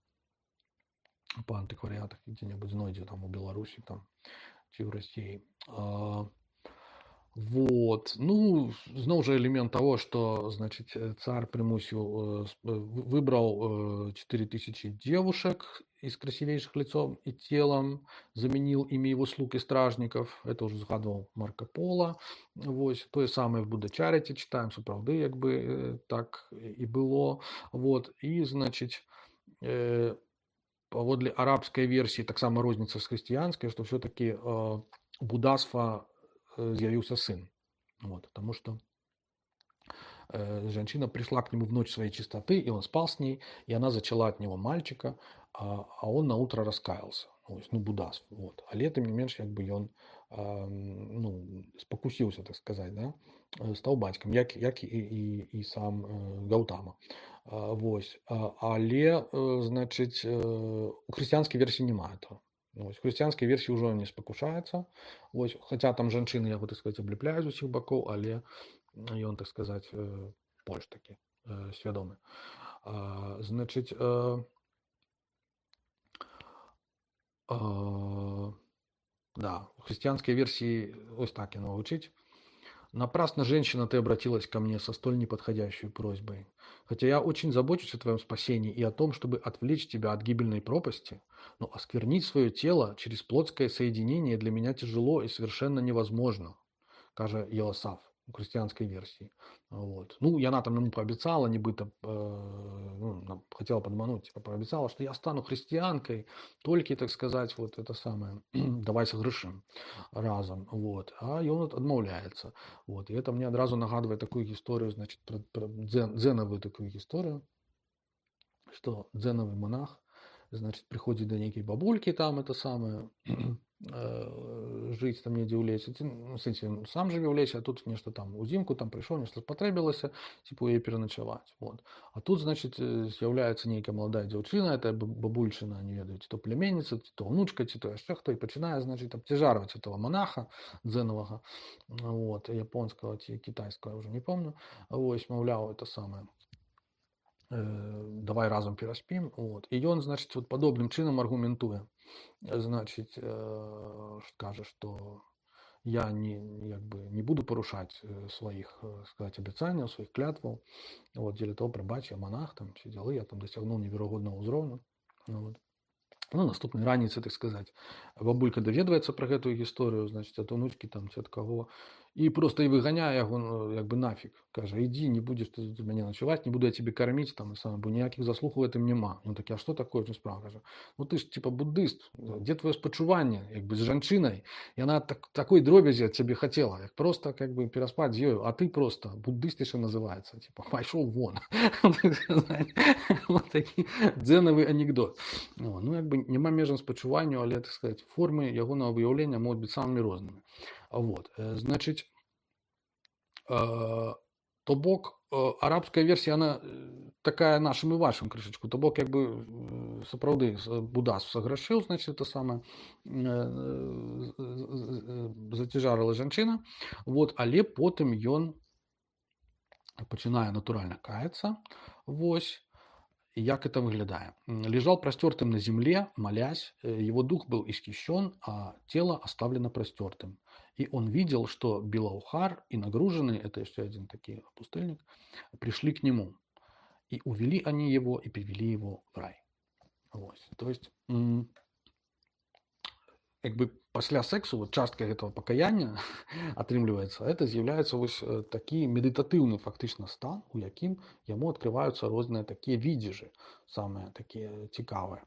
па антыкварыятах дзе-небудзь знойдзе там у Беларусі там ці ў Расіі. Вот. Ну, зноў жа элемент того, что, значит, царь примусил, выбрал 4000 девушек из красивейших лицом и телом, заменил ими его слуг и стражников. Это уже згадывал Марко Поло. Вот. То же самое в Будда Чаріті читаем, сапраўды, як бы так и было. Вот. И, значит, паводле арабской версии, так само розница с христианской, что все-таки буддаства з'явился сын. Вот, потому что женщина пришла к нему в ночь своей чистоты, и он спал с ней, и она зачала от него мальчика, а он на утро раскаялся. Ну, буддас. Вот. А тем не менш, как бы он ну, спокусился, так сказать, да? Стал батьком, як і сам Гаутама. Вось. Але, значит, у христианской версии немає этого. Вось. В христианской версии уже он не спокушается. Вось. Хотя там женщины, яго, так сказать, облепляют з усіх боков, але ён, так сказать, больш таки свядомы. Значит, да, в христианской версии ось так яно гучыць. Напрасно, женщина, ты обратилась ко мне со столь неподходящей просьбой. Хотя я очень забочусь о твоем спасении и о том, чтобы отвлечь тебя от гибельной пропасти, но осквернить свое тело через плотское соединение для меня тяжело и совершенно невозможно, каже Йосаф у христианской версии. Вот. Ну, и она там ему пообещала, нібито, ну, хотела подмануть, типа, пообещала, что я стану христианкой, только, так сказать, вот это самое, давай согрешим разом. Вот. А он отмовляется. Вот. И это мне одразу нагадывает такую историю, значит, про дзеновую такую историю, что дзеновый монах, значит, приходит до некой бабульки там, это самое, жить там недзе ў лесе, ну, в сэнсе, сам жыве ў лесе, а тут нешта там узімку там прыйшоў, нешта спатрэбілася, типа яе пераначаваць. Вот. А тут, значит, з'яўляецца нейкая маладая дзяўчына, это бабульчына, не ведаю, ці то племянніца, ці то ўнучка, ці то яшчэ хто, і пачынае, значит, абцяжарваць этого монаха дзеновага, вот, японскага ці кітайскага, уже не помню. Вось, маўляў, это самое, давай разом пераспім. Вот. І ён, значит, вот падобным чынам аргументуе. Значит, скажет, что я не буду порушать своих, сказать, обещаний, своих клятвов. Вот, дзеля того, прабач, я монах, там, все дела, я там досягнул невероятного уровня. Вот. Ну, наступной раніцы, так сказать, бабулька даведваецца про гэтую гісторыю, значит, от унучки там, ці от кого, и просто и выгоняя яго, як бы нафиг, каже, иди, не будешь ты у меня ночевать, не буду я тебе кормить, там, бо ніяких заслуг в этом нема. Он таки, а что такое? Ну, справа, каже, ну ты ж, типа, буддист, где твое спачуванне, як бы, з жанчынай, и она такой дробязі от тебе хотела, як просто, как бы, пераспать з ёю, а ты просто, буддист еще называется, типа, пошел вон. Вот такі дзенавы анекдот. Ну, як бы, няма межам спачуванню, але, так сказать, формы ягонага выяўлення могуць быць самымі рознымі. Вот, значит, то бок, арабская версия, она такая нашим и вашим крышечку, то бок, как бы, сапраўды, буддас саграшыў, значит, это самое, зацяжарыла жанчына, вот, але потым ён пачынае натуральна каяцца, вось. Як это выглядает? Лежал простертым на земле, молясь, его дух был исхищен, а тело оставлено простертым. И он видел, что Белаухар и нагруженный, это еще один такой пустыльник, пришли к нему. И увели они его, и привели его в рай. Вот. То есть, як бы пасля сексу вот частка гэтага пакаяння атрымліваецца, это з'яўляецца вось такі медытатыўны фактычна стан, у якім яму адкрываюцца розныя такія відзежы, самыя такія цікавыя.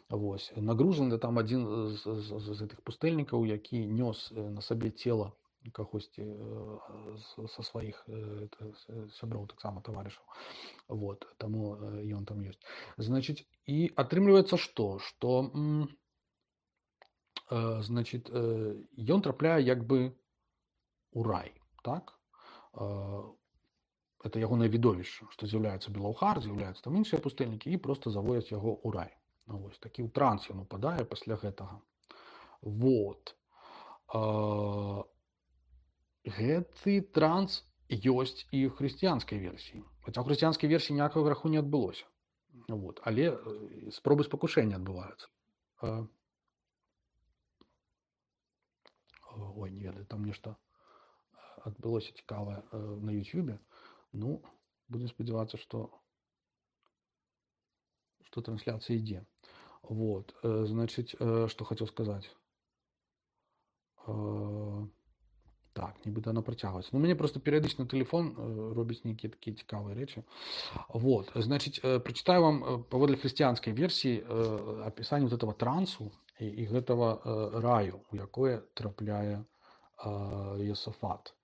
Вось нагружаны там адзін з гэтых пустэльнікаў, які нёс на сабе цела кагосьці са сваіх сяброў, таксама таварышаў. Вот, таму ён там ёсць. Значыць, і атрымліваецца што значит, ён трапляе як бы у рай, так? Это ягонае відовішча, што з'яўляецца Белаўхар, з'яўляюцца там іншыя пустэльнікі і проста заводзяць яго ў рай. Вось такі ў транс ён упадае пасля гэтага. Вот. Гэты транс ёсць і ў хрысціянскай версіі. Хаця ў хрысціянскай версіі ніякага граху не адбылося. Вот. Але спробы спакушэння адбываюцца. Ой, не ведаю, там нешта адбылося цікавае на Ютубе. Ну, будем спадзявацца, што трансляцыя ідзе. Вот, значыць, што хацеў сказаць. Так, нібыта она працягваецца. Ну, мяне просто перыядычна тэлефон робіць нейкія такія цікавыя рэчы. Вот, значыць, прачытаю вам паводле хрысціянскай версіі апісанне вот этого трансу и гэтага раю, у якое трапляе Иосафат.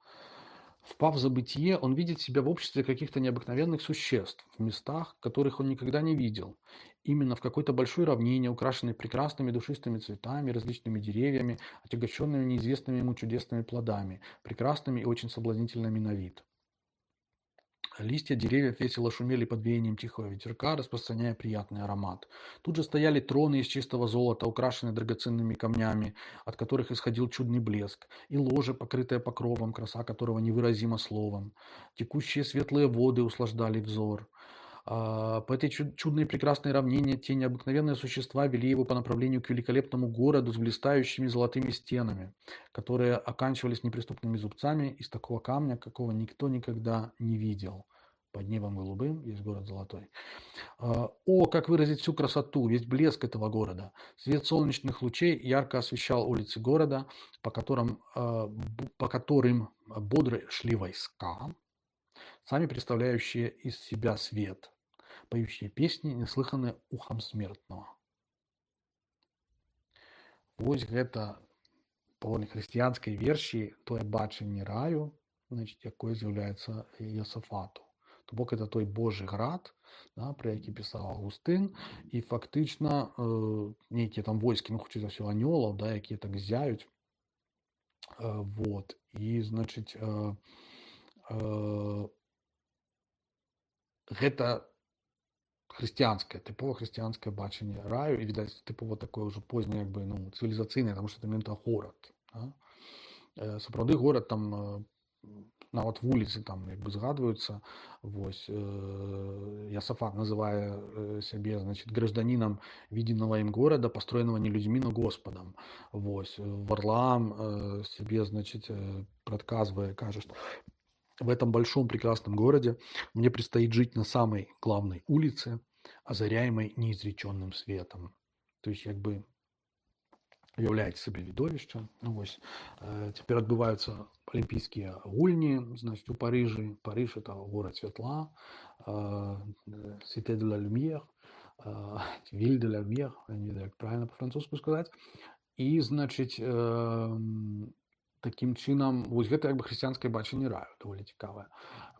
Впав в забытие, он видит себя в обществе каких-то необыкновенных существ, в местах, которых он никогда не видел. Именно в какой-то большой равнине, украшенной прекрасными душистыми цветами, различными деревьями, отягощенными неизвестными ему чудесными плодами, прекрасными и очень соблазнительными на вид. Листья деревьев весело шумели под веянием тихого ветерка, распространяя приятный аромат. Тут же стояли троны из чистого золота, украшенные драгоценными камнями, от которых исходил чудный блеск, и ложе, покрытое покровом, краса которого невыразима словом. Текущие светлые воды услаждали взор. По этой чудной прекрасной равнине те необыкновенные существа вели его по направлению к великолепному городу с блистающими золотыми стенами, которые оканчивались неприступными зубцами из такого камня, какого никто никогда не видел. Под небом голубым есть город золотой. О, как выразить всю красоту, весь блеск этого города. Свет солнечных лучей ярко освещал улицы города, по которым бодро шли войска, сами представляющие из себя свет, поющие песни, неслыханные ухом смертного. Вось гэта паводле хрысціянскай версіі тое бачанне раю, значит, якое з'яўляецца Иосафату. То бок это той Божий град, да, про які пісаў Августын, і фактычна нейкія там войскі, ну хутчэй за ўсё анёлаў, да, якія так зяюць. Вот. І значыць гэта хрысціянскае, тыпова хрысціянскае бачанне раю, і відаць тыпова такое ўжо позняе, як бы, ну, цывілізацыйнае, таму што это менавіта горад. Да? Сапраўды горад там нават вуліцы там як бы згадваюцца. Вось Иосафат называе сябе, значит, гражданином виденного им города, построенного не людьми, но Господом. Вось Варлаам себе, значит, предсказывая, кажет, что в этом большом прекрасном городе мне предстоит жить на самой главной улице, озаряемой неизреченным светом. То есть, как бы, уяўляеце сабе відовішча. Ну, вось, цяпер адбываюцца алімпійскія гульні, значит, у Парыжы. Париж — это город святла, Cité de la Lumière, Ville de la Lumière, я не знаю, як правильно по-французску сказаць. І, значыць, такім чынам, вось гэта як бы хрысціянскае бачанне раю, даволі цікавае.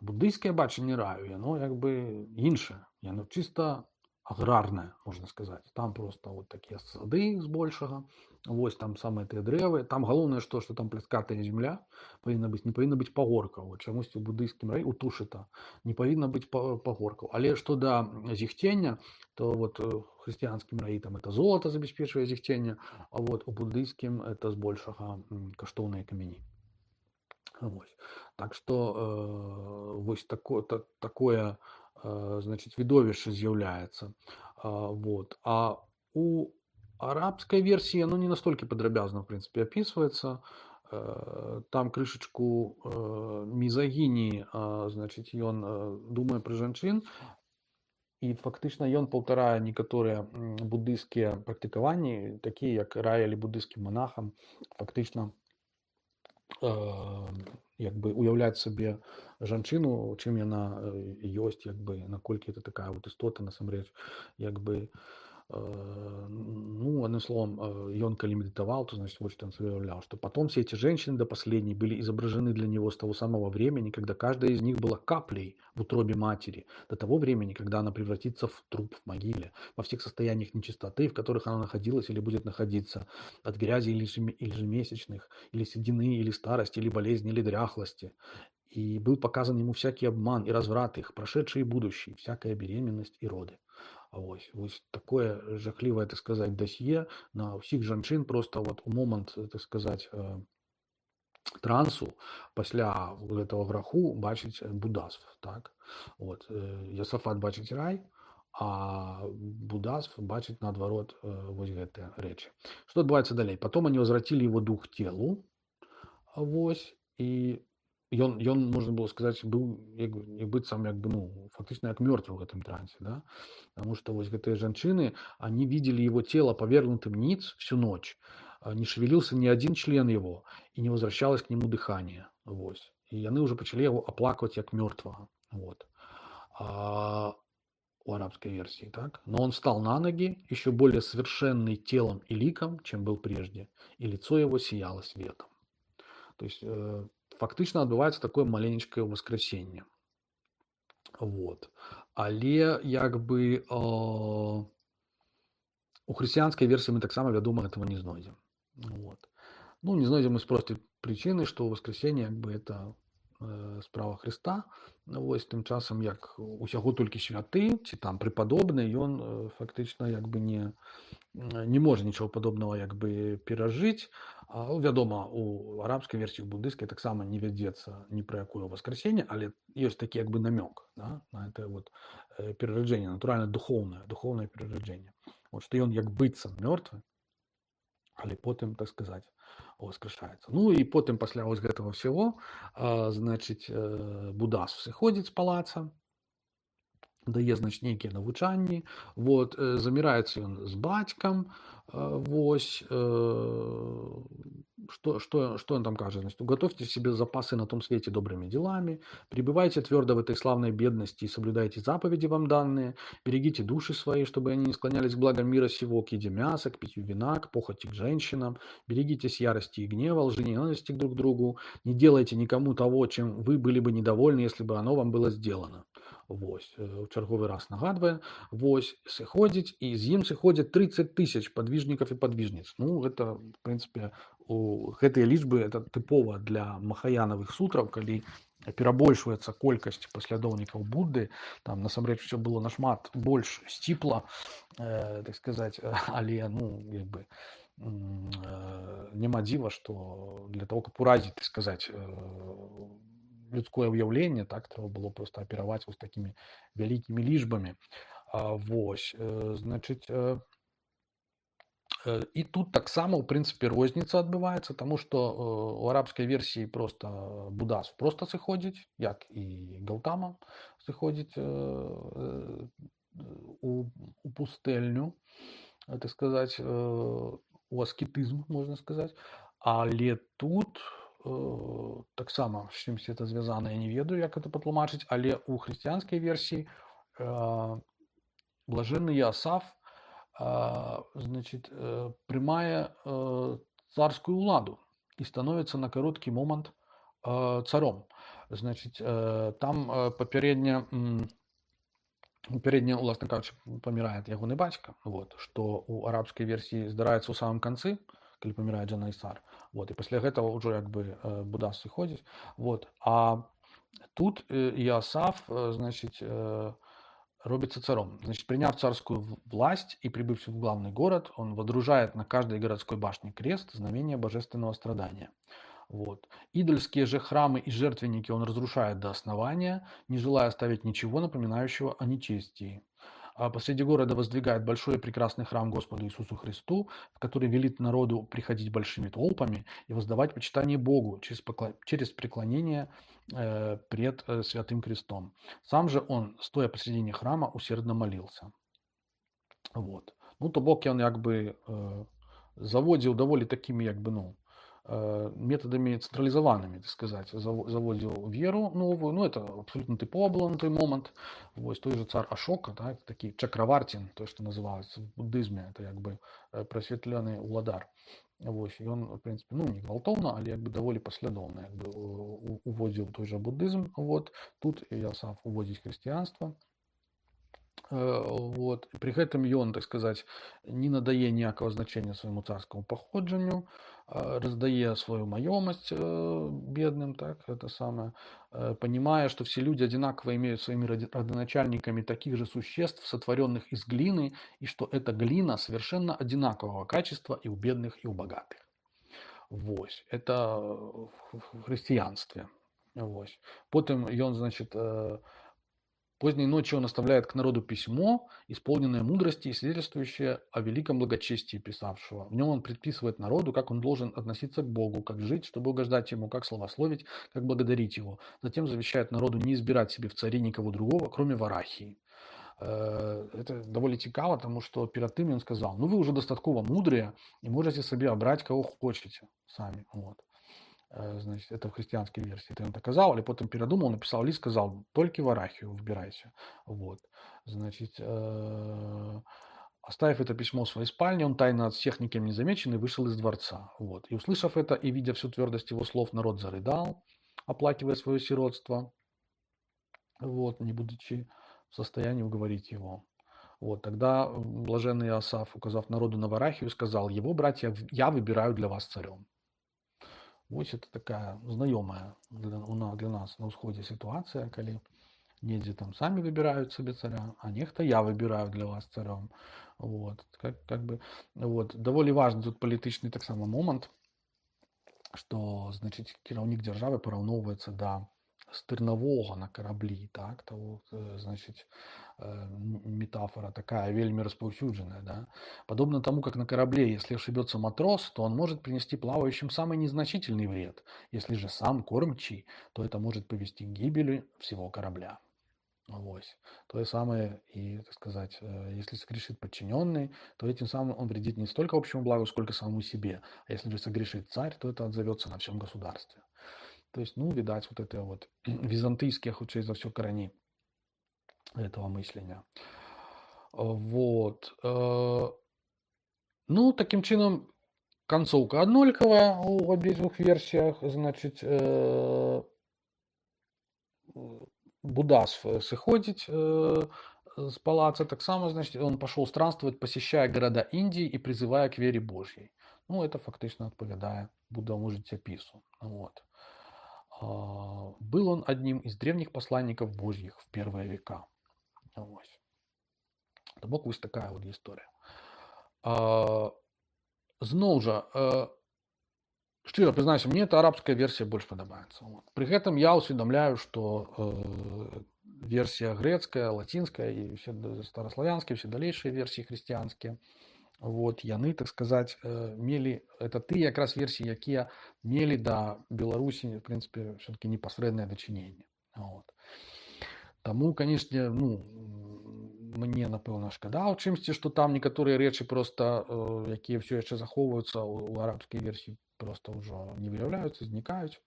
Буддыйскае бачанне раю, яно як бы іншае, яно чыста аграрная, можна сказаць. Там просто вот такія сады збольшага, вось там самыя тыя дрэвы. Там галоўнае што там пляскатая земля павінна быць, не павінна быць пагоркаў. Вот чамусьці ў буддыйскім раі, у Тушыта, не павінна быць пагоркаў. Але што да зіхцення, то вот у хрысціянскім раі там это золото забяспечвае зіхцення, а вот у буддыйскім это збольшага каштоўныя камяні. Вось. Так што вось такое, значит, відовішча з'яўляецца. Вот. А у арабской версии оно не настолько подробязно, в принципе, описывается. Там крышечку мизогинии, значит, он думае про жанчын, і фактычна ён паўтарае некаторыя буддыйскія практыкаванні, такія як раілі буддыйскім монахам, фактычна як бы уяўляць сабе жанчыну, чым яна ёсць, як бы наколькі это такая вот істота насамрэч, як бы ну, одним словом, он коли медитовал, то, значит, вот что он себе уявлял, что потом все эти женщины до последней были изображены для него с того самого времени, когда каждая из них была каплей в утробе матери, до того времени, когда она превратится в труп в могиле, во всех состояниях нечистоты, в которых она находилась или будет находиться, от грязи или ежемесячных, или седины, или старости, или болезни, или дряхлости. И был показан ему всякий обман и разврат их, прошедший и будущий, всякая беременность и роды. Вось такое жахлівае, так сказаць, дасье на ўсіх жанчын просто вот у момант, так сказаць, трансу пасля гэтага граху бачыць будасв, так? Вот. Йосафат бачыць рай, а будасв бачыць наадварот вось гэтыя рэчы. Што адбываецца далей? Потом они возвратили его дух телу, вось, і ён можна было сказаць быў як быццам як бы ну фактычна як мёртвы в гэтым трансе, да? Потому что вось гэтыя жанчыны они видели его тело повергнутым ниц всю ночь, не шевелился ни один член его и не возвращалось к нему дыхание, вось, і яны уже пачалі яго аплакваць як мёртвага, вот. У арабской версии, так? Но он встал на ноги, еще более совершенный телом и ликом, чем был прежде, и лицо его сияло светом. То есть фактычна адбываецца такое маленечкае воскресенне. Вот. Але як бы у хрысціянскай версіі мы таксама, вядома, этого не знойдзем. Вот. Ну, не знойдзем мы з простай прычыны, што воскресенне як бы это справа Хрыста. Вось тым часам як усяго толькі святы ці там препадобны, ён фактычна як бы не можа нічого падобнага як бы перажыць. Вядома, у арабскай версіі, у буддыйскай таксама не вядзецца ні пра якое воскресенне, але ёсць такі як бы намёк, да, на это вот перараджэнне, натуральна духоўнае перараджэнне. Вот што ён як быццам мёртвы, але потым, так сказаць, воскрешаецца. Ну і потым пасля вось гэтага ўсяго, значыць, будасв сыходзіць з палаца, дае, значыць, нейкія навучанні, вот, заміраецца ён з бацькам, вось, что он там кажет? Значит, уготовьте себе запасы на том свете добрыми делами, пребывайте твердо в этой славной бедности и соблюдайте заповеди вам данные, берегите души свои, чтобы они не склонялись к благам мира сего, к еде мяса, к питью вина, к похоти к женщинам, берегитесь ярости и гнева, лжи, ненависти друг к другу, не делайте никому того, чем вы были бы недовольны, если бы оно вам было сделано. Вось, в чарговы раз нагадвае, вось, сыходзіць, і з ім сыходзяць 30 000 падвижнікаў і падвижніц. Ну, гэта, в прынцыпе, гэтыя лічбы, это тыпова для махаянавых сутраў, калі перабольшваецца колькасць паслядоўнікаў Будды, там, насамрэч, усё было нашмат больш сціпла, так сказаць, але, ну, як бы, няма дзіва, што для того, каб уразіць, так сказаць, людское ўяўленне, так, трэба было просто апераваць вось такімі вялікімі лічбамі. Вось, значыць, і тут таксама, у прынцыпе, розніца адбываецца, таму што у арабскай версіі просто будасв просто сыходзіць, як і Гаўтама сыходзіць у пустэльню, так сказаць, у аскетызм, можна сказаць, але тут таксама з чымсьці это звязана, я не ведаю, як это патлумачыць, але у хрысціянскай версіі блажэнны Іасаф, значит, прымае царскую уладу і становіцца на кароткі момант царом. Значит, там папярэдне, уласна кажучы, памірае ягоны бацька, вот, што у арабскай версіі здараецца ў самым канцы, калі памірае Джанайсар. Вот, і пасля гэтага ўжо як бы будасв сыходзіць. Вот. А тут Иосаф, значит, робится царом. Значит, приняв царскую власть и прибыв в главный город, он водружает на каждой городской башне крест, знамение божественного страдания. Вот. Идольские же храмы и жертвенники он разрушает до основания, не желая оставить ничего, напоминающего о нечестии. посреди города воздвигает большой и прекрасный храм Господу Иисусу Христу, в который велит народу приходить большими толпами и воздавать почитание Богу через преклонение пред Святым Крестом. Сам же он, стоя посредине храма, усердно молился. Вот. Ну, то бок ён як бы заводзіў даволі такімі як бы методами централизованными, так сказать, заводил веру новую, ну, это абсолютно типово было на той момент. Вот, той же царь Ашока, да, это такий Чакравартин, то, что называется в буддизме, это как бы просветленный уладар. Вот, и он, в принципе, ну, не гвалтовно, але как бы довольно послідовно как бы, уводил той же буддизм. Вот, тут Иосаф уводит христианство. Вот. При гэтым ён, так сказать, не надае ніякага значення свайму царскаму паходжанню, раздае свою маёмасць бедным, так, это самое, понимая, что все люди одинаково имеют своими родоначальниками таких же существ, сотворенных из глины, и что эта глина совершенно одинакового качества и у бедных, и у богатых. Вось. Это в христианстве. Вось. Потым ён, значит, поздней ночью он оставляет к народу письмо, исполненное мудрости и свидетельствующее о великом благочестии писавшего. В нем он предписывает народу, как он должен относиться к Богу, как жить, чтобы угождать ему, как славословить, как благодарить его. Затем завещает народу не избирать себе в цари никого другого, кроме Варахии. Это довольно цікаво, тому що перед тим він сказав, ну ви вже достатково мудрые и можете себе обрать кого хочете сами. Вот. Значит, это в христианской версии. Это он доказал, или потом передумал, написал лист, сказал, только Варахию выбирайся. Вот. Значит, оставив это письмо в своей спальне, он тайно от всех никем не замеченный вышел из дворца. Вот. И услышав это и видя всю твердость его слов, народ зарыдал, оплакивая свое сиротство, вот, не будучи в состоянии уговорить его. Вот, тогда блаженный Иосаф, указав народу на Варахию, сказал, его, братья, я выбираю для вас царем. Вот это такая знакомая для нас на усходе ситуация, когда недзе там сами выбирают себе царя, а нехто я выбираю для вас царем. Вот, как бы, вот, довольно важный тут політичний так само момент, что, значит, кіраўнік державы параўноўваецца да стырнового на кораблі, так, то вот, значит, метафора такая вельми распаўсюджаная, да. Подобно тому, как на корабле, если ошибется матрос, то он может принести плавающим самый незначительный вред. Если же сам кормчий, то это может повести к гибели всего корабля. Вот. То же самое и, так сказать, если согрешит подчиненный, то этим самым он вредит не столько общему благу, сколько самому себе. А если же согрешит царь, то это отзовется на всем государстве. То есть, ну, видать, вот это вот византийские, хутчэй за все, корени этого мыслення. Вот. Ну, таким чином, концовка одноликова в обеих версиях. Значит, Будда сыходить с палаца, так само, значит, он пошел странствовать, посещая города Индии и призывая к вере Божьей. Ну, это фактично відповідає Буддовому життєпису. Вот. Был он одним из древних посланников Божьих в первые века. Вот. Вот ось такая вот история. Зноў жа, шчыра прызнаюся, мне эта арабская версия больше подобается. Вот. При этом я усведомляю, что версия грецкая, латинская и все старославянские, все дальнейшие версии христианские, вот, яны, так сказать, мели, это тыя якраз версии, якія мели до Беларусі, в принципе, все-таки непосредственное дачыненне. Вот. Тому, конечно, ну, мне, напэўна, шкада ў чымсьці, што там некаторыя рэчы просто, якія все яшчэ захоўваюцца ў арабскай версіі, просто ўжо не выяўляюцца, знікаюць.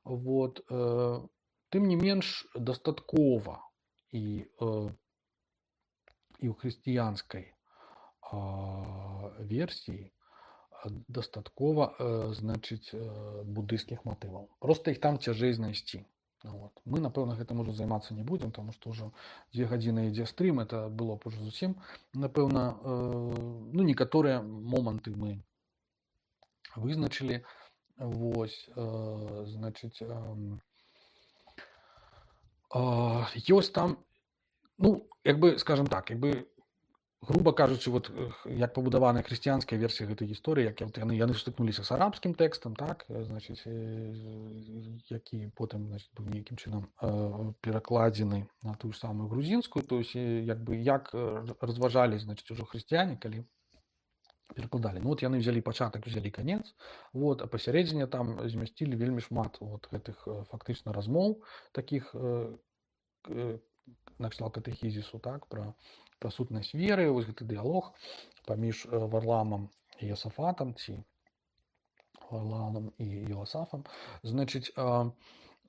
Вот. Тым не менш, дастаткова і ў хрысціянскай версіі дастаткова, значыць, буддыйскіх матываў. Просто іх там цяжэй знайсці. Вот. Мы, напэўна, гэтым уже займацца не будзем, тому што ўжо 2 гадзіны ідзе стрым, это было б уже зусім, напэўна, ну, некаторыя моманты мы вызначылі. Вось, значыць, ёсць там, ну, як бы, скажем так, як бы груба кажучы, вот як пабудаваная хрысціянская версія гэтай гісторыі, як яны сутыкнуліся з арабскім тэкстам, так, значыць, які потым, значыць, быў нейкім чынам перакладзены на тую ж самую грузінскую, то есть як бы як разважалі, значыць, ужо хрысціяне, калі перакладалі. Ну вот яны взялі пачатак, взялі канец, вот, а пасярэдзіне там змясцілі вельмі шмат вот гэтых фактычна размоў такіх накшталт катэхізісу, так, пра сутнасць веры, вось гэты дыялог паміж Варламам і Йосафатам, ці Варлаамам і Йосафам, значыць,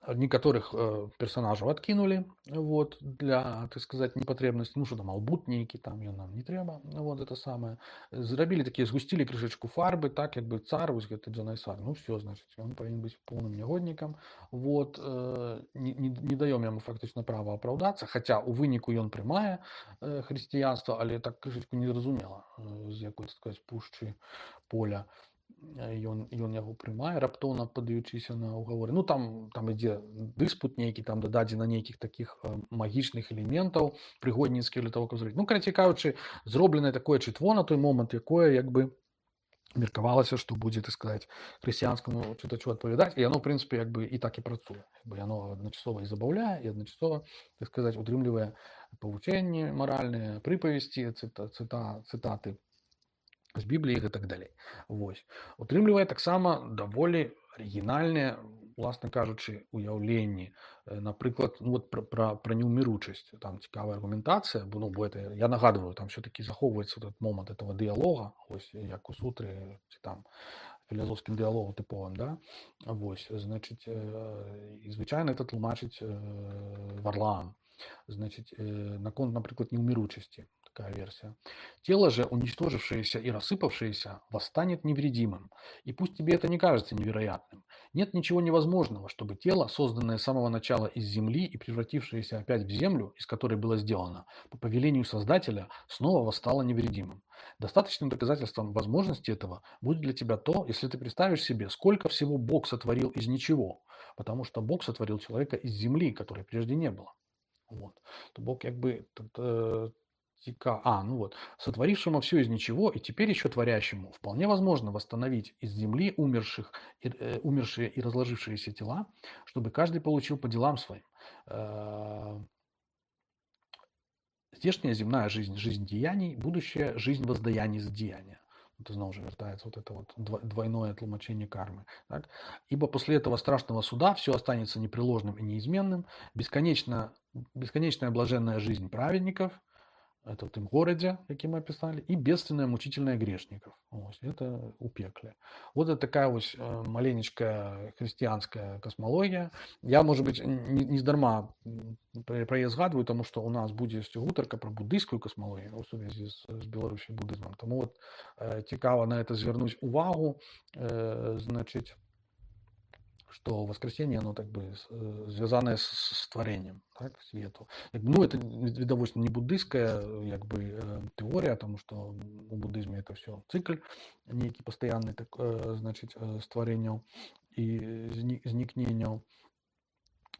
некаторых персонажаў адкінулі, вот, для, так сказать, непатрэбнасці, ну, што там албут нейкі, там ён нам не трэба, вот, это самае. Зрабілі такія, згусцілі крышачку фарбы, так, як бы цар, вось гэты Джанайсар, ну, все, значыць, ён павінен быць поўным нягоднікам, вот, не даём яму фактычна права апраўдацца, хаця ў выніку ён прымае хрысціянства, але так крышачку незразумела, з якой, так сказать, пушчы поля ён яго прымае, раптоўна падаючыся на ўгаворы. Ну, там ідзе дыспут нейкі, там дададзена нейкіх такіх магічных элементаў прыгодніцкіх для того, каб зрабіць. Ну, карацей кажучы, зробленае такое чытво на той момант, якое як бы меркавалася, што будзе, так сказаць, хрысціянскаму чытачу адпавядаць, і яно, ў прынцыпе, як бы і так і працуе. Яно адначасова і забаўляе, і адначасова, так сказаць, утрымлівае павучэнні маральныя, прыпавесці, цытаты з Бібліі і так далей. Вось. Утрымлівае таксама даволі арыгінальныя, уласна кажучы, уяўленні. Напрыклад, ну, вот пра неўміручасць. Там цікавая аргументацыя, бо это, я нагадываю, там все-таки захоўваецца этот момант этого дыялога, вось, як у сутры, ці там філазофскім дыялогу тыповым, да? Вось, значыць, і звычайна это тлумачыць Варлаам. Значит, наконт, например, неумиручести, такая версия. Тело же, уничтожившееся и рассыпавшееся, восстанет невредимым. И пусть тебе это не кажется невероятным. Нет ничего невозможного, чтобы тело, созданное с самого начала из земли и превратившееся опять в землю, из которой было сделано, по повелению Создателя, снова восстало невредимым. Достаточным доказательством возможности этого будет для тебя то, если ты представишь себе, сколько всего Бог сотворил из ничего. Потому что Бог сотворил человека из земли, которой прежде не было. Вот. То Бог как бы сотворившему все из ничего и теперь еще творящему вполне возможно восстановить из земли умершие и разложившиеся тела, чтобы каждый получил по делам своим. Здешняя земная жизнь, жизнь деяний, будущая жизнь воздаяний за деяния. Это снова же вертается вот это вот двойное тлумачение кармы. Так? Ибо после этого страшного суда все останется непреложным и неизменным, бесконечная блаженная жизнь праведников, это в том городе, який мы описали, и бедственная мучительная грешников. Вот, это у пекле. Вот это такая вот маленечкая христианская космология. Я, может быть, не здарма про яе згадываю, потому что у нас будет гутарка про буддийскую космологию у сувязі з беларускім буддызмом. Тому вот цікаво на это звернуть увагу, значит, что воскресение, оно так бы связанное с творением, так, свету. Ну, это видовочно не буддийская как бы теория, потому что у буддизме это все цикл некий постоянный, так, значит, с творением и зникнением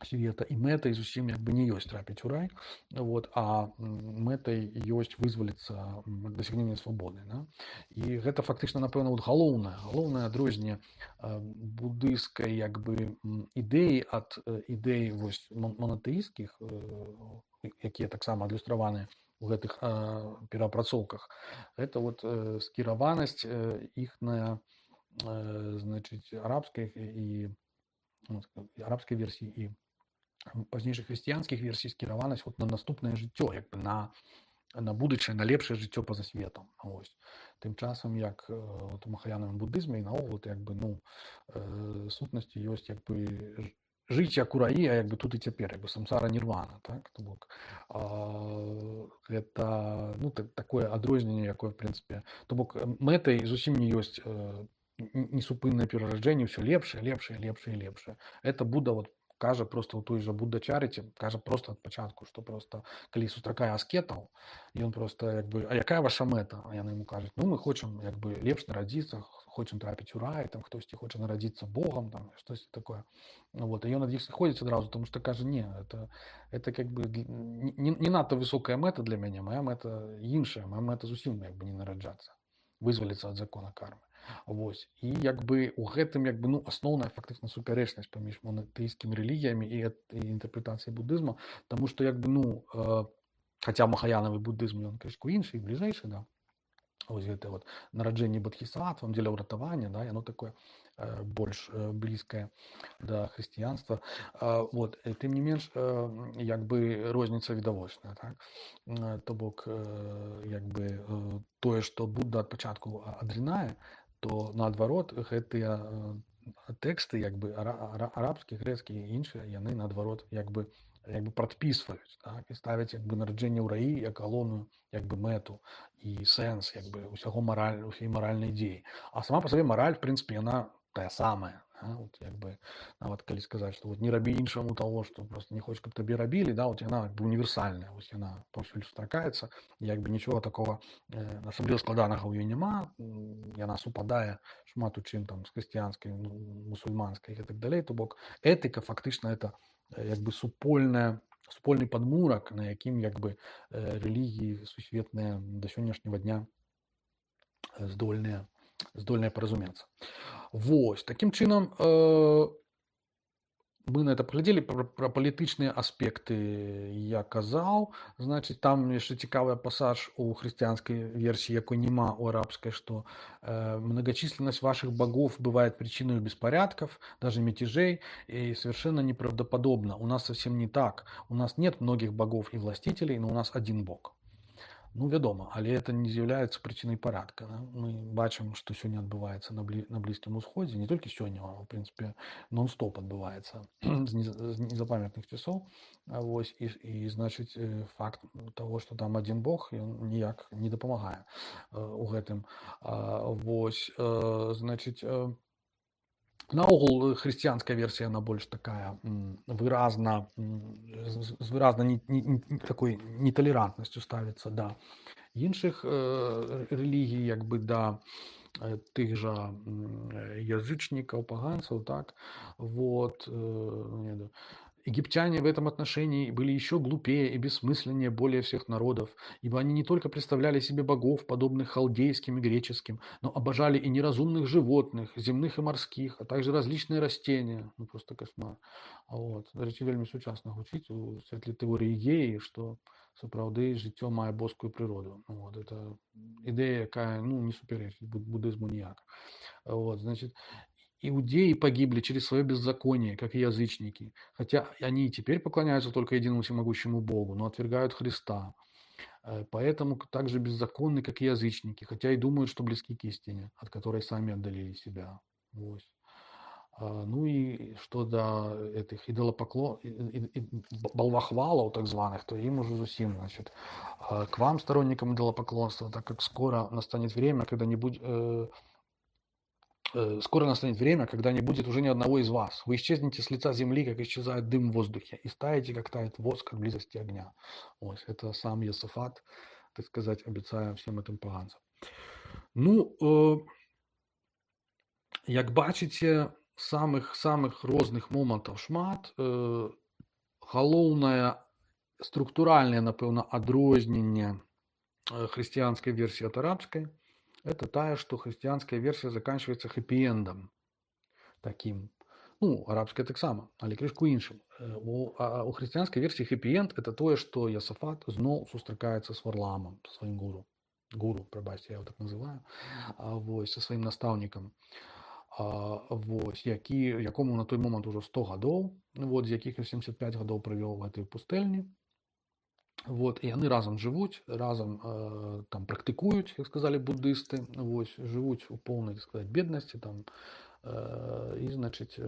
света, і мэтай зусім як бы не ёсць трапіць у рай, вот, а мэтай ёсць вызваліцца дасягнення свабоды, да? І гэта фактычна, напэўна, вот галоўнае адрозненне буддыйскай як бы ідэі ад ідэй вось монотэісцкіх, якія таксама адлюстраваны ў гэтых перапрацоўках. Гэта вот скіраванасць іхная, значыць, арабскай версіі і пазнейшых хрысціянскіх версій скіраванасць вот на наступнае жыццё, як бы на будучае, на лепшае жыццё па-за светам. Ось. Тым часам, як вот, у махаянавым буддызме і наогул як бы, ну, сутнасці ёсць як бы жыць як у раі, а як бы тут і цяпер, як бы самсара нірвана, так? То бок гэта, ну, такое адрозненне, якое, в прынцыпе, то бок мэтай зусім не ёсць несупыннае перараджэнне, ўсё лепшае. Это Будда вот кажа просто ў той жа Будда Чарыці, кажа просто ад пачатку, што просто калі сустракае аскетаў, ён просто як бы: а якая ваша мэта? А яны яму кажуць: ну мы хочам як бы лепш нарадзіцца, хочам трапіць у рай, там хтосьці хоча нарадзіцца Богам, там штосьці такое. Вот, і ён ад іх сыходзіць адразу, тому што кажа: не, это как бы не надта высокая мэта для мяне, моя мэта іншая, моя мэта зусім як бы не нараджацца, вызваліцца ад закона кармы. Вось, і як бы у гэтым як бы ну асноўная фактычна супярэчнасць паміж монатэйскімі рэлігіямі і інтэрпрэтацыяй будызму, таму што як бы ну хаця махаянавы будызм ён крышку іншы і бліжэйшы, да, вось гэта вот нараджэнне бодхісаттвам дзеля ўратавання, да, яно такое больш блізкае да хрысціянства. Вот, тым не менш як бы розніца відавочная, так? То бок як бы тое, што Будда ад пачатку адрынае, то наадварот гэтыя тэксты як бы арабскі, грэцкі і іншыя, яны наадварот як бы прадпісваюць, так, і ставяць як бы нараджэнне ў раі як галоўную як бы мэту і сэнс як бы усяго усей маральнай дзеі. А сама па сабе мараль, в прынцыпе, яна тая самая. Вот, як бы, нават калі сказаць, што вот не рабі іншаму таго, што просто не хочаш, каб табе рабілі, да, вот яна як бы універсальная, вось яна паўсюль сустракаецца, як бы нічога такого асабліва складанага ў ёй няма, яна супадае шмат у чым там з хрысціянскай, мусульманскай і так далей, то бок этыка фактычна это як бы супольны падмурак, на якім як бы рэлігіі сусветныя да сённяшняга дня здольныя паразумецца. Вось, такім чынам мы на это паглядзелі. Пра палітычныя аспекты я казаў. Значыць, там яшчэ цікавы пасаж у хрысціянскай версіі, якой няма у арабскай, што многочисленность ваших богов бывает причиной беспорядков, даже мятежей, и совершенно неправдоподобно. У нас совсем не так. У нас нет многих богов и властителей, но у нас один бог. Ну, вядома, але это не з'яўляецца прычынай парадка. Да? Мы бачым, што сёння адбываецца на Блізкім Усходзе, не толькі сёння, а ў прынцыпе нон-стоп адбываецца з незапамятных часоў. Вось, і значыць, факт таго, што там адзін бог, ён ніяк не дапамагае у гэтым. Вось, значыць, наогул хрысціянская версія, она больш такая выразна такой неталерантнасцю ставіцца да іншых рэлігій, як бы да тых жа язычнікаў, паганцаў, так, вот. Египтяне в этом отношении были еще глупее и бессмысленнее более всех народов, ибо они не только представляли себе богов, подобных халдейским и греческим, но обожали и неразумных животных, земных и морских, а также различные растения. Ну, просто кошмар. Вот. Речі, вельмі сучасна гучить у світлі теорії геї, що сапраўды жыццё мае боскую прыроду. Вот. Это ідэя, якая не суперечыць буддызму ніяк. Вот. Значит, иудеи погибли через свое беззаконие, как и язычники, хотя они и теперь поклоняются только единому всемогущему Богу, но отвергают Христа. Поэтому также беззаконны, как и язычники, хотя и думают, что близки к истине, от которой сами отдалили себя. Вот. Ну и что до этих балвахвалов так званых, то им уже зусим, значит, к вам, сторонникам идолопоклонства, так как скоро настанет время, когда не будет... Скоро настанет время, когда не будет уже ни одного из вас. Вы исчезнете с лица земли, как исчезает дым в воздухе, и таете, как тает воск от близости огня. Вот, это сам Йосафат, так сказать, обещая всем этим поганцам. Ну, як бачите, самых розных момантаў шмат. Галоўнае структуральнае, напэўна, адрозненне хрысціянскай версіі ад арабскай — это тая, что христианская версия заканчивается хэппі-эндом таким. Ну, арабская таксама, але крышку іншым. У хрысціянскай версіі хэппі-энд — это тое, што Йосафат зноў сустракаецца з Варламам, сваім гуру, прабачце, я его так называю, вось, со сваім настаўнікам, вось, якому на той момант ужо 100 гадоў, вот, з якіх 75 гадоў правёў у гэтай пустэльні. Вот, і яны разам жывуць, разам там практыкуюць, як сказалі буддысты, вось, жывуць у поўнай, так сказаць, беднасці там, і, значыць,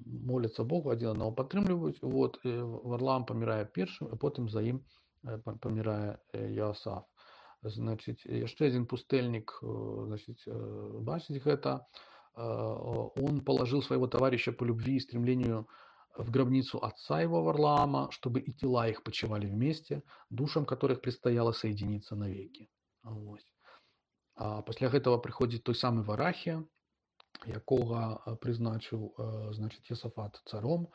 моляцца Богу, адзін аднаго падтрымліваюць. Вот, Варлаам памірае першым, а потым за ім памірае Йоасаф. Значыць, яшчэ адзін пустэльнік, значыць, бачыць гэта, он положил своего товарища по любви и стремлению в гробницу отца его Варлаама, чтобы и тела их почивали вместе, душам которых предстояло соединиться навеки. Вось. А пасля гэтага прыходзіць той самы Варахія, якога прызначыў значит Йосафат царом.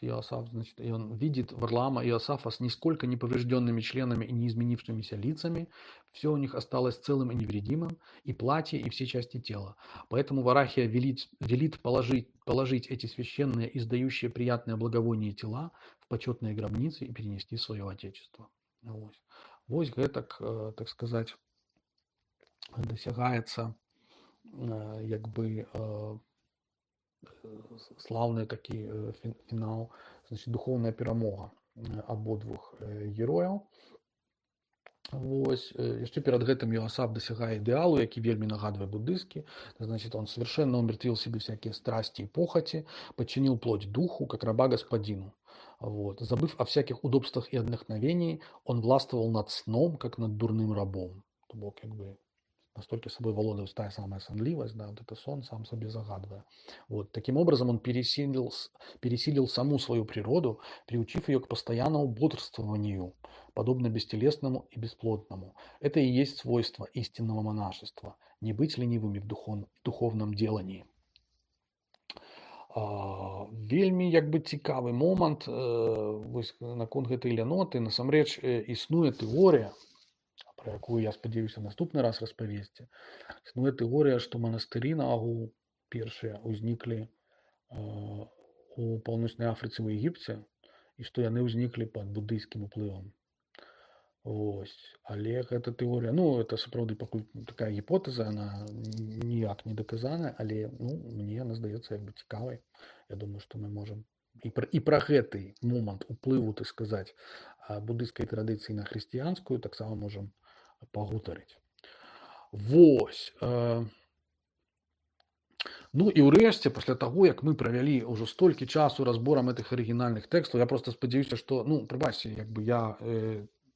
Иосаф, значит, и он видит Варлаама и Иосафа с нисколько не поврежденными членами и не изменившимися лицами. Все у них осталось целым и невредимым, и платье, и все части тела. Поэтому Варахия велит положить эти священные, издающие приятное благовоние тела в почетные гробницы и перенести в свое отечество. Вось гэтак, так сказать, досягаецца як бы славны такі фінал, значит, духовная перамога абодвух герояў. Вось. Яшчэ перад гэтым Иосаф дасягае ідэалу, які вельмі нагадвае буддысцкі. Значит, он совершенно умертвил себе всякие страсти и похоти, подчинил плоть духу, как раба господину. Вот. Забыв о всяких удобствах и отдохновении, он властвовал над сном, как над дурным рабом. То бок, как бы, настолько собой володает та самая сонливость, да, вот это сон сам себе загадывая. Вот. Таким образом, он пересилил саму свою природу, приучив ее к постоянному бодрствованию, подобно бестелесному и бесплотному. Это и есть свойство истинного монашества – не быть ленивыми в духовном делании. Вельмі як бы цікавы момант наконт гэтай ляноты. Насамрэч існуе тэорыя, про якую, я спадзяюся, наступны раз распавесці. Існуе тэорыя, што манастыры наогул першыя ўзніклі у паўночнай Афрыцы, ў Егіпце, і што яны ўзніклі пад буддыйскім уплывам. Вось. Але гэта тэорыя, ну, это сапраўды пакуль такая гіпотэза, она ніяк не даказаная, але, ну, мне она здаецца як бы цікавай. Я думаю, што мы можам і пра гэты момант уплыву, так сказаць, буддыйскай традыцыі на хрысціянскую таксама можам пагутарыць. Вось. Ну і ўрэшце, пасля таго, як мы правялі ўжо столькі часу разборам гэтых арыгінальных тэкстаў, я просто спадзяюся, што, ну, прабачце, як бы я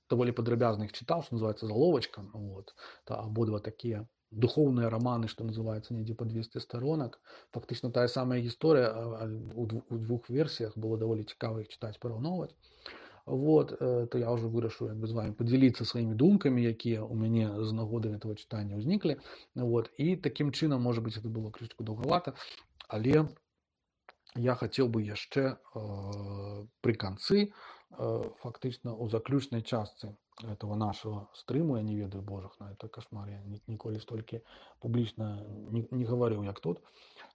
даволі падрабязна іх чытаў, што называецца заловачкам. Вот. Абодва такія духовныя раманы, што называецца недзе па 200 сторонак. Фактычна тая самая гісторыя у двух версіях, было даволі цікава іх чытаць, параўноўваць. Вот, то я ўжо вырашыў як бы з вами падзяліцца сваімі думкамі, якія ў мяне з нагоды гэтага чытання ўзніклі. Вот, і такім чынам, можа быць, это было крышку даўгавата, але я хацеў бы яшчэ пры канцы, фактычна ў заключнай частцы этого нашего стрыму, я не ведаю, божах, на это кошмар, я ніколі столькі публічна не гаварыў, як тут,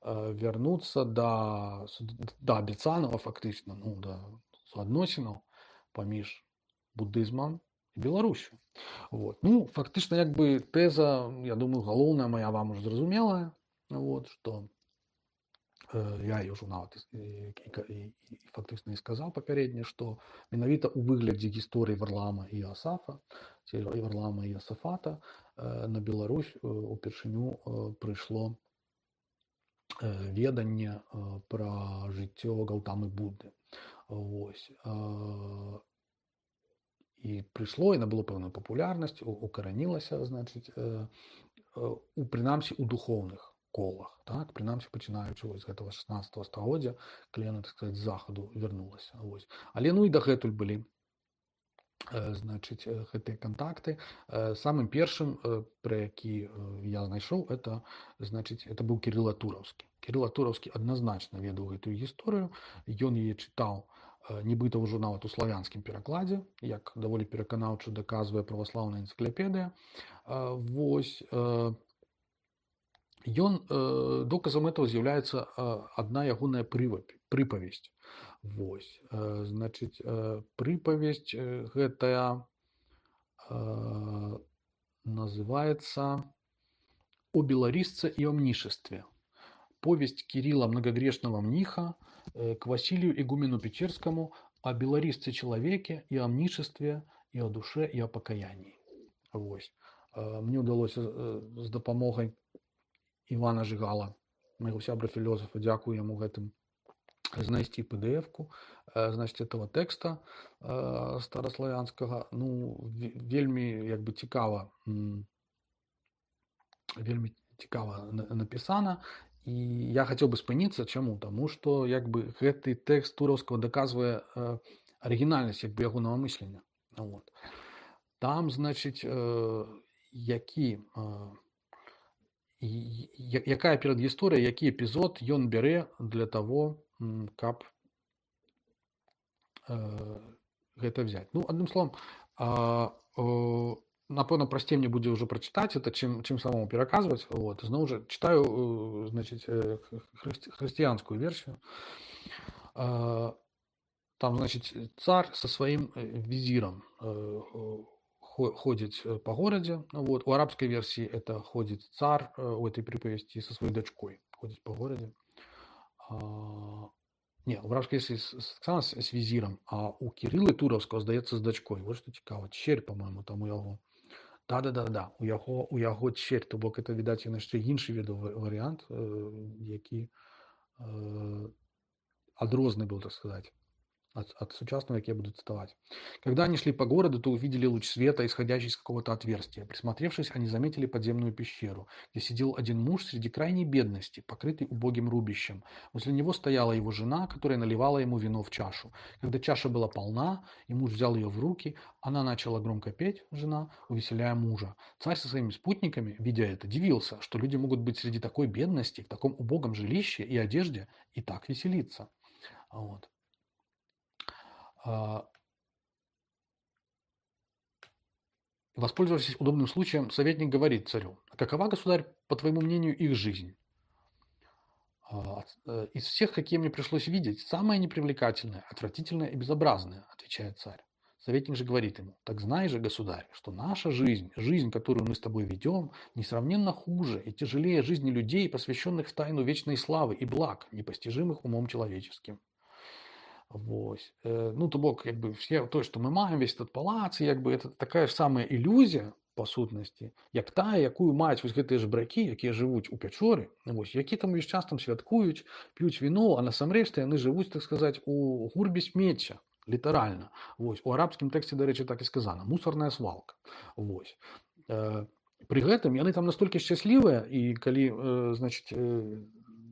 вярнуцца да абяцанага фактычна, ну, да суадносінаў паміж буддызмам і Беларусю. Вот. Ну, фактычна, як бы тэза, я думаю, галоўная моя вам уже зразумелая, вот, што я ўжо нават і фактычна і сказаў папярэдне, што менавіта ў выглядзе гісторыі Варлаама і Иосафа, ці Варлаама і Иосафата, на Беларусь упершыню прыйшло веданне пра жыццё Гаўтамы Будды. Вось. І прыйшло, і набыло пэўную папулярнасць, укаранілася, значыць, прынамсі, у духоўных колах, так, прынамсі, пачынаючы з гэтага 16 стагоддзя, калі яна, так сказаць, з захаду вярнулася. Вось. Але, ну, і дагэтуль былі, значыць, гэтыя кантакты. Самым першым, пра які я знайшоў, это, значыць, это быў Кірыла Тураўскі. Кірыла Тураўскі адназначна ведаў гэтую гісторыю, ён яе чытаў нібыта ўжо нават у славянскім перакладзе, як даволі пераканаўча даказвае праваслаўная энцыклапедыя. Вось. Доказам этого з'яўляецца адна ягоная прыпавесць. Вось. Значыць, прыпавесць гэтая называется «О белорисце и о мнишестве». Повесть Кирилла Многогрешного Мниха к Василию Игумену Печерскому о белорисце-человеке и о мнишестве, и о душе, и о покаянии. Вось. Мне удалося з дапамогай Івана Жигала, майго сябра-філосафа, дзякую яму гэтым, знайсці PDF-ку, значит, этого тэкста стараславянскага. Ну, вельмі, як бы, цікава напісана, І я хацеў бы спыніцца, чаму? Таму што як бы гэты тэкст Тураўскага даказвае арыгінальнасць як бы ягонага мыслення. Вот. Там, значыць, які якая перадгісторыя, які эпізод ён бярэ для таго, каб гэта взять. Ну, адным словам, напэўна, прасцей мне будзе ўжо прачытаць это, чым самому пераказваць. Вот. Зноў жа чытаю, значыць, хрысціянскую версію. Там, значыць, цар со сваім візірам ходзіць по горадзе. Вот. У арабскай версіі это ходзіць цар у этой прыпавесці со сваёй дачкой. Ходзіць по горадзе. Не, у арабскай версіі з візірам, а у Кірылы Тураўскага, здаецца, з дачкой. Вот што цікава. Черь, по-моему, там у яго. Да. У яго черь, то бок это, відаць, яшчэ іншы ведаў варыянт, які адрозны быў, так сказать, от сучасного, как я буду цитовать. Когда они шли по городу, то увидели луч света, исходящий из какого-то отверстия. Присмотревшись, они заметили подземную пещеру, где сидел один муж среди крайней бедности, покрытый убогим рубищем. Возле него стояла его жена, которая наливала ему вино в чашу. Когда чаша была полна, и муж взял ее в руки, она начала громко петь, жена, увеселяя мужа. Царь со своими спутниками, видя это, дивился, что люди могут быть среди такой бедности, в таком убогом жилище и одежде, и так веселиться. Вот. Воспользовавшись удобным случаем, советник говорит царю: «Какова, государь, по твоему мнению, их жизнь? Из всех, какие мне пришлось видеть, самая непривлекательная, отвратительная и безобразная», отвечает царь. Советник же говорит ему: «Так знай же, государь, что наша жизнь, жизнь, которую мы с тобой ведем, несравненно хуже и тяжелее жизни людей, посвященных в тайну вечной славы и благ, непостижимых умом человеческим». Вось. Ну, то бок, як бы, все то, што мы маем, весь этот палац, як бы, это такая ж самая ілюзія, па сутнасці, як тая, якую маюць вось гэтыя жабракі, якія жывуць у пячоры, вось, які там увесь час там святкуюць, п'юць віно, а насамрэч яны жывуць, так сказаць, у гурбе смецця, літаральна. Вось. У арабскім тэксце, дарэчы, так і сказана, мусорная свалка. Вось. Пры гэтым яны там настолькі шчаслівыя, і калі, значыць,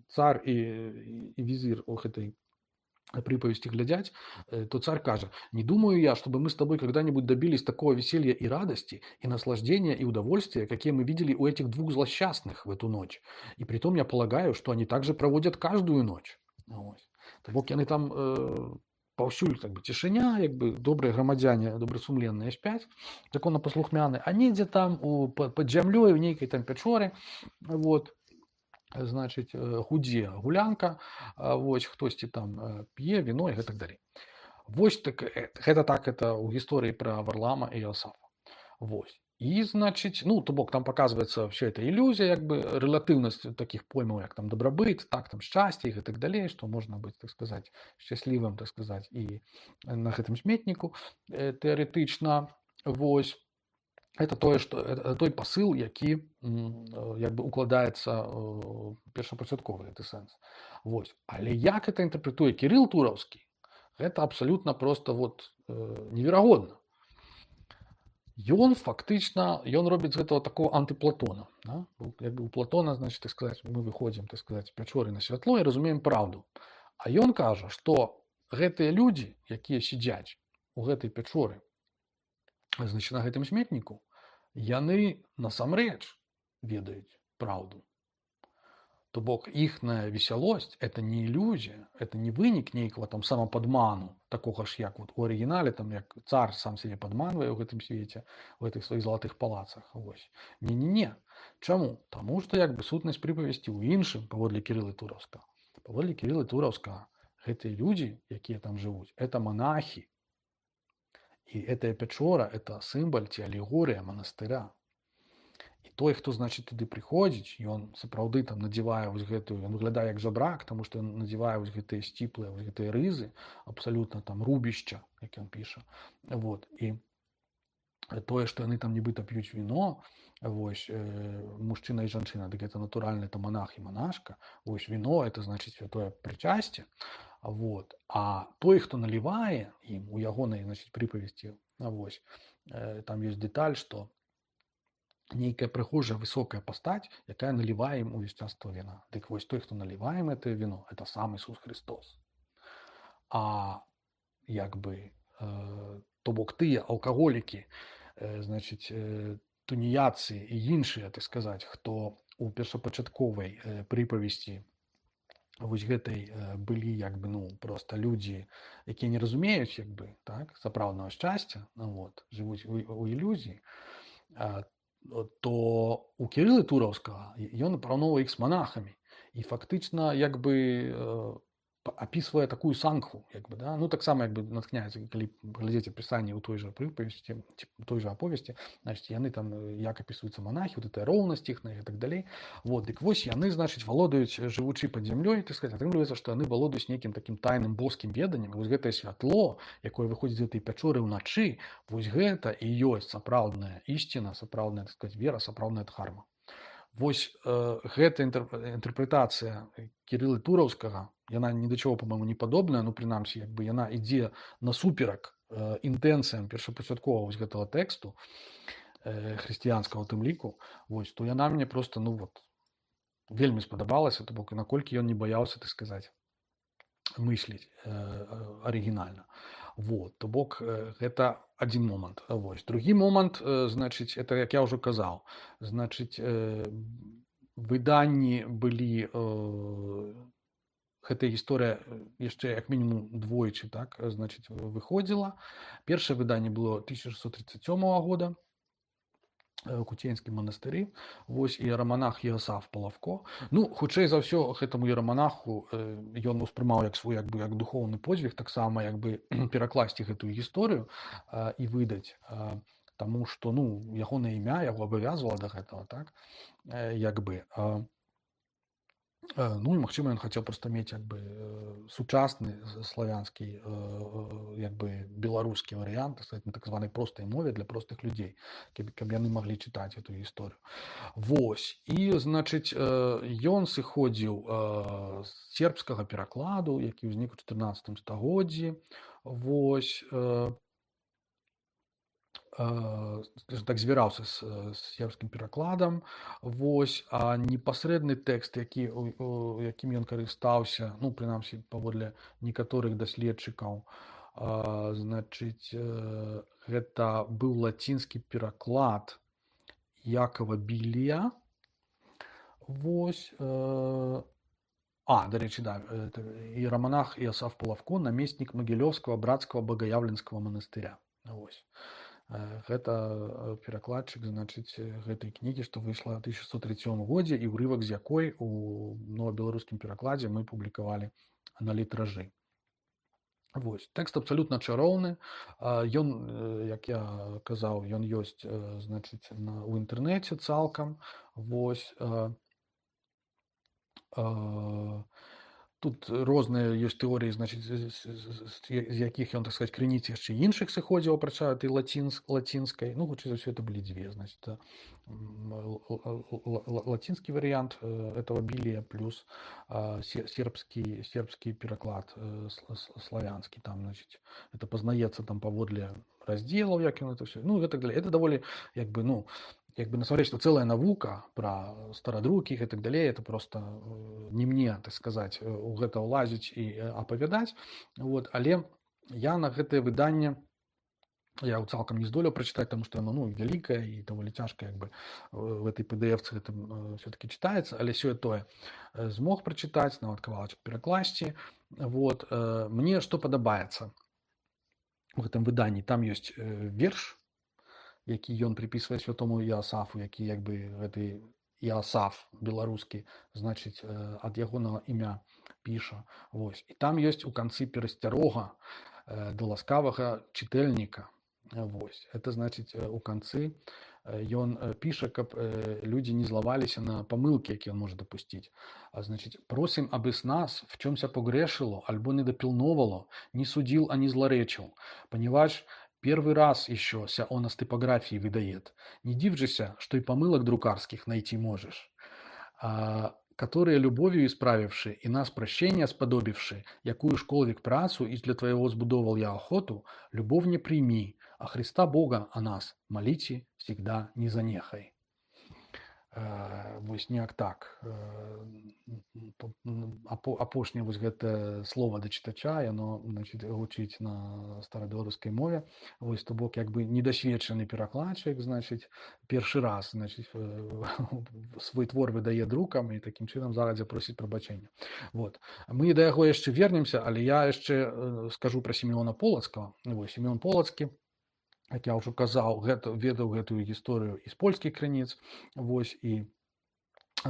цар і візір у гэтай приповести глядять, то царь кажет: «Не думаю я, чтобы мы с тобой когда-нибудь добились такого веселья и радости, и наслаждения, и удовольствия, какие мы видели у этих двух злосчастных в эту ночь. И притом я полагаю, что они также проводят каждую ночь». То бок яны там паўсюль как бы цішыня, як бы добрыя грамадзяне, добрасумленныя спяць, законапаслухмяны, а недзе там пад зямлёй у нейкай там пячоры, вот, значыць, гудзе гулянка, вось, хтосьці там п'е віно і гэтак далей. Вось так, гэта так, это ў гісторыі пра Варлама і Іосафа. Вось. І, значыць, ну, то бок там показваецца вся эта ілюзія, як бы, рэлятыўнасць такіх поймаў, як там дабрабыт, так, там шчасце і гэтак далей, што можна быць, так сказаць, шчаслівым, так сказаць, і на гэтым сметніку тэарэтычна. Вось. Это тое, што той пасыл, які як бы укладаецца першапачатковы гэты сэнс. Вось. Але як это інтэрпрэтуе Кірыл Тураўскі, гэта абсалютна проста вот неверагодна. Ён фактычна, ён робіць гэтага такого антыплатона. Да? Як бы у Платона, значит, так сказаць, мы выходзім, так сказаць, пячоры на святло і разумеем праўду. А ён кажа, што гэтыя людзі, якія сядзяць у гэтай пячоры, значит, на гэтым сметніку, яны насамрэч ведаюць праўду. То бок іхная весялосць — это не ілюзія, это не вынік нейкага там самападману, такога ж, як вот у арыгінале, там, як цар сам сябе падманвае ў гэтым свеце, у гэтых сваіх залатых палацах. Вось. Не. Чаму? Таму што як бы сутнасць прыпавесці ў іншым, паводле Кірылы Тураўскага. Паводле Кірылы Тураўскага гэтыя людзі, якія там жывуць, это монахі. І гэтая пячора – это сімвал ці алегорыя манастыра. І той, хто, значыць, туды прыходзіць, ён сапраўды там надзявае вось гэтую, ён выглядае як жабрак, таму што ён надзявае вось гэтыя сціплыя, вось гэтыя рызы, абсалютна там рубішча, як ён піша. Вот. І тое, што яны там нібыта п'юць віно, вось, мужчына і жанчына, дык гэта натуральна, это монах і монашка. Вось віно – это, значыць, святое прычасце. Вот. А той, хто налівае ім у ягонай, значыць, прыпавесці, вось, там ёсць дэталь, што нейкая прыгожая высокая пастаць, якая налівае ім увесь час то віна. Дык вось той, хто налівае ім гэтае віно, это сам Ісус Христос. А як бы то бок тыя алкаголікі, значыць, туніяцы і іншыя, так сказаць, хто у першапачатковай прыпавесці вось гэтай былі як бы ну просто людзі, якія не разумеюць як бы так сапраўднага шчасця, ну, вот, жывуць у ілюзіі, то у Кірылы Тураўскага ён параўноўвае іх з манахамі і фактычна як бы описывая такую сангху, як бы, да? Ну, таксама як бы натхняецца, калі глядзець апісанне ў той жа прыпавесці, той жа аповесці, значыць, яны там, як апісваюцца монахі, вот этой роўнасць іхнай і так далей. Вот, дык вось яны, значыць, валодаюць, жывучы пад зямлёй, так сказаць, атрымліваецца, што яны валодаюць нейкім такім тайным боскім веданнем. Вось гэтае святло, якое выходзіць з гэтай пячоры ўначы, вось гэта і ёсць сапраўдная ісціна, сапраўдная, так сказаць, вера, сапраўдная дхарма. Вось гэта інтэрпрэтацыя Кірылы Тураўскага, яна ні да чаго, па-мойму, не падобная, ну, прынамсі, як бы яна ідзе насуперак інтэнцыям першапачаткова вось гэтага тэксту хрысціянскага ў тым ліку, вось, то яна мне проста, ну, вот, вельмі спадабалася, то бок, наколькі ён не баяўся, так сказаць, мысліць арыгінальна. Вот, то бок, гэта адзін момант. Вось. Другі момант, значыць, это, як я ўжо казаў, значыць, выданні былі, гэтая гісторыя яшчэ як мінімум двойчы, так, значыць, выходзіла. Першае выданне было 1637 года, Куценьскім манастыры, вось іераманах Іасаф Палавко. Ну, хутчэй за ўсё, гэтаму іераманаху ён успрымаў як свой, як бы, як духоўны подзвіг, таксама як бы перакласці гэтую гісторыю і выдаць, таму што, ну, ягонае імя яго абавязвала да гэтага, так, як бы. Ну, і, магчыма, ён хацеў проста мець як бы сучасны славянскі, як бы беларускі варыянт, на так званай простай мове для простых людзей, каб яны маглі чытаць эту гісторыю. Вось. І, значыць, ён сыходзіў з сербскага перакладу, які ўзнік у 14 стагоддзі. Вось. Так звяраўся з сербскім перакладам. Вось, а непасрэдны тэкст, якім ён карыстаўся, ну, прынамсі, паводле некаторых даследчыкаў, значыць, гэта быў лацінскі пераклад Якова Білія. Вось. Дарэчы, да, іераманах Іасаф Палавко, намеснік Магілёўскага брацкага багаявленскага манастыря. Вось. Гэта перакладчык, значыць, гэтай кнігі, што выйшла ў 1137 годзе, і ўрывак з якой у новабеларускім перакладзе мы публікавалі на літражы. Вось. Тэкст абсалютна чароўны. Ён, як я казаў, ён ёсць, значыць, у інтэрнэце цалкам. Вось. Тут розныя ёсць тэорыі, значыць, з якіх ён, так сказаць, крыніц яшчэ іншых сыходзіў, апрача этой лацінскай. Ну, хутчэй за ўсё, это былі дзве, значыць, лацінскі варыянт этого Білія плюс сербскі пераклад славянскі. Там, значыць, это пазнаецца там паводле раздзелаў, як ён это ўсё. Ну, і так далей. Это даволі, як бы, ну, насамрэч, што цэлая навука пра старадрукі і так далей, это проста не мне, так сказаць, у гэта ўлазіць і апавядаць. Вот. Але я на гэтае выданне я цалкам не здолеў прачытаць, таму што яно, ну, вялікае і даволі цяжка, як бы, в этой PDF-цы гэта все-таки чытаецца, але сёе-тое змог прачытаць, нават кавалачак перакласці. Вот. Мне што падабаецца у гэтым выданні? Там ёсць верш, які ён припісвае святому Іасафу, які як бы гэты Іасаф беларускі, значыць, ад ягонага імя піша. Вось. І там ёсць у канцы перасцярога да ласкавага чытальніка. Вось. Это значыць, у канцы ён піша, каб людзі не злаваліся на памылкі, які ён можа дапусціць. Значыць, просім, абы с нас в чёмся погрешило, альбо недопилновало, не судил, а не злоречил, поневаж первый раз еще ся он с типографии выдает. Не дивжися, что и помылок друкарских найти можешь, которые любовью исправивши и нас прощения сподобивши, якую школвик працу и для твоего сбудовал я охоту, любовь не прими, а Христа Бога о нас молите всегда не занехай. вось неяк так. Апошняе вось гэта слова да чытача, яно, значыць, гучыць на старабеларускай мове. Вось, то бок, як бы недасведчаны перакладчык, значыць, першы раз, значыць, свой твор выдае друкам і такім чынам загадзя просіць прабачэння. Вот. Мы да яго яшчэ вернемся, але я яшчэ скажу пра Сімеона Полацкага. Вось, Сімеон Полацкі, як я ўжо казаў, ведаў гэтую гісторыю і з польскіх крыніц, вось, і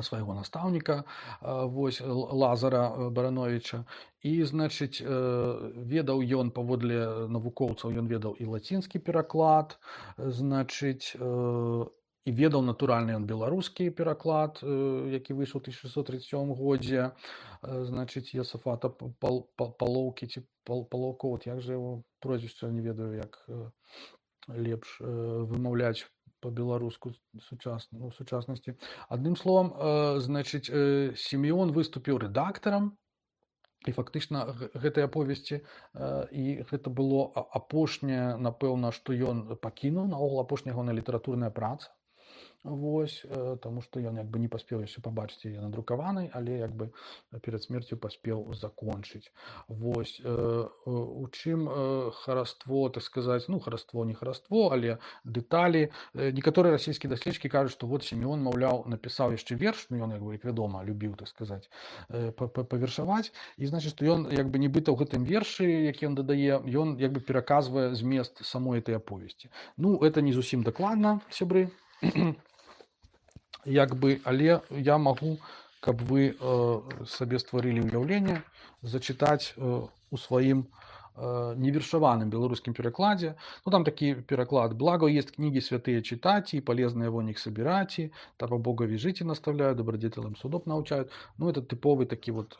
свайго настаўніка, вось, Лазара Барановича, і, значыць, ведаў ён паводле навукоўцаў, ён ведаў і лацінскі пераклад, значыць, і ведаў натуральны ён беларускі пераклад, які выйшаў у 1637 годзе, значыць, Йосафата Палоўкі ці Палоўко, от як же яго прозвішча, не ведаю, як лепш вымаўляць по-беларуску сучаснасці. Адным словам, значыць, Сімеон выступіў рэдактарам і фактычна гэтай аповесці, і гэта было апошняе, напэўна, што ён пакінуў, наогул апошняя ягоная літаратурная праца. Вось, таму што ён як бы не паспеў яшчэ пабачыць яе надрукаванай, але як бы перад смерцю паспеў закончыць. Вось, у чым хараство, так сказаць, ну, хараство, не хараство, але дэталі. Некаторыя расійскія даследчыкі кажуць, што вот Сімеон, маўляў, напісаў яшчэ верш, ну, ён, як бы, як вядома, любіў, так сказаць, павершаваць, і, значыць, што ён, як бы, нібыта ў гэтым вершы, які ён дадае, ён, як бы, пераказвае змест самой этой аповесці. Ну, это не зусім дакладна, сябры. Як бы, але я магу, каб вы сабе стварылі ўяўленне, зачытаць у сваім невершаваным беларускім перакладзе. Ну, там такі пераклад: «Благо есть книги святые читать, и полезные вон их собирать, того Бога вяжите наставляют, добродетелям судов научают». Ну, это типовый такі вот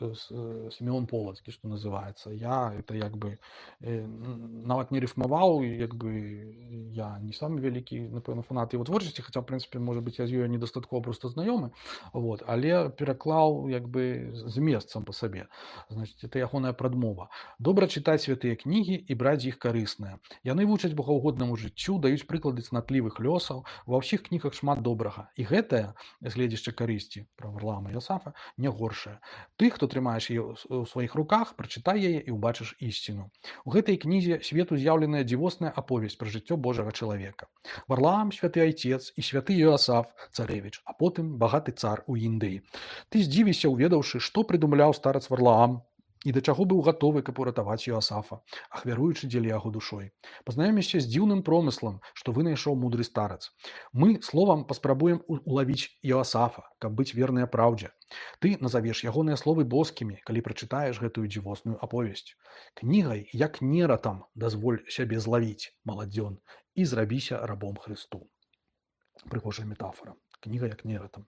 Сімеон Полацкі, што называецца. Я это як бы нават не рифмаваў, як бы я не самы вялікі, напэўна, фанат яго творчасці, хаця, в прынцыпе, можа быць, я з ёй недастаткова проста знаёмы, вот, але пераклаў як бы змест сам па сабе. Значыць, это ягоная прадмова. Добра чытаць святыя кнігі і браць іх карысныя. Яны вучаць богаўгоднаму жыццю, даюць прыклады цнатлівых лёсаў, ва ўсіх кнігах шмат добрага. І гэтае гледзішча карысці пра Варлаама Йосафа не горшае. Ты, хто трымаеш яе ў сваіх руках, прачытай яе і ўбачыш ісціну. У гэтай кнізе свету з'яўленая дзівосная аповесць пра жыццё Божага чалавека. Варлаам, святы айцец, і святы Йосаф, царэвіч, а потым багаты цар у Індыі. Ты здзівіся, уведаўшы, што прыдумляў старац Варлаам, і да чаго быў гатовы, каб уратаваць Йосафа, ахвяруючы дзеля яго душой. Пазнаёмішся з дзіўным промыслам, што вынайшоў мудры старац. Мы словам паспрабуем улавіць Йосафа, каб быць верныя праўдзе. Ты назавеш ягоныя словы боскімі, калі прачытаеш гэтую дзівосную аповесць. Кнігай, як нератам, дазволь сябе злавіць, маладзён, і зрабіся рабом Хрысту. Прыгожая метафора. Кніга як нератам.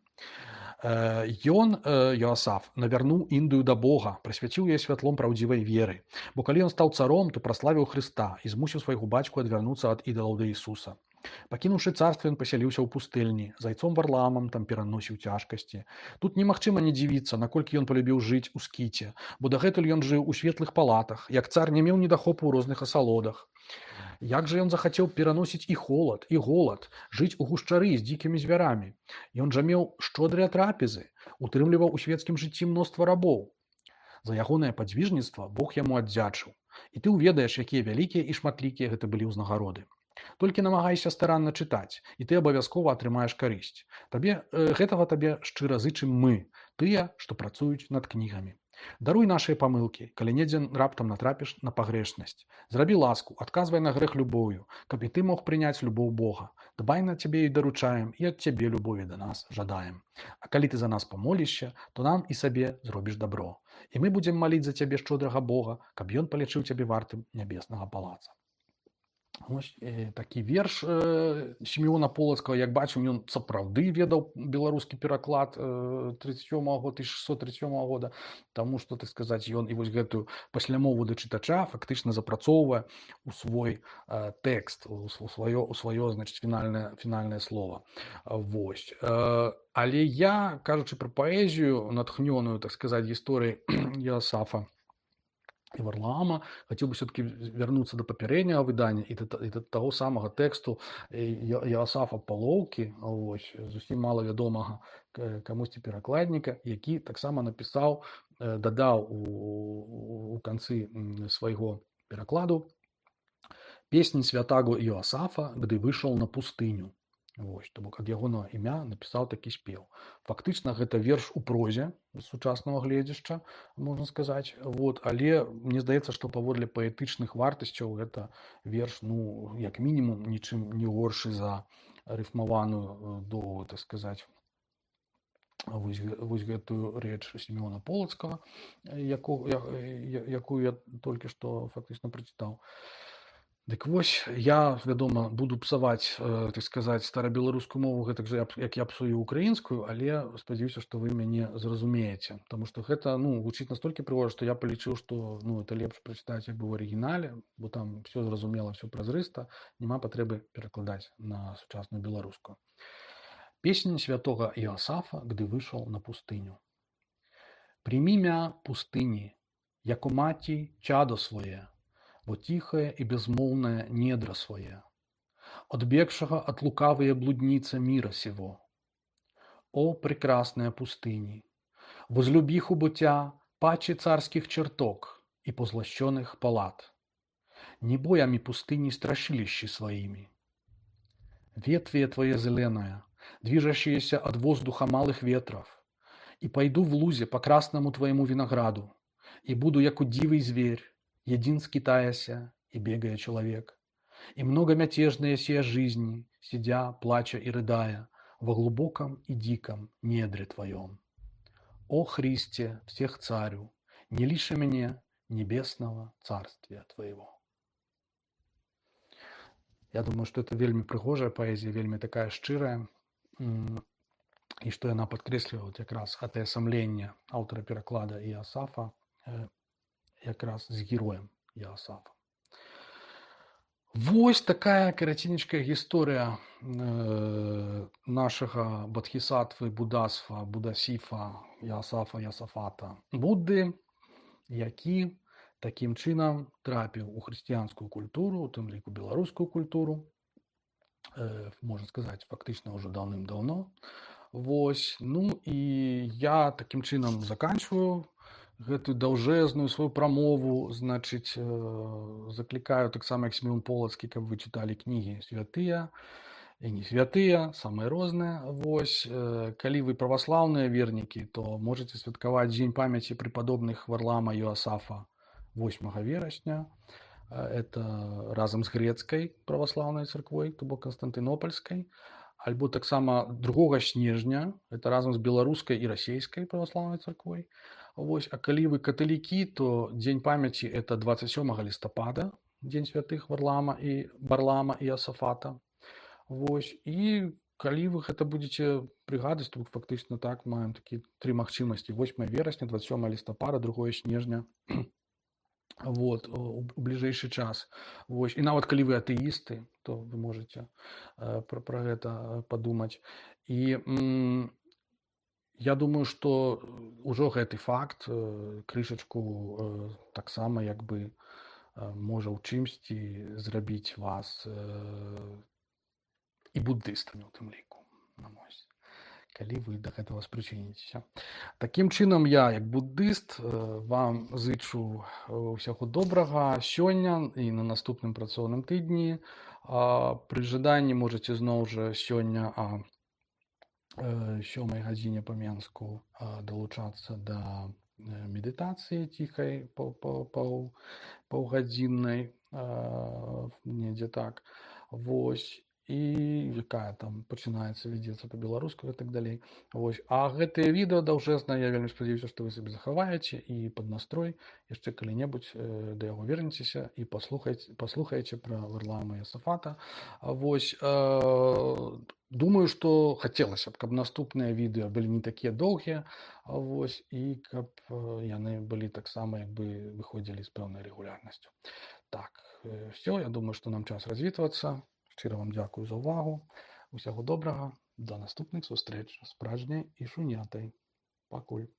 Ён, Йосаф, навярнуў Індыю да Бога, прысвяціў яе святлом праўдзівай веры. Бо калі ён стаў царом, то праславіў Хрыста і змусіў свайго бацьку адвярнуцца ад ідалаў да Ісуса. Пакінуўшы царства, ён пасяліўся ў пустэльні, зайцом Варламам там пераносіў цяжкасці. Тут немагчыма не дзівіцца, наколькі ён палюбіў жыць у скіце, бо дагэтуль ён жыў у светлых палатах, як цар не меў недахопу ў розных асалодах. Як жа ён захацеў пераносіць і холад, і голад, жыць у гушчары з дзікімі звярамі. Ён жа меў шчодрыя трапезы, утрымліваў у свецкім жыцці мноства рабоў. За ягонае падзвіжніцтва Бог яму аддзячыў. І ты ўведаеш, якія вялікія і шматлікія гэта былі ўзнагароды. Толькі намагайся старанна чытаць, і ты абавязкова атрымаеш карысць. Гэтага табе шчыра зычым мы, тыя, што працуюць над кнігамі. Даруй нашыя памылкі, калі недзе раптам натрапіш на пагрэшнасць. Зрабі ласку, адказвай на грэх любоўю, каб і ты мог прыняць любоў Бога. Дбай на цябе і даручаем, і ад цябе любові да нас жадаем. А калі ты за нас памолішся, то нам і сабе зробіш дабро. І мы будзем маліць за цябе шчодрага Бога, каб ён палічыў цябе вартым нябеснага палаца. Ось такі верш Сімеона Полацкага. Як бачым, ён сапраўды ведаў беларускі пераклад 1637 года, таму што, так сказаць, ён і вось гэтую паслямову да чытача фактычна запрацоўвае у свой тэкст, у сваё, значыць, фінальнае слова. Вось. Але я, кажучы пра паэзію, натхнёную, так сказаць, гісторыяй Йосафа, і Варлаама. Хацеў бы все-таки вярнуцца да папярэдняга выдання і да таго самага тэксту Яасафа Палоўкі, вось, зусім мала вядомага камусьці перакладніка, які таксама напісаў, дадаў у канцы свайго перакладу песні святаго Іосафа, кды выйшаў на пустыню. Вось, то бок ад ягонага імя напісаў такі спеў. Фактычна гэта верш у прозе з сучаснага гледзяшча, можна сказаць. Вот, але мне здаецца, што паводле паэтычных вартасцяў гэта верш, ну, як мінімум, нічым не горшы за рыфмаваную доўгую, так сказаць, вось гэтую рэч Сімёна Полацкага, якую я толькі што фактычна прачытаў. Дык вось, я, вядома, буду псаваць, так сказаць, старабеларускую мову гэтак жа, як я псую украінскую, але спадзяюся, што вы мяне зразумееце. Таму што гэта, ну, гучыць настолькі прыгожа, што я палічыў, што, ну, это лепш прачытаць як бы ў арыгінале, бо там все зразумела, все празрыста, няма патрэбы перакладаць на сучасную беларускую. Песня святого Иосафа, гdy вышел на пустыню. Прими мя пустыни, яко мати чадо свое, во тихое и безмолвное недра свое, отбегшего от лукавые блудница мира сего. О, прекрасная пустыни, возлюби хубутя паче царских чертог и позлощенных палат, не боями пустыни страшилищи своими. Ветвие твое зеленое, движущиеся от воздуха малых ветров, и пойду в лузе по красному твоему винограду, и буду, яко дивый зверь, един скитаяся и бегая человек, и многомятежные сия жизни, сидя, плача и рыдая, во глубоком и диком недре твоем. О Христе, всех царю, не лиши мне небесного царствия твоего. Я думаю, што это вельмі прыгожая паэзія, вельмі такая шчырая, і што яна падкрэслівае якраз гэтае самленне аўтара пераклада Іосафа якраз з героем Іосафа. Вось такая караценечкая гісторыя нашага Бодхісаттвы, Будасфа, Будасіфа, Іосафа, Йосафата Будды, які такім чынам трапіў у хрысціянскую культуру, у тым ліку беларускую культуру, можна сказаць, фактычна ўжо даўным-даўно. Вось, ну і я такім чынам заканчваю гэтую даўжэзную сваю прамову, значыць, заклікаю таксама, як Сімён Полацкі, каб вы чыталі кнігі святыя і не святыя, самыя розныя. Вось, калі вы праваслаўныя вернікі, то можаце святкаваць дзень памяці препадобных Варлаама Іосафа 8 верасня. Это разам з грэцкай праваслаўнай царквой, то бок Канстантынопольскай, альбо таксама 2 снежня, это разам з беларускай і расійскай праваслаўнай царквой. Вось, а калі вы каталікі, то дзень памяці это 27 лістапада, дзень святых Варлаама і Іосафата. Вось, і калі вы гэта будзеце прыгадаць, то фактычна так маем такі 3 магчымасці: 8 верасня, 27 лістапада, 2 снежня. Вот, у бліжэйшы час. Вось. І нават калі вы атэісты, то вы можете пра гэта падумаць. І я думаю, што ўжо гэты факт крышачку таксама як бы можа ў чымсьці зрабіць вас і буддыстамі ў тым ліку. Калі вы да гэтага спрычыніцеся. Такім чынам я, як буддыст, вам зычу ўсяго добрага сёння і на наступным працоўным тыдні. Пры жаданні можаце зноў жа сёння о 7 гадзіне па Менску далучацца да медытацыі ціхай паўгадзіннай, недзе так. Вось. І якая там пачынаецца, вядзецца па-беларуску і так далей. Вось. А гэтае відэо даўжэзнае, я вельмі спадзяюся, што вы сабе захаваеце і пад настрой яшчэ калі-небудзь да яго вернецеся і паслухаеце пра Варлаама Іосафата. Вось. Думаю, што хацелася б, каб наступныя відэо былі не такія доўгія, вось, і каб яны былі таксама як бы выходзілі з пэўнай рэгулярнасцю. Так, все, я думаю, што нам час развітвацца. Шчыра вам дзякую за ўвагу. Усяго добрага. До наступных сустрэч з пражняй і шунятай. Пакуль.